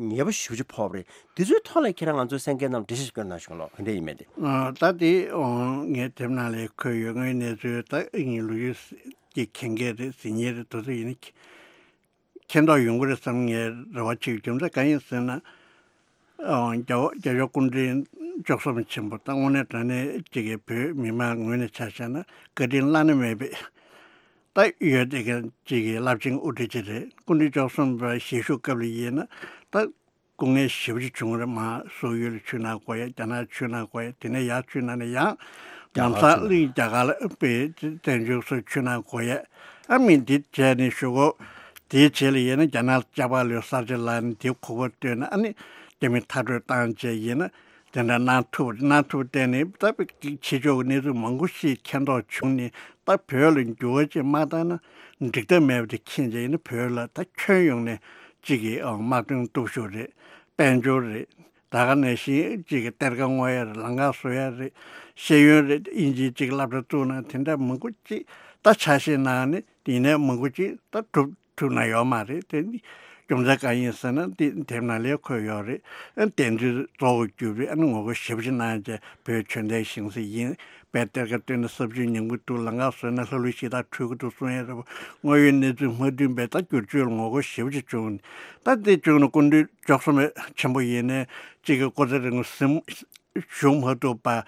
ཉེས་པ་ཞེ་པོ་ཅིག་ཕོག་པ་རེད། དེ་ཚོའི་ཐོག་ལ་ཁྱེད་རང་ང་ཚོའི་གསན་མཁན་རྣམས་འགྲེལ་བཤད་ཅིག་སྐྱོན་གནང་ཞུ་ལོ། ག་འདྲ་ཡིན་མེད་དེ། ཨ། ད་དེ་ཨོ་ངས་དེབ་ནང་ལ་འཁོད་ཡོད། ངའི་གནས་ཚུལ་ད་ངའི་ལོ་རྒྱུས་ཀྱི་མཁྱེན་མཁན་རེད། གཟིགས་མཁན་རེད། དེ་ཚོ་ཡིན་ན་མཁྱེན་མཁྱེན་རྟོགས་ཡོང་གི་རེད་བསམ་ངས་རེ་བ་བྱེད་ཀྱི། རྒྱུ་མཚན་གང་ཡིན་ཟེར་ན། ཨོ་རྒྱལ་བ་རྒྱལ་བ་སྐུ་ཕྲེང་བཅུ་གསུམ་ཆེན་པོ་ད་དངོས་གནས་དྲང་གནས་ཅིག་གི་བོད་མི་མང་ངོས་ནས་ཆ་བཞག་ན་བཀའ་དྲིན་བླ་ན་མེད་པའི་ད་ཡོད་དེ་ག་ཅིག་གི་རླབས་ཆེན་དབུ་ཁྲིད་ཅིག་རེད། སྐུ་ཕྲེང་བཅུ་གསུམ་པ་ཞེ་ཤུ་སྐབས་ལ་ཡིན་ན་ད་སྐུ་ངལ་ཞེ་པོ་ཅིག་བྱུང་རེད། མར་སོག་ཡུལ་ལ་ཆུ་ནང་འགོ་ཡ། རྒྱ་ནག་ཆུ་ནང་འགོ་ཡ། དེ་ནས་ཡར་ཆུ་ནང་ནས་ཡང་རྒྱ་ནམ་གར་སང་ཆུ་ནང་གླིང་རྒྱ་གར་ལ་དཔེ་བཙན་བྱོལ་སོགས་ཆུ་ནང་འགོ་ཡ། ཨ་མི་འདི་བྱས་ནས་ཞུ་གོ། དེའི་རྗེས་ལ་ཡིན་ན་རྒྱ་ནག་ལ་ལྕགས་ཕག་ལོའི་གསར་བརྗེ་ལ་ནི་དེའི་ཁུག་པ་བཏོན་ནས་ཨ་ནི་རྒྱ་མི་མཐར་སྐྲོད་བཏང་བྱས་ཡིན་ན་དེ་འདྲ་གནང་ཐུབ་རེད། གནང་ཐུབ་བསྟན་ནས་ད་ཕྱི་ཕྱོགས་ཀྱི་གནས་ཚུལ་མང་པོ་ཞིག་མཁྱེན་རྟོགས་བྱུང་ནས་ད་བོད་ལ་འགྱུར་བ་ཅིག་མ་བཏང་ན་འགྲིག་ཐབས་མེད་པ་དེ་མཁྱེན་བྱས་ཡིན་ན་བོད་ལ་ད་ཁྱོན་ཡོངས་ནས་གཅིག་གི་དམག་དོན་སྟོབས་ཤུགས་རེད། དཔལ་འབྱོར་རེད། ད་ག་ནང་བཞིན་གཅིག་གི་གཏེར་ཁ་སྔོག་ཡ་རེད། ལམ་ཁ་བཟོ་ཡ་རེད། ཤེས་ཡོན་རེད། དབྱིན་ཇིའི་གཅིག་སློབ་གྲྭ་བཙུགས་ན་དེ་འདྲ་མང་པོ་གཅིག་ད་ཆ་ཤས་ནང་ནས་ཡིན་ནའི་མང་པོ་གཅིག་ད་གྲུབ་ཐུབ་ན་ཡོད་མ་རེད། དེ་ནི་རྒྱུ་མཚན་གང་ཡིན་ཟེར་ན་འདི་དེབ་ནང་ལ་འཁོད་ཡོད་རེད། ཨ་ནི་དེ་ཚོའི་གཙོ་བོ་གྱུར་པའི་ཨ་ནི་ངོ་རྒོལ་ཞེ་པོ་ཅིག་གནང་བྱས་བོད་ཆོས་ལྡན་ཞིང་སའི་ཡིན། དཔེ་གཏེར་ཁ་བཏོན་ནས་ས་བཅུད་ཉམས་ཀྱི་འདུག་ལམ་ཁ་བཟོས་ན་ལྷ་ཀླུ་གཞི་བདག་འཁྲུལ་གྱི་འདུག་གསུང་ཡས་རེད་པ། དངོས་ཡོད་གནས་ཚུལ་མ་མཐུན་པའི་ད་བསྒྱུར་བཅོས་ལ་ངོ་རྒོལ་ཞེ་པོ་ཅིག་བྱུང་། ད་འདི་བྱུང་ན་སྐུ་མདུན་བཅུ་གསུམ་པ་ཆེན་པོ་ཡིན་ནའི་གཅིག་གི་སྐུ་ཚེ་རིང་པོ་གཟིམ་བཞུགས་མ་ཐུབ་པ།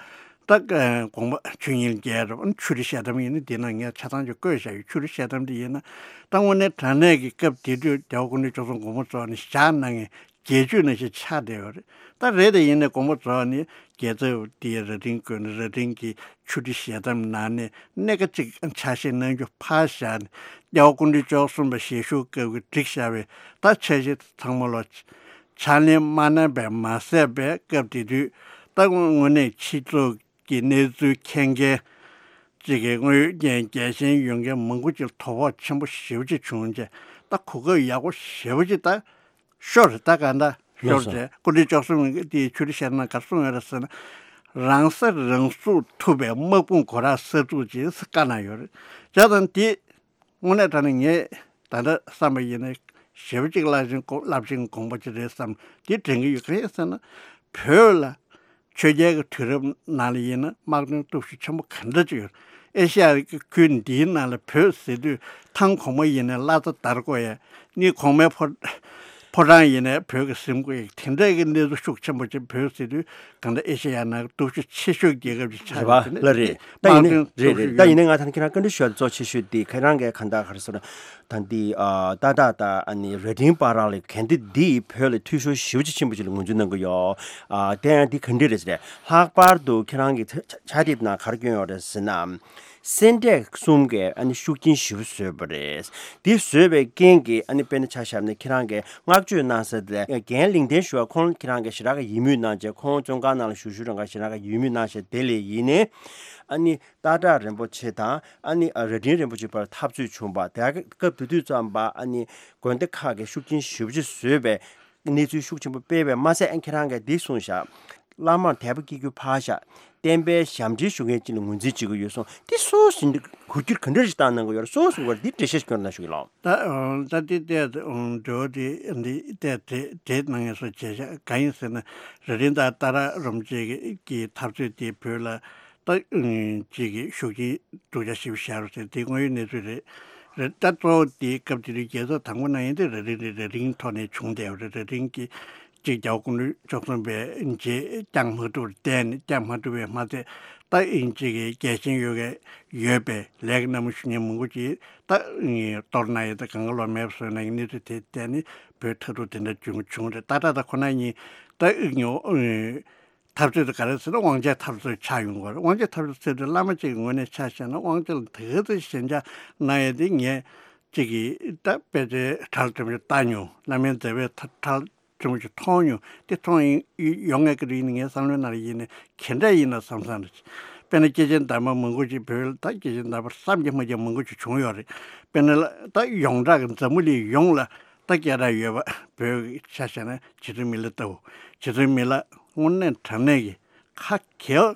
ད་དགོངས་པ་ཆོས་དབྱིངས་རྒྱས་རེད་པ། ཆོས་རིག་བཤད་གཏམ་ཡིན་ན་འདི་ན་ངས་ཆ་ཚང་ཅིག་བཀོད་བཞག་ཡོད། ཆོས་རིག་བཤད་གཏམ་འདི་ཡིན་ན་ད་དངོས་གནས་དྲང་གནས་ཀྱི་སྐབས་དེ་དུས་རྒྱལ་བ་སྐུ་ཕྲེང་བཅུ་གསུམ་དགོངས་པ་རྫོགས་ནས་ཞག་ནང་ངས་དགེ་ཆོས་ནང་བཞིན་ཆགས་བསྡད་ཡོད་རེད། ད་རེད་དེ་ཡིན་ནའི་དགོངས་པ་རྫོགས་ནས་རྒྱལ་ཚབ་དེའི་རྭ་སྒྲེང་བཀོད་ནས་རྭ་སྒྲེང་གི་ཆོས་ཁྲིད་ཞལ་གདམས་ནང་ནས་གནད་འགག་ཅིག་ཆ་ཤས་གནང་རྒྱུ་ཕར་བཞག་ནས་རྒྱལ་བ་སྐུ་ཕྲེང་བཅུ་གསུམ་པ་ཞེ་ཤུ་སྐབས་ཀྱི་བསྒྲིགས་བཞག་པའི་ད་འཆར་གཞི་ཚང་མ་ལོ་ཕྱག་ལེན་མ་གནང་བས་མ་ཟད་པའི་སྐབས་དེ་དུས་ད་དངོས་གནས་སྤྱི་ཚོགས་ གི་གནས་ཚུལ་མཁྱེན་མཁན་ཅིག་གི་དངོས་ཡོད་རྒྱལ་ཞེན་ཡོད་མཁན་མང་པོ་ཅིག་ལ་དོ་ཕོག་ཆེན་པོ་ཞེ་པོ་ཅིག་བྱུང་རྗེས། ད་གོ་སྐབས་ཡག་པོ་ཞེ་པོ་ཅིག་ད་ཤོར་རེད། ད་ག་འདྲ་ཤོར་རེད། སྐུ་མདུན་བཅུ་གསུམ་གྱི་དེའི་ཆོས་རིག་བཤད་ན་ག་རེ་གསུངས་ཡོད་རེད་ཟེར་ན། རང་ས་རང་སྲུང་ཐུབ་པའི་དམག་དཔུང་སྒོ་ར་གསར་འཛུགས་ཀྱིས་བཀའ་གནང་ཡོད་རེད། བྱས་ཙང་དེ་དངོས་གནས་དྲང་གནས་ངས་ད་ལྟ་བསམ་པ་ཡིན་ན་ཞེ་པོ་ཅིག་རླབས་ཆེན་དགོངས་པ་ཅིག་རེད་བསམ། དེ་དྲན་གྱི་ཡོད། གང་ཡིན་ཟེར་ན། བོད་ལ་ཆོས་རྒྱལ་གྱི་དུས་རབས་ནང་ལ་ཡིན་ན་དམག་དོན་སྟོབས་ཤུགས་ཆེན་པོ་ག་འདྲ་ཅིག་ཡོད། ཨེ་ཤ་ཡ་གི་ཁུལ་འདིའི་ནང་ལ་བོད་ཟེར་དུས་ཐང་གོང་མ་ཡིན་ནའི་བླ་རྩ་དར་དགོས་ཡ། གཉིས་གོང་མའི་ཕོ་ཕོ་བྲང་ཡིན་ནའི་བོད་ཀྱི་གཟིམ་དགོས་ཡ། དེ་འདྲ་གི་གནས་ཚུལ་ཤུགས་ཆེན་པོ་ཅིག་བོད་ཟེར་དུས་གང་ལྟར་ཨེ་ཤ་ཡ་ནང་སྟོབས་ཤུགས་ཆེ་ཤོས་རྒྱལ་ཁབ་ཅིག་ཆགས་རེད་པ། ཡོད་དེ་ནས་ལ་རེད། ད་ཡིན་ནའི་དམག་དོན་རེད་སྟོབས་རེད། ཤུགས་ད་ཡིན་ཡོད། ནའི་ང་ད་ཁྱེད་རང་བཀའ་འདྲི་ཞུ་ཡ་གཙོ་ཆེ་ཤོས་དེ་ཁྱེད་རང་གིས་གང་ལྟར་ག་རེ་ཟེར་ན། ད་འདི་ཨ་ཏག་ཏག་དང་ཨ་ནི་རྭ་སྒྲེང་བར་ལ་གན་དེ་འདི་བོད་ལ་འཐུས་ཤོར་ཞེ་པོ་ཅིག་ཆེན་པོ་ཅིག་ལ་ངོས་འཛིན་གནང་གི་ཡོད། ཨ་དེ་ཡང་འདི་ག་འདྲ་རེད་ཟེར། ལྷག་པར་དུ་ཁྱེད་རང་གི་ཆ་ཆ་དེབ་ནང་ག་རེ་བསྐྱོན་ཡོད་རེད་ཟེར་ན། སེ་འབྲས་གསུམ་གས་ཨ་ནི་ཤུགས་རྐྱེན་ཞེ་པོ་བཟོས་པ་རེད། འདི་བཟོས་པའི་རྐྱེན་གྱིས་ཨ་ནི་དཔེར་ན་ཆ་བཞག་ན་ཁྱེད་རང་གིས་བསྔགས་བརྗོད་གནང་ས་དེ་རྒན་ལིང་ཏན་ཞུ་བ་ཁོང་ཁྱེད་རང་གིས་ཞེ་དྲག་གི་ཡིད་མོས་གནང་བྱས། ཁོང་བཙོན་ཁང་ནང་ལ་བཞུགས་བཞུགས་རང་ག་ཞེ་དྲག་གི་ཡིད་མོས་གནང་བྱས། དེ་ལས་ཡིན་ནའི་ཨ་ནི་སྟག་བྲག་རིན་པོ་ཆེ་དང་ཨ་ནི་རྭ་སྒྲེང་རིན་པོ་ཆེ་བར་འཐབ་རྩོད་བྱུང་བ་དེ་སྐབས་དེ་དུས་ཙམ་པ་ཨ་ནི་དགོན་སྡེ་ཁག་གིས་ཤུགས་རྐྱེན་ཞེ་པོ་ཅིག་བཟོས་པའི་གནས་ཚུལ་ཤུགས་ཆེན་པོ་སྤེལ་བས་མ་ཟད། ཨ་ཁྱེད་རང་གིས་འདི་གསུངས་བཞག། བླ་མར་དད་པ་སྐྱེ་རྒྱུ་ཕར་བཞག། བསྟན་པའི་ཞབས་འདྲེན་ཞུ་མཁན་ཅིག་ལ་ངོས་འཛིན་བྱེད་ཀྱི་ཡོད་གསུངས། འདི་སོ་སོ་འགུལ་སྐྱོད་ག་འདྲ་ཞིག་བཏང་གནང་གི་ཡོད་རེད། སོ་སོ་བར་འདི་འགྲེལ་བཤད་ཞིག་སྐྱོན་གནང་ཞུ་གི་ལགས། ད་ད་འདི་བལྟས་འགྲོ་འདི་འདི་བལྟས་དེ་དེ་གནང་ངེས་སོ་བྱས་བཞག། གང་ཡིན་ཟེར་ན། རྭ་སྒྲེང་དང་སྟག་བྲག་རིན་པོ་ཆེ་གི་འཐབ་རྩོད་དེ་བོད་ལ་ད་ཅིག་གི་ཤུགས་རྐྱེན་སྡུག་ཅག་ཞེ་པོ་བཞག་རེད་ཟེར། དེ་དངོས་ཡོད་གནས་ཚུལ་རེད། རེད། ད་གཙོ་བོ་དེ་སྐབས་དེ་དུས་རྒྱལ་ཚོགས་དང་པོ་ནང་ཡིན་དུས་རྭ་སྒྲེང་རེད། རྭ་སྒྲེང་ཐོག་ནས་བྱུང་བསྡད་ཡོད་རེད། རྭ་སྒྲེང་གི་གཅིག་རྒྱལ་བ་སྐུ་ཕྲེང་བཅུ་གསུམ་པའི་རྗེས་བསྐྱངས་མ་ཐུབ་པར་བསྡད་ནས། བསྐྱངས་མ་ཐུབ་པས་མ་ཚད། ད་ཨིན་ཅིག་གི་རྒྱལ་ཞེན་ཡོད་མཁན་ཡོད་པའི་ལས་ཀྱི་རྣམ་སྨིན་ཞུ་མཁན་མང་པོ་ཅིག་ད་གཏོར་གནང་ཡས་དང་གང་ག་ལོག་མེད་པ་བཟོས་གནང་གི་གནས་ཚུལ་དེ་བལྟས་ནས་བོད་མཐར་ཐུག་དེ་འདྲ་བྱུང་བྱུང་རེད། ད་ད་ད་ཁོ་ན་ཉིད་ད་འཐབ་རྩོད་དེ་ག་རེ་ཟེར་ན་དབང་ཆའི་འཐབ་རྩོད་ཆགས་ཡོང་གི་རེད། དབང་ཆའི་འཐབ་རྩོད་ཟེར་དུས་བླ་མ་གཅིག་གི་ངོས་ནས་ཆ་བཞག་ན་དབང་ཆ་ལ་དེ་ག་ཚོད་ཞེན་ཆགས་གནང་ཡས་དེ་ངས་གཅིག་གིས་ད་དཔེ་ཆའི་གྲལ་ཆེན་པོ་ཞིག་བལྟ་མྱོང་། བླ་མའི་མཛད་པའི་གྲལ་ཆེན་པོ་ཞིག་མཐོང་མྱོང་། དེ་མཐོང་ཡིན་ཡོང་ངེས་ཀྱི་རེད། ཡིན་ངའི་བསམ་བློའི་ནང་ལ་ཡིན་ནས་ག་འདྲ་ཡིན་ན་བསམ་བསམ་རེད། དཔེར་ན་སྐྱེས་ཆེན་དམ་པ་མང་པོ་ཅིག་བོད་ལ་ད་སྐྱེས་ཆེན་དམ་པ་བསམ་གྱིས་མ་ཁྱབ་མང་པོ་ཅིག་བྱུང་ཡོད་རེད། དཔེར་ན་ད་ཡོངས་གྲགས་ཀྱི་འཛམ་བུ་གླིང་ཡོངས་ལ་ད་སྐད་གྲགས་ཡོད་པ་བོད་ཀྱི་ཆ་བཞག་ན་རྗེ་བཙུན་མི་ལ་ལྟ་བུ། རྗེ་བཙུན་མི་ལ་དངོས་གནས་དྲང་གནས་ཀྱི་ཁ་གྱེལ།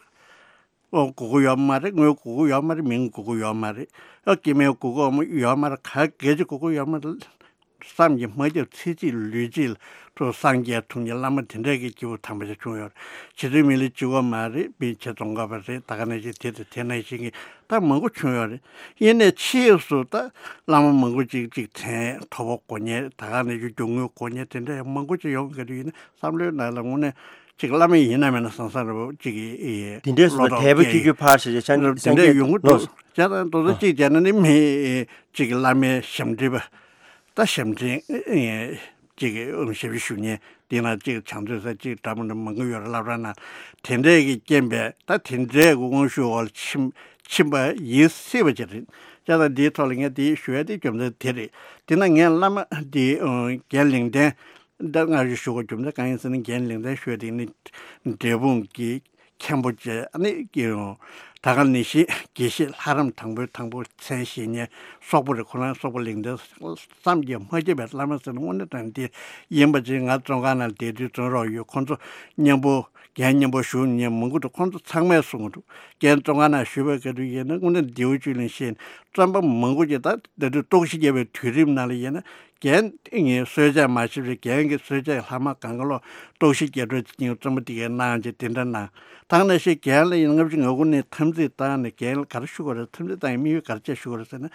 ཨོ་དགོས་ཀྱི་ཡོད་མ་རེད། དངུལ་དགོས་ཀྱི་ཡོད་མ་རེད། མིང་དགོས་ཀྱི་ཡོད་མ་རེད། ཨ་སྐྱེ་དམན་དགོས་ཀྱི་ཡོད་མ་རེད། ག་གེ་ཅི་དགོས་ཀྱི་ཡོད་མ་རེད། བསམ་གྱིས་མ་ཁྱབ། ཚེ་གཅིག་ལུས་གཅིག་ལ་ཐུགས་སངས་རྒྱས་ཐུགས་མཉེས་བླ་མ་དེ་འདྲ་གི་སྐྱེས་བུ་དམ་པ་ཞིག་བྱུང་ཡོད་རེད། རྗེ་བཙུན་མི་ལ་གཅིག་པོ་མ་རེད། མི་ཆེ་ཙོང་ཁ་པ་རེད། ད་ག་ནང་བཞིན་དེ་དང་དེ་ནང་བཞིན་གྱི་ད་མང་པོ་བྱུང་ཡོད་རེད། ཡིན་ནའི་ཕྱིས་སུ་ད་བླ་མ་མང་པོ་ཅིག་ཅིག་མཚན་ཐོབ་པ་དགོས་མཁན། ད་ག་ནང་བཞིན་རྒྱུ་དངོས་དགོས་མཁན་དེ་འདྲ་ཡང་མང་པོ་ཅིག་ཡོང་གི་རེད། ཡིན་ན་བསམ་བློའི་ནང་ལ་དངོས་གནས་ཅིག་བླ་མ་ཡིན་ན་མིན་ན་བསམ་བསམ་རེ་བོ་ཅིག་གི་དེ་འདྲས་སུ་ལོ་ཐོག་དད་པ་སྐྱེ་སྐྱེ་རྒྱུ་ཕར་ཞེས་བྱ་དེ་འདྲས་ཡོང་གི་འདུག། བྱས་ཙང་དོ་ཚོ་གཅིག་བྱས་ན་ནི་མི་ཅིག་གི་བླ་མའི་ཞབས་འདྲེན་པ། ད་ཞབས་འདྲེན་ཅིག་གི་ཞབས་ཞུ་ཞུ་མཁན་དེ་ན་ཅིག་བྱང་ཚུལ་ས་ཅིག་འདྲ་མི་འདྲ་མང་པོ་ཡོད་རེད། བསླབ་གྲྭ་ནང་དེ་འདྲས་ཀྱི་རྐྱེན་པས་ད་དེ་འདྲས་ཀྱི་དབང་ཤུགས་འོག་ལ་ཕྱིན་ཕྱིན་པ་ཡིན་སྲིད་པ་ཅིག་རེད། བྱས་ཙང་འདིའི་ཐོག་ལ་ངས་དེ་ཞུ་ཡ་དེ་རྒྱུ་མཚན་དེ་རེད། དེ་ན་ངས་བླ་མ་དེ་རྒན་ལིང་ཏན། ད་སྔར་ཞུ་དགོས་རྒྱུ་མཚན་གང་ཡིན་ཟེར་ན། རྒན་ལིང་ཏན་ཞུ་ཡ་དེ་ནི་འབྲས་སྤུངས་ཀྱི་མཁན་པོ་བྱས། ཨ་ནི་ཀྱི་ད་ག་ནང་བཞིན་དགེ་བཤེས་ལྷ་རམས་དང་པོའི་དང་པོ་མཚན་བཞེས་མཁན་སོག་པོ་རེད། ཁོ་རང་སོག་པོ་ལིང་ཏན་བསམ་གྱིས་མ་ཁྱབ་པའི་བླ་མ་ཟེར་ན་དངོས་གནས་དྲང་གནས་དེ་ཡིན་པ་ཅིག། ང་བཙོན་ཁང་ནང་བསྡད་དུས་བཙོན་རོགས་ཡོད། ཁོང་ཚོ་མཉམ་པོ་རྒན་མཉམ་པོ་བཞུགས་མཁན་མང་པོ་འདུག། ཁོང་ཚོ་ཚང་མས་གསུང་གི་འདུག། རྒན་བཙོན་ཁང་ནང་བཞུགས་པའི་སྐབས་དུ་ཡིན་ན་དངོས་གནས་མདེའུ་བཅུད་ལེན་བཤད། བཙོན་པ་མང་པོ་ཅིག་ད་ད་དུང་ལྟོགས་ཤི་བརྒྱབ་པའི་དུས་རིམ་ནང་ལ་ཡིན་ན། རྒན་ངའི་གསོལ་ཇ་མ་ཤེས་པའི་རྒན་གྱི་གསོལ་ཇ་ལྷག་མ་གང་ག་ལོག་ལྟོགས་ཤི་རྒྱག་འགྲོ་ཅིག་རྩོམ་པ་དེ་གའི་གནང་བྱས་དེ་འདྲ་གནང་། ཐང་ན་ཤེས་རྒན་ལ་ཡིན་ལྔ་བཅུ་ང་དགུ་ནས་འཐབ་འཛིང་བཏང་ནས། རྒན་ལ་ག་རེ་ཞུ་དགོས་རེད། འཐབ་འཛིང་བཏང་ཡས་དམིགས་ཡུལ་ག་རེ་བྱས་ཞུ་དགོས་རེད་ཟེར་ན།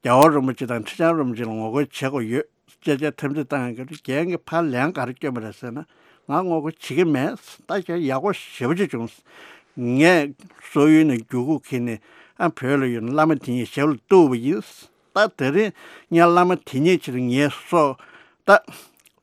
རྒྱལ་བ་རིན་པོ་ཆེ་དང་ཁྲི་བྱང་རིན་པོ་ཆེ་ལ་ངོ་རྒོལ་བྱེད་དགོས་ཡོད་ཅེས་བྱས་འཐབ་འཛིང་བཏང་ཡས་ཀྱི་རྒན་གྱིས་ཕར་ལན་ག་རེ་སྐྱོན་པ་རེད་ཟེར་ན། ང་ངོ་རྒོལ་བྱེད་ཀྱི་མེད། ད་ཁྱོད་ཡག་པོ་ཞེ་པོ་ཅིག་བྱུང་། ངས་སོག་ཡུལ་ནས་རྒྱུ་གུ་ཁྱེར་ནས་ཨ་བོད་ལ་ཡོད་ན་བླ་མ་དེ་ཉིད་ཞབས་ལ་གཏུགས་པ་ཡིན། ད་དེ་རིང་ངས་བླ་མ་དེ་ཉིད་ཕྱིར་ངའི་སྲོག་ད་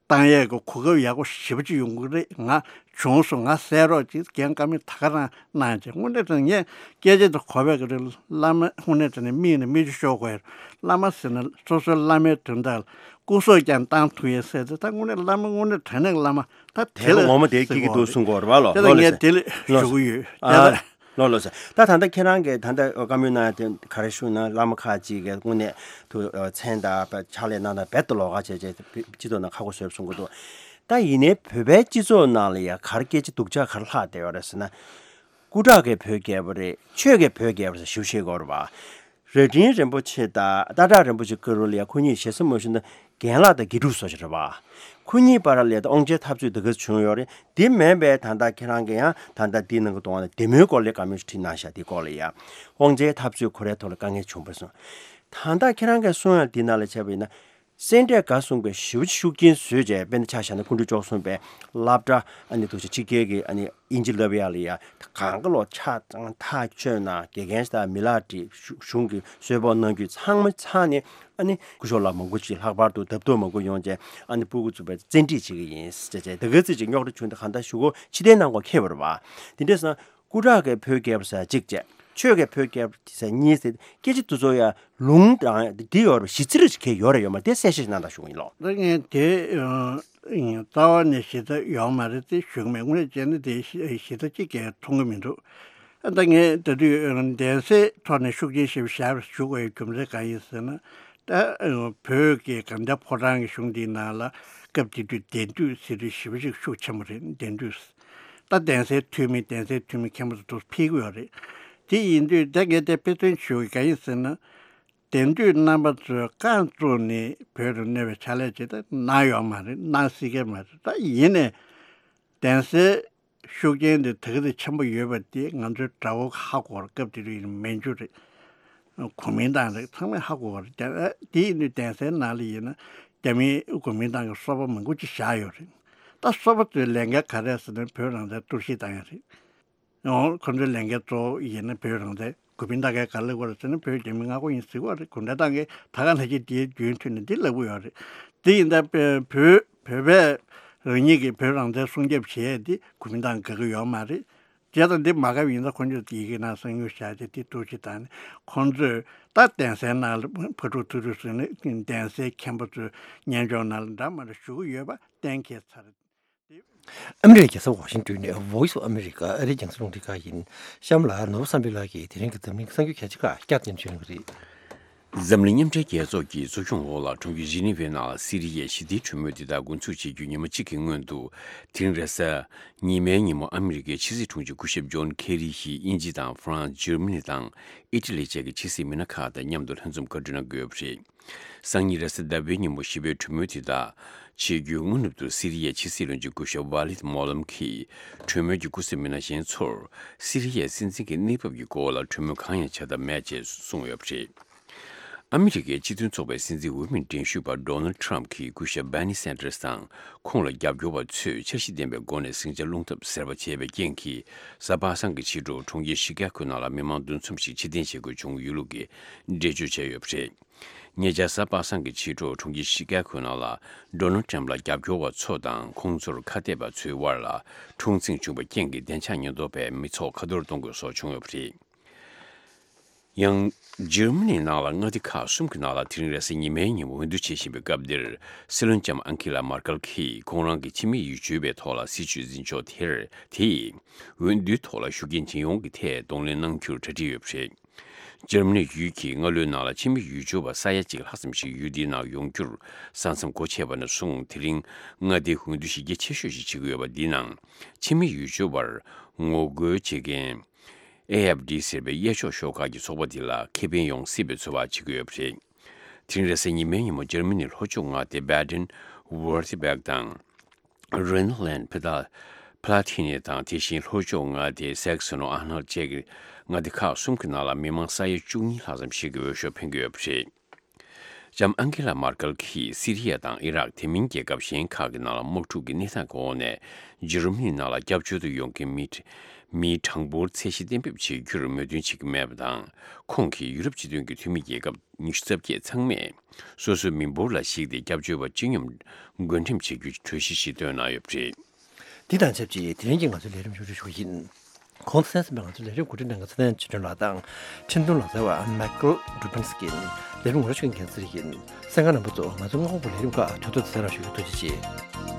བཏང་ཡས་ཀྱི་གོ་སྐབས་ཡག་པོ་ཞེ་པོ་ཅིག་ཡོང་གི་རེད། ང་བྱུང་སོང་། ང་གསན་རོགས་གྱིས། རྒན་བཀའ་མོལ་ད་ག་རང་གནང་བྱས། དངོས་གནས་དྲང་ངས་སྐད་ཆ་དེ་གོ་བའི་གི་རེད། བླ་མ་དངོས་གནས་དྲང་ནས་མིག་ནས་མིག་ཆུ་ཤོར་དགོས་ཡ་རེད། བླ་མ་ཟེར་ན་སོ་སོའི་བླ་མའི་དོན་དག་ལ་སྐུ་སྲོག་ཀྱང་བཏང་ཐུབ་ཡས་ཟེར་ཏེ། ད་དངོས་གནས་བླ་མ་དངོས་གནས་དྲང་གནས་བླ་མ་ད་དེ་དེ་ལ་ངོ་མ་དེ་སྐྱིད་ཀྱི་འདུག་གསུང་དགོས་རེད་བ་ལོ། དེ་ལ་ལོ་ལེ་ངས་ཟེར་དེ་ལ་ལོ་ཞུ་གི་ཡོད། ཨ། དེ་ལ། ལོ་ལོ་ཟེར། ད་ད་ལྟ་ཁྱེད་རང་གིས་ད་ལྟ་བཀའ་མོལ་གནང་ཡ་དེ་ག་རེ་ཞུ་ན། བླ་མ་ཁག་ཅིག་གིས་དངོས་གནས་དུ་མཚན་དང་ཕྱག་ལས་གནང་སྟངས་རྦད་དེ་ལོགས་ཀ་བྱས་བྱས་སྤྱི་ཚོགས་ནང་ཁག་པོ་བཟོས་གསུང་གི་འདུག་ད་ཡིན་ནའི་བོད་པའི་སྤྱི་ཚོགས་ནང་ལ་ཡ་ག་རེ་སྐད་ཆ་སྡུག་ཅག་ག་རེ་ལྷག་བསྡད་ཡོད་རེད་ཟེར་ན། སྐུ་དྲག་གིས་བོད་རྒྱལ་པོ་རེད། ཆོས་ཀྱིས་བོད་རྒྱལ་པོ་རེད་ཟེར་ཞུ་ཤེས་དགོས་རེད་པ། རྭ་སྒྲེང་རིན་པོ་ཆེ་དང་སྟག་བྲག་རིན་པོ་ཆེ་བཀུར་འོས་ལ་ཡ་ཁོ་གཉིས་ཞེ་ས་མ་ཞུ་ན་རྒན་ལགས་དང་དགེ་ཕྲུག་བཟོ་ཞིག་རེད་པ། ཁོ་གཉིས་བར་ལ་ཡ་ད་དབང་ཆའི་འཐབ་རྩོད་འདི་ག་བྱུང་ཡོད་རེད། དེ་མིན་པའི་ད་ལྟ་ཁྱེད་རང་གིས་ཡང་ད་ལྟ་འདི་ནང་གི་གཏོང་བ་ན་བདེ་མོའི་སྐོར་ལ་བཀའ་མོལ་ཞིག་བྲིས་གནང་ཤག་དེའི་སྐོར་ལ་ཡ་དབང་ཆའི་འཐབ་རྩོད་ཁོ་རའི་ཐོག་ལ་དཀའ་ངལ་བྱུང་བ་སོང་། ད་ལྟ་ཁྱེད་རང་གིས་གསུང་ཡ་འདི་ནང་ལ་བྱས་པ་ཡིན་ན། སེ་འབྲས་དགའ་གསུམ་གྱིས་ཞེ་པོ་ཅིག་ཤུགས་རྐྱེན་བཟོས་བྱས། དཔེར་ན་ཆ་བཞག་ན་སྐུ་ཕྲེང་བཅུ་གསུམ་པའི་སློབ་གྲྭ་ཨ་ནི་འདུག་སེ་ཕྱི་རྒྱལ་གྱི་ཨ་ནི་དབྱིན་ཇི་བསླབ་ཡག་ལ་ཡ་གང་ག་ལོ་ཕྱག་ཐག་ཆོད་གནང་། དགེ་རྒན་དང་མི་ལག་བྲིས། གཞུང་གི་གསོལ་ཕོགས་གནང་རྒྱུ་ཚང་མ་ཚང་ནས་ཨ་ནི་སྐུ་ཞབས་ལགས་མང་པོ་ཅིག་ལྷག་པར་དུ་ལྡབ་ལྡོབ་མང་པོ་ཡོང་བྱས་ཨ་ནི་སྤུ་གུ་ཚོ་བཙན་ཁྲིད་བྱེད་ཀྱི་ཡིན་ཟེར་བྱས། དེ་ག་ཚོད་ཅིག་རྙོག་དྲ་བྱུང་དུས་གང་ལྟར་གཞུག་གུ་ཕྱིར་འཐེན་གནང་དགོས་ཁེལ་བ་རེད་པ། དེ་འདྲ་སོང་ན། སྐུ་དྲག་གིས་བོད་རྒྱལ་པོ་ཟེར་གཅིག་བྱས། ཆོས་ཀྱིས་བོད་རྒྱལ་པོ་ཟེར་གཉིས་ཟེར། སྐད་ཆ་དེ་ཚོ་ཡང་ལུང་དང་འདི་ཡོད་རེད་པ། གཞི་རྩ་རེ་ཞིག་གས་ཡོད་རེད་ཡོད་མ་རེད། དེ་གསལ་བཤད་ཞིག་གནང་དང་ཞུ་གི་ཡིན་ལོ། ད་ངས་དེ་ཨ་རྩ་བ་ནས་གཞི་རྩ་ཡོད་མ་རེད་དེ་ཞུ་གི་མེད། དངོས་གནས་བྱས་ན་དེ་གཞི་གཞི་རྩ་གཅིག་ཀྱང་མཐོང་གི་མི་འདུག་ཨ་ད་ངས་ད་དུས་གདན་སའི་ཐོག་ནས་ཤུགས་རྐྱེན་ཞེ་པོ་བཞག་པ་ཞུ་དགོས་ཡའི་རྒྱུ་མཚན་གང་ཡིན་ཟེར་ན། ད་བོད་ཀྱི་གང་ལྟར་ཕོ་བྲང་གི་གཞུང་འདིའི་ནང་ལ་སྐབས་དེ་དུས་གདན་འདུས་ཟེར་དུས་ཞེ་པོ་ཅིག་ཤུགས་ཆེན་པོ་རེད། གདན་འདུས། ད་གདན་སའི་འཐུས་མི་གདན་སའི་འཐུས་མི་མཁན་པོ་ཚོ་འདུག་ཕེབས་ཀྱི་ཡོད་རེད། དེ་ཡིན་དུས་ད་ངས་དེ་དཔེ་མཚོན་ཞུ་གི་གང་ཡིན་ཟེར་ན། གདན་འདུས་རྣམ་པ་ཚོས་རྐང་བཙུགས་ནས་བོད་དུ་གནས་པའི་ཕྱག་ལས་ཅིག་ད་གནང་ཡོད་མ་རེད། གནང་སྲིད་ཀྱི་མ་རེད། ད་ཡིན་ནས་གདན་སའི་ཤུགས་རྐྱེན་དེ་དེ་ག་ཚོད་ཆེན་པོ་ཡོད་པ་དེ་ང་ཚོའི་དགྲ་བོ་ཧ་གོ་བར། སྐབས་དེ་དུས་མན་ཇུ་རེད། གོ་མིན་ཏང་རེད། ཚང་མས་ཧ་གོ་བ་རེད། དེ་ཡིན་དུས་གདན་སའི་ནང་ལ་ཡིན་ན་རྒྱ་མིའི་གོ་མིན་ཏང་གི་སོ་པ་མང་པོ་ཅིག་བཞག་ཡོད་རེད། ད་སོ་པ་ཚོའི་ལས་འགན་ག་རེ་ཟེར་ན་བོད་རང་བཙན་གཏོར་བཤིག་བཏང་ཡ་རེད། འོ་ཁོ་ཚོའི་ལས་འགན་གཙོ་བོ་ཡིན་ན་བོད་རང་བཙན། གོ་མིན་ཏང་གིས་ག་རེ་ལབ་ཀྱི་ཡོད་རེད་ཟེར་ན་བོད་རྒྱ་མི་མངའ་ཁོངས་ཡིན་ཟེར་གྱི་ཡོད་རེད། གུང་ཁྲན་ཏང་གིས་ད་ག་ནང་བཞིན་དེའི་རྒྱུན་མཐུད་ནས་འདི་ལབ་ཀྱི་ཡོད་རེད། དེ་ཡིན་ད་བོད་བོད་པས་རང་ཉིད་ཀྱི་བོད་རང་བཙན་སྲུང་སྐྱོབ་བྱེད་ཡས་འདི་གོ་མིན་ཏང་དགའ་གི་ཡོད་མ་རེད། བྱས་ཙང་འདི་མ་དགའ་བ་ཡིན་ཙང་ཁོང་ཚོས་ཡི་གེ་ནང་གསང་ཉུལ་བཞག་བྱས་དེ་གཏོར་བཤིག་བཏང་ནས་ཁོང་ཚོས་ད་གདན་སའི་ནང་ལ་ཕར་འགྲོ་ཚུར་འགྲོ་ཟེར་ནས་གདན་སའི་མཁན་པོ་ཚོའི་སྙན་ཅོག་ནང་ལ་འདྲ་མ་འདྲ་ཞུ་གི་ཡོད་པ་གཏན་འཁེལ་ཚར། ཨ་མི་རི་ཀའི་རྒྱལ་ས་ཝ་ཤིང་ཏོན་ནས་Voice of America ཨ་རིའི་རྒྱང་སྲིང་རླུང་འཕྲིན་ཁང་ཡིན། གཤམ་ལ་ནོར་བུ་བསམ་འཕེལ་ལགས་ཀྱིས་དེ་རིང་གི་འཛམ་གླིང་གི་གསར་འགྱུར་གལ་ཆེ་ཁག་བསྐྱར་དུ་སྙན་སྒྲོན་ཞུ་གནང་གི་རེད། འཛམ་གླིང་མཉམ་འབྲེལ་རྒྱལ་ཚོགས་ཀྱི་གཙོ་སྐྱོང་འོག་ལ་གྲོང་ཁྱེར་ཇི་ནི་ཝའི་ནང་ལ་སི་རི་ཡའི་ཞི་བདེའི་གྲོས་མོལ་འདི་དག་འགོ་འཛུགས་བྱེད་རྒྱུ་ཉི་མ་གཅིག་གི་སྔོན་དུ། དེ་རིང་རེས་གཟའ་ཉི་མའི་ཉིན་མོ་ཨ་མི་རི་ཀའི་ཕྱི་སྲིད་དྲུང་ཆེ་སྐུ་ཞབས་ཇོན་ཁེ་རི་ཡིས་དབྱིན་ཇི་དང་ཧྥ་རན་སི། འཇར་མ་ནི་དང་ཨི་ཊ་ལི་བཅས་ཀྱི་ཕྱི་སྲིད་མི་སྣ་ཁག་དང་མཉམ་དུ་ལྷན་འཛོམས་བཀའ་འཁྲོལ་གནང་གི་ཡོད་པ་རེད། སང་ཉིན་རེས་གཟའ་ཟླ་བའི་ཉིན་མོ་ཞི་བའི་གྲོས་མོལ་དེ་དག་བྱེད་རྒྱུའི་སྔ་ནུབ་ཏུ་སི་རི་ཡའི་ཕྱི་སྲིད་བློན་ཆེན་སྐུ་ཞབས་ཝ་ལིད་མོ་ལམ་གྱིས་གྲོས་མོལ་གྱི་སྐུ་སྲིད་མི་སྣ་གཞན་ཚོར་སི་རི་ཡའི་སྲིད་འཛིན་གྱི་གནས་བབ་ཀྱི་སྐོར་ལ་གྲོས་མོལ་གང་ཡང་བྱ་ཐབས་མེད་ཅེས་གསུངས་ཡོད་པ་རེད། ཨ་མི་རི་ཀའི་སྤྱི་མཐུན་ཚོགས་པའི་སྲིད་འཛིན་འོས་མི་འགྲན་ཞུགས་པ་ཌོ་ནལ་ཊམ་གྱིས་སྐུ་ཞབས་བྷར་ནི་སན་ཏར་སི་དང་ཁོང་ལ་རྒྱབ་སྐྱོར་བ་ཚོས་འཆར་གཞི་ལྡན་པའི་སྒོ་ནས་ཟིང་ཆ་སློང་ཐབས་ཟེར་བ་བྱས་པའི་རྐྱེན་གྱིས། གཟའ་པ་སངས་ཀྱི་ཕྱི་དྲོ་གྲོང་ཁྱེར་ཤི་ཀ་གོའི་ནང་ལ་མི་མང་འདུ་འཛོམས་ཤིག་ཕྱིར་འཐེན་བྱེད་དགོས་བྱུང་ཡོད་ལུགས་ཀྱི་འགྲེལ་བརྗོད་བྱས་ཡོད་པ་རེད། ཉེ་ཆར་གཟའ་པ་སངས་ཀྱི་ཕྱི་དྲོ་གྲོང་ཁྱེར་ཤི་ཀ་གོའི་ནང་ལ་ཌོ་ནལ་ཊམ་ལ་རྒྱབ་སྐྱོར་བ་ཚོ་དང་ཁོང་ཚོར་ཁ་གཏད་པ་ཚོའི་དབར་ལ་འཁྲུག་འཛིང་བྱུང་བའི་རྐྱེན་གྱིས་བདེ་འཇགས་ཉེན་རྟོག་པས་མི་ཚོགས་ཁ་འཐོར་གཏོང་དགོས་སོགས་བྱུང་ཡོད་པ་རེད། ཡང་། འཇར་མ་ནིའི་ནང་ལ་མངའ་སྡེ་ཁག་གསུམ་གྱི་ནང་ལ་དེ་རིང་རེས་གཟའ་ཉི་མའི་ཉིན་མོ་འོས་བསྡུ་བྱེད་བཞིན་པའི་སྐབས་འདིར། སྲིད་བློན་ལྕམ་ཨང་ཀི་ལ་མར་ཀལ་གྱིས་ཁོང་རང་གི་ཕྱི་མི་ཡུལ་གྱོད་པའི་ཐོག་ལ་སྲིད་བྱུས་འཛིན་ཕྱོགས་དེར། དེས་འོས་བསྡུའི་ཐོག་ལ་ཤུགས་རྐྱེན་ཇི་ཡོང་གི་ཐད་གདོང་ལེན་གནང་རྒྱུར་གྲ་སྒྲིག་ཡོད་པ་རེད། འཇར་མ་ནི་ཡུལ་གྱིས་སྔ་ལོའི་ནང་ལ་ཕྱི་མི་ཡུལ་གྱོད་པ་ས་ཡ་གཅིག་ལྷག་ཙམ་ཞིག་ཡུལ་འདིའི་ནང་ཡོང་རྒྱུར་ས་མཚམས་སྒོ་ཕྱེ་བ་ནས་བཟུང་། དེ་རིང་མངའ་སྡེའི་འོས་བསྡུ་གཞི་རྒྱ་ཆེ་ཤོས་ཤིག་བྱེད་ཀྱི་ཡོད་པ་འདིའི་ནང་ཕྱི་མི་ཡུལ་གྱོད་པར་ངོ་རྒོལ་བྱེད་མཁན་ཨེ་ཨེཕ་ཌི་ཟེར་བའི་གཡས་ཕྱོགས་ཤོག་ཁག་གི་ཚོགས་པ་འདི་ལ་ཁེ་ཕན་ཡོང་སྲིད་པའི་ཚོད་དཔག་བྱེད་ཀྱི་ཡོད་པ་རེད། དེ་རིང་རེས་གཟའ་ཉི་མའི་ཉིན་མོ་འཇར་མ་ནིའི་ལྷོ་ཕྱོགས་མངའ་སྡེ་བྷ་ཌེན་ཝུར་ཐི་བྷེག་དང་། རེན་ལན་ཕི་ཐ་ཕ་ལ་ཐི་ནེ་དང་། དེ་བཞིན་ལྷོ་ཕྱོགས་མངའ་སྡེ་སེག་སོན་ཨན་ཧལ་བཅས་ཀྱི་མངའ་སྡེ་ཁག་གསུམ་གྱི་ནང་ལ་མི་མང་ས་ཡ་བཅུ་གཉིས་ལྷག་ཙམ་ཞིག་གིས་འོས་ཤོག་འཕེན་གྱི་ཡོད་པ་རེད། ལྕམ་ཨང་ཀེ་ལ་མར་ཀལ་གྱིས་སི་རི་ཡ་དང་ཨི་རག་དེ་མིན་རྒྱལ་ཁབ་གཞན་ཁག་གི་ནང་ལ་དམག་འཁྲུག་གི་གནས་སྟངས་ཀྱི་འོག་ནས་འཇར་མ་ནི་ནང་ལ་སྐྱབས་བཅོལ་དུ་ཡོང་མཁན་མི་མིའི་གྲངས་འབོར་ཚད་གཞི་གཏན་འབེབས་བྱེད་རྒྱུར་མོས་མཐུན་བྱེད་ཀྱི་མེད་པ་དང་། ཁོང་གིས་ཡུ་རོབ་སྤྱི་མཐུན་གྱི་འཐུས་མི་རྒྱལ་ཁབ་ཉི་ཤུ་རྩ་བརྒྱད་ཚང་མས་སོ་སོའི་མི་འབོར་ལ་གཞིགས་ཏེ་སྐྱབས་བཅོལ་བ་སྤྱི་སྙོམས་བགོ་འགྲེམས་བྱེད་རྒྱུའི་གྲོས་གཞི་ཞིག་བཏོན་གནང་ཡོད་པ་རེད། འདི་དང་ཆབས་ཅིག་དེ་རིང་གི་ང་ཚོའི་ལས་རིམ་མཇུག་སྒྲིལ་ཞུ་གི་ཡིན། གོང་དུ་གསན་གསན་པའི་ང་ཚོའི་ལས་རིམ་གོ་སྒྲིག་གནང་མཁན་ཚེ་བརྟན་ཆོས་སྒྲོན་ལགས་དང་འཕྲིན་གཏོང་ལག་རྩལ་བ་མེག་ལ་རུ་པིན་སི་ཀིན། ལས་རིམ་ངོ་སྤྲོད་མཁན་ཚེ་རིང་ཡིན། གསན་མཁན་རྣམ་པ་ཚོ་ང་ཚོའི་སྔ་དགོང་གི་ལས་རིམ་ཁག་ཐུགས་ཚོད་གསན་རོགས་ཞུ་རྒྱུ། ཐུགས་རྗེ་ཆེ།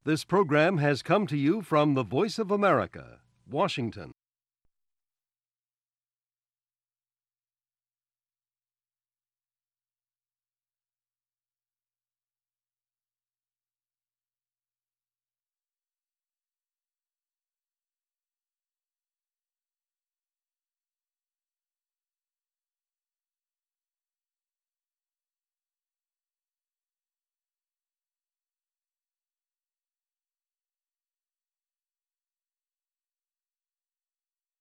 This program has come to you from the Voice of America, Washington.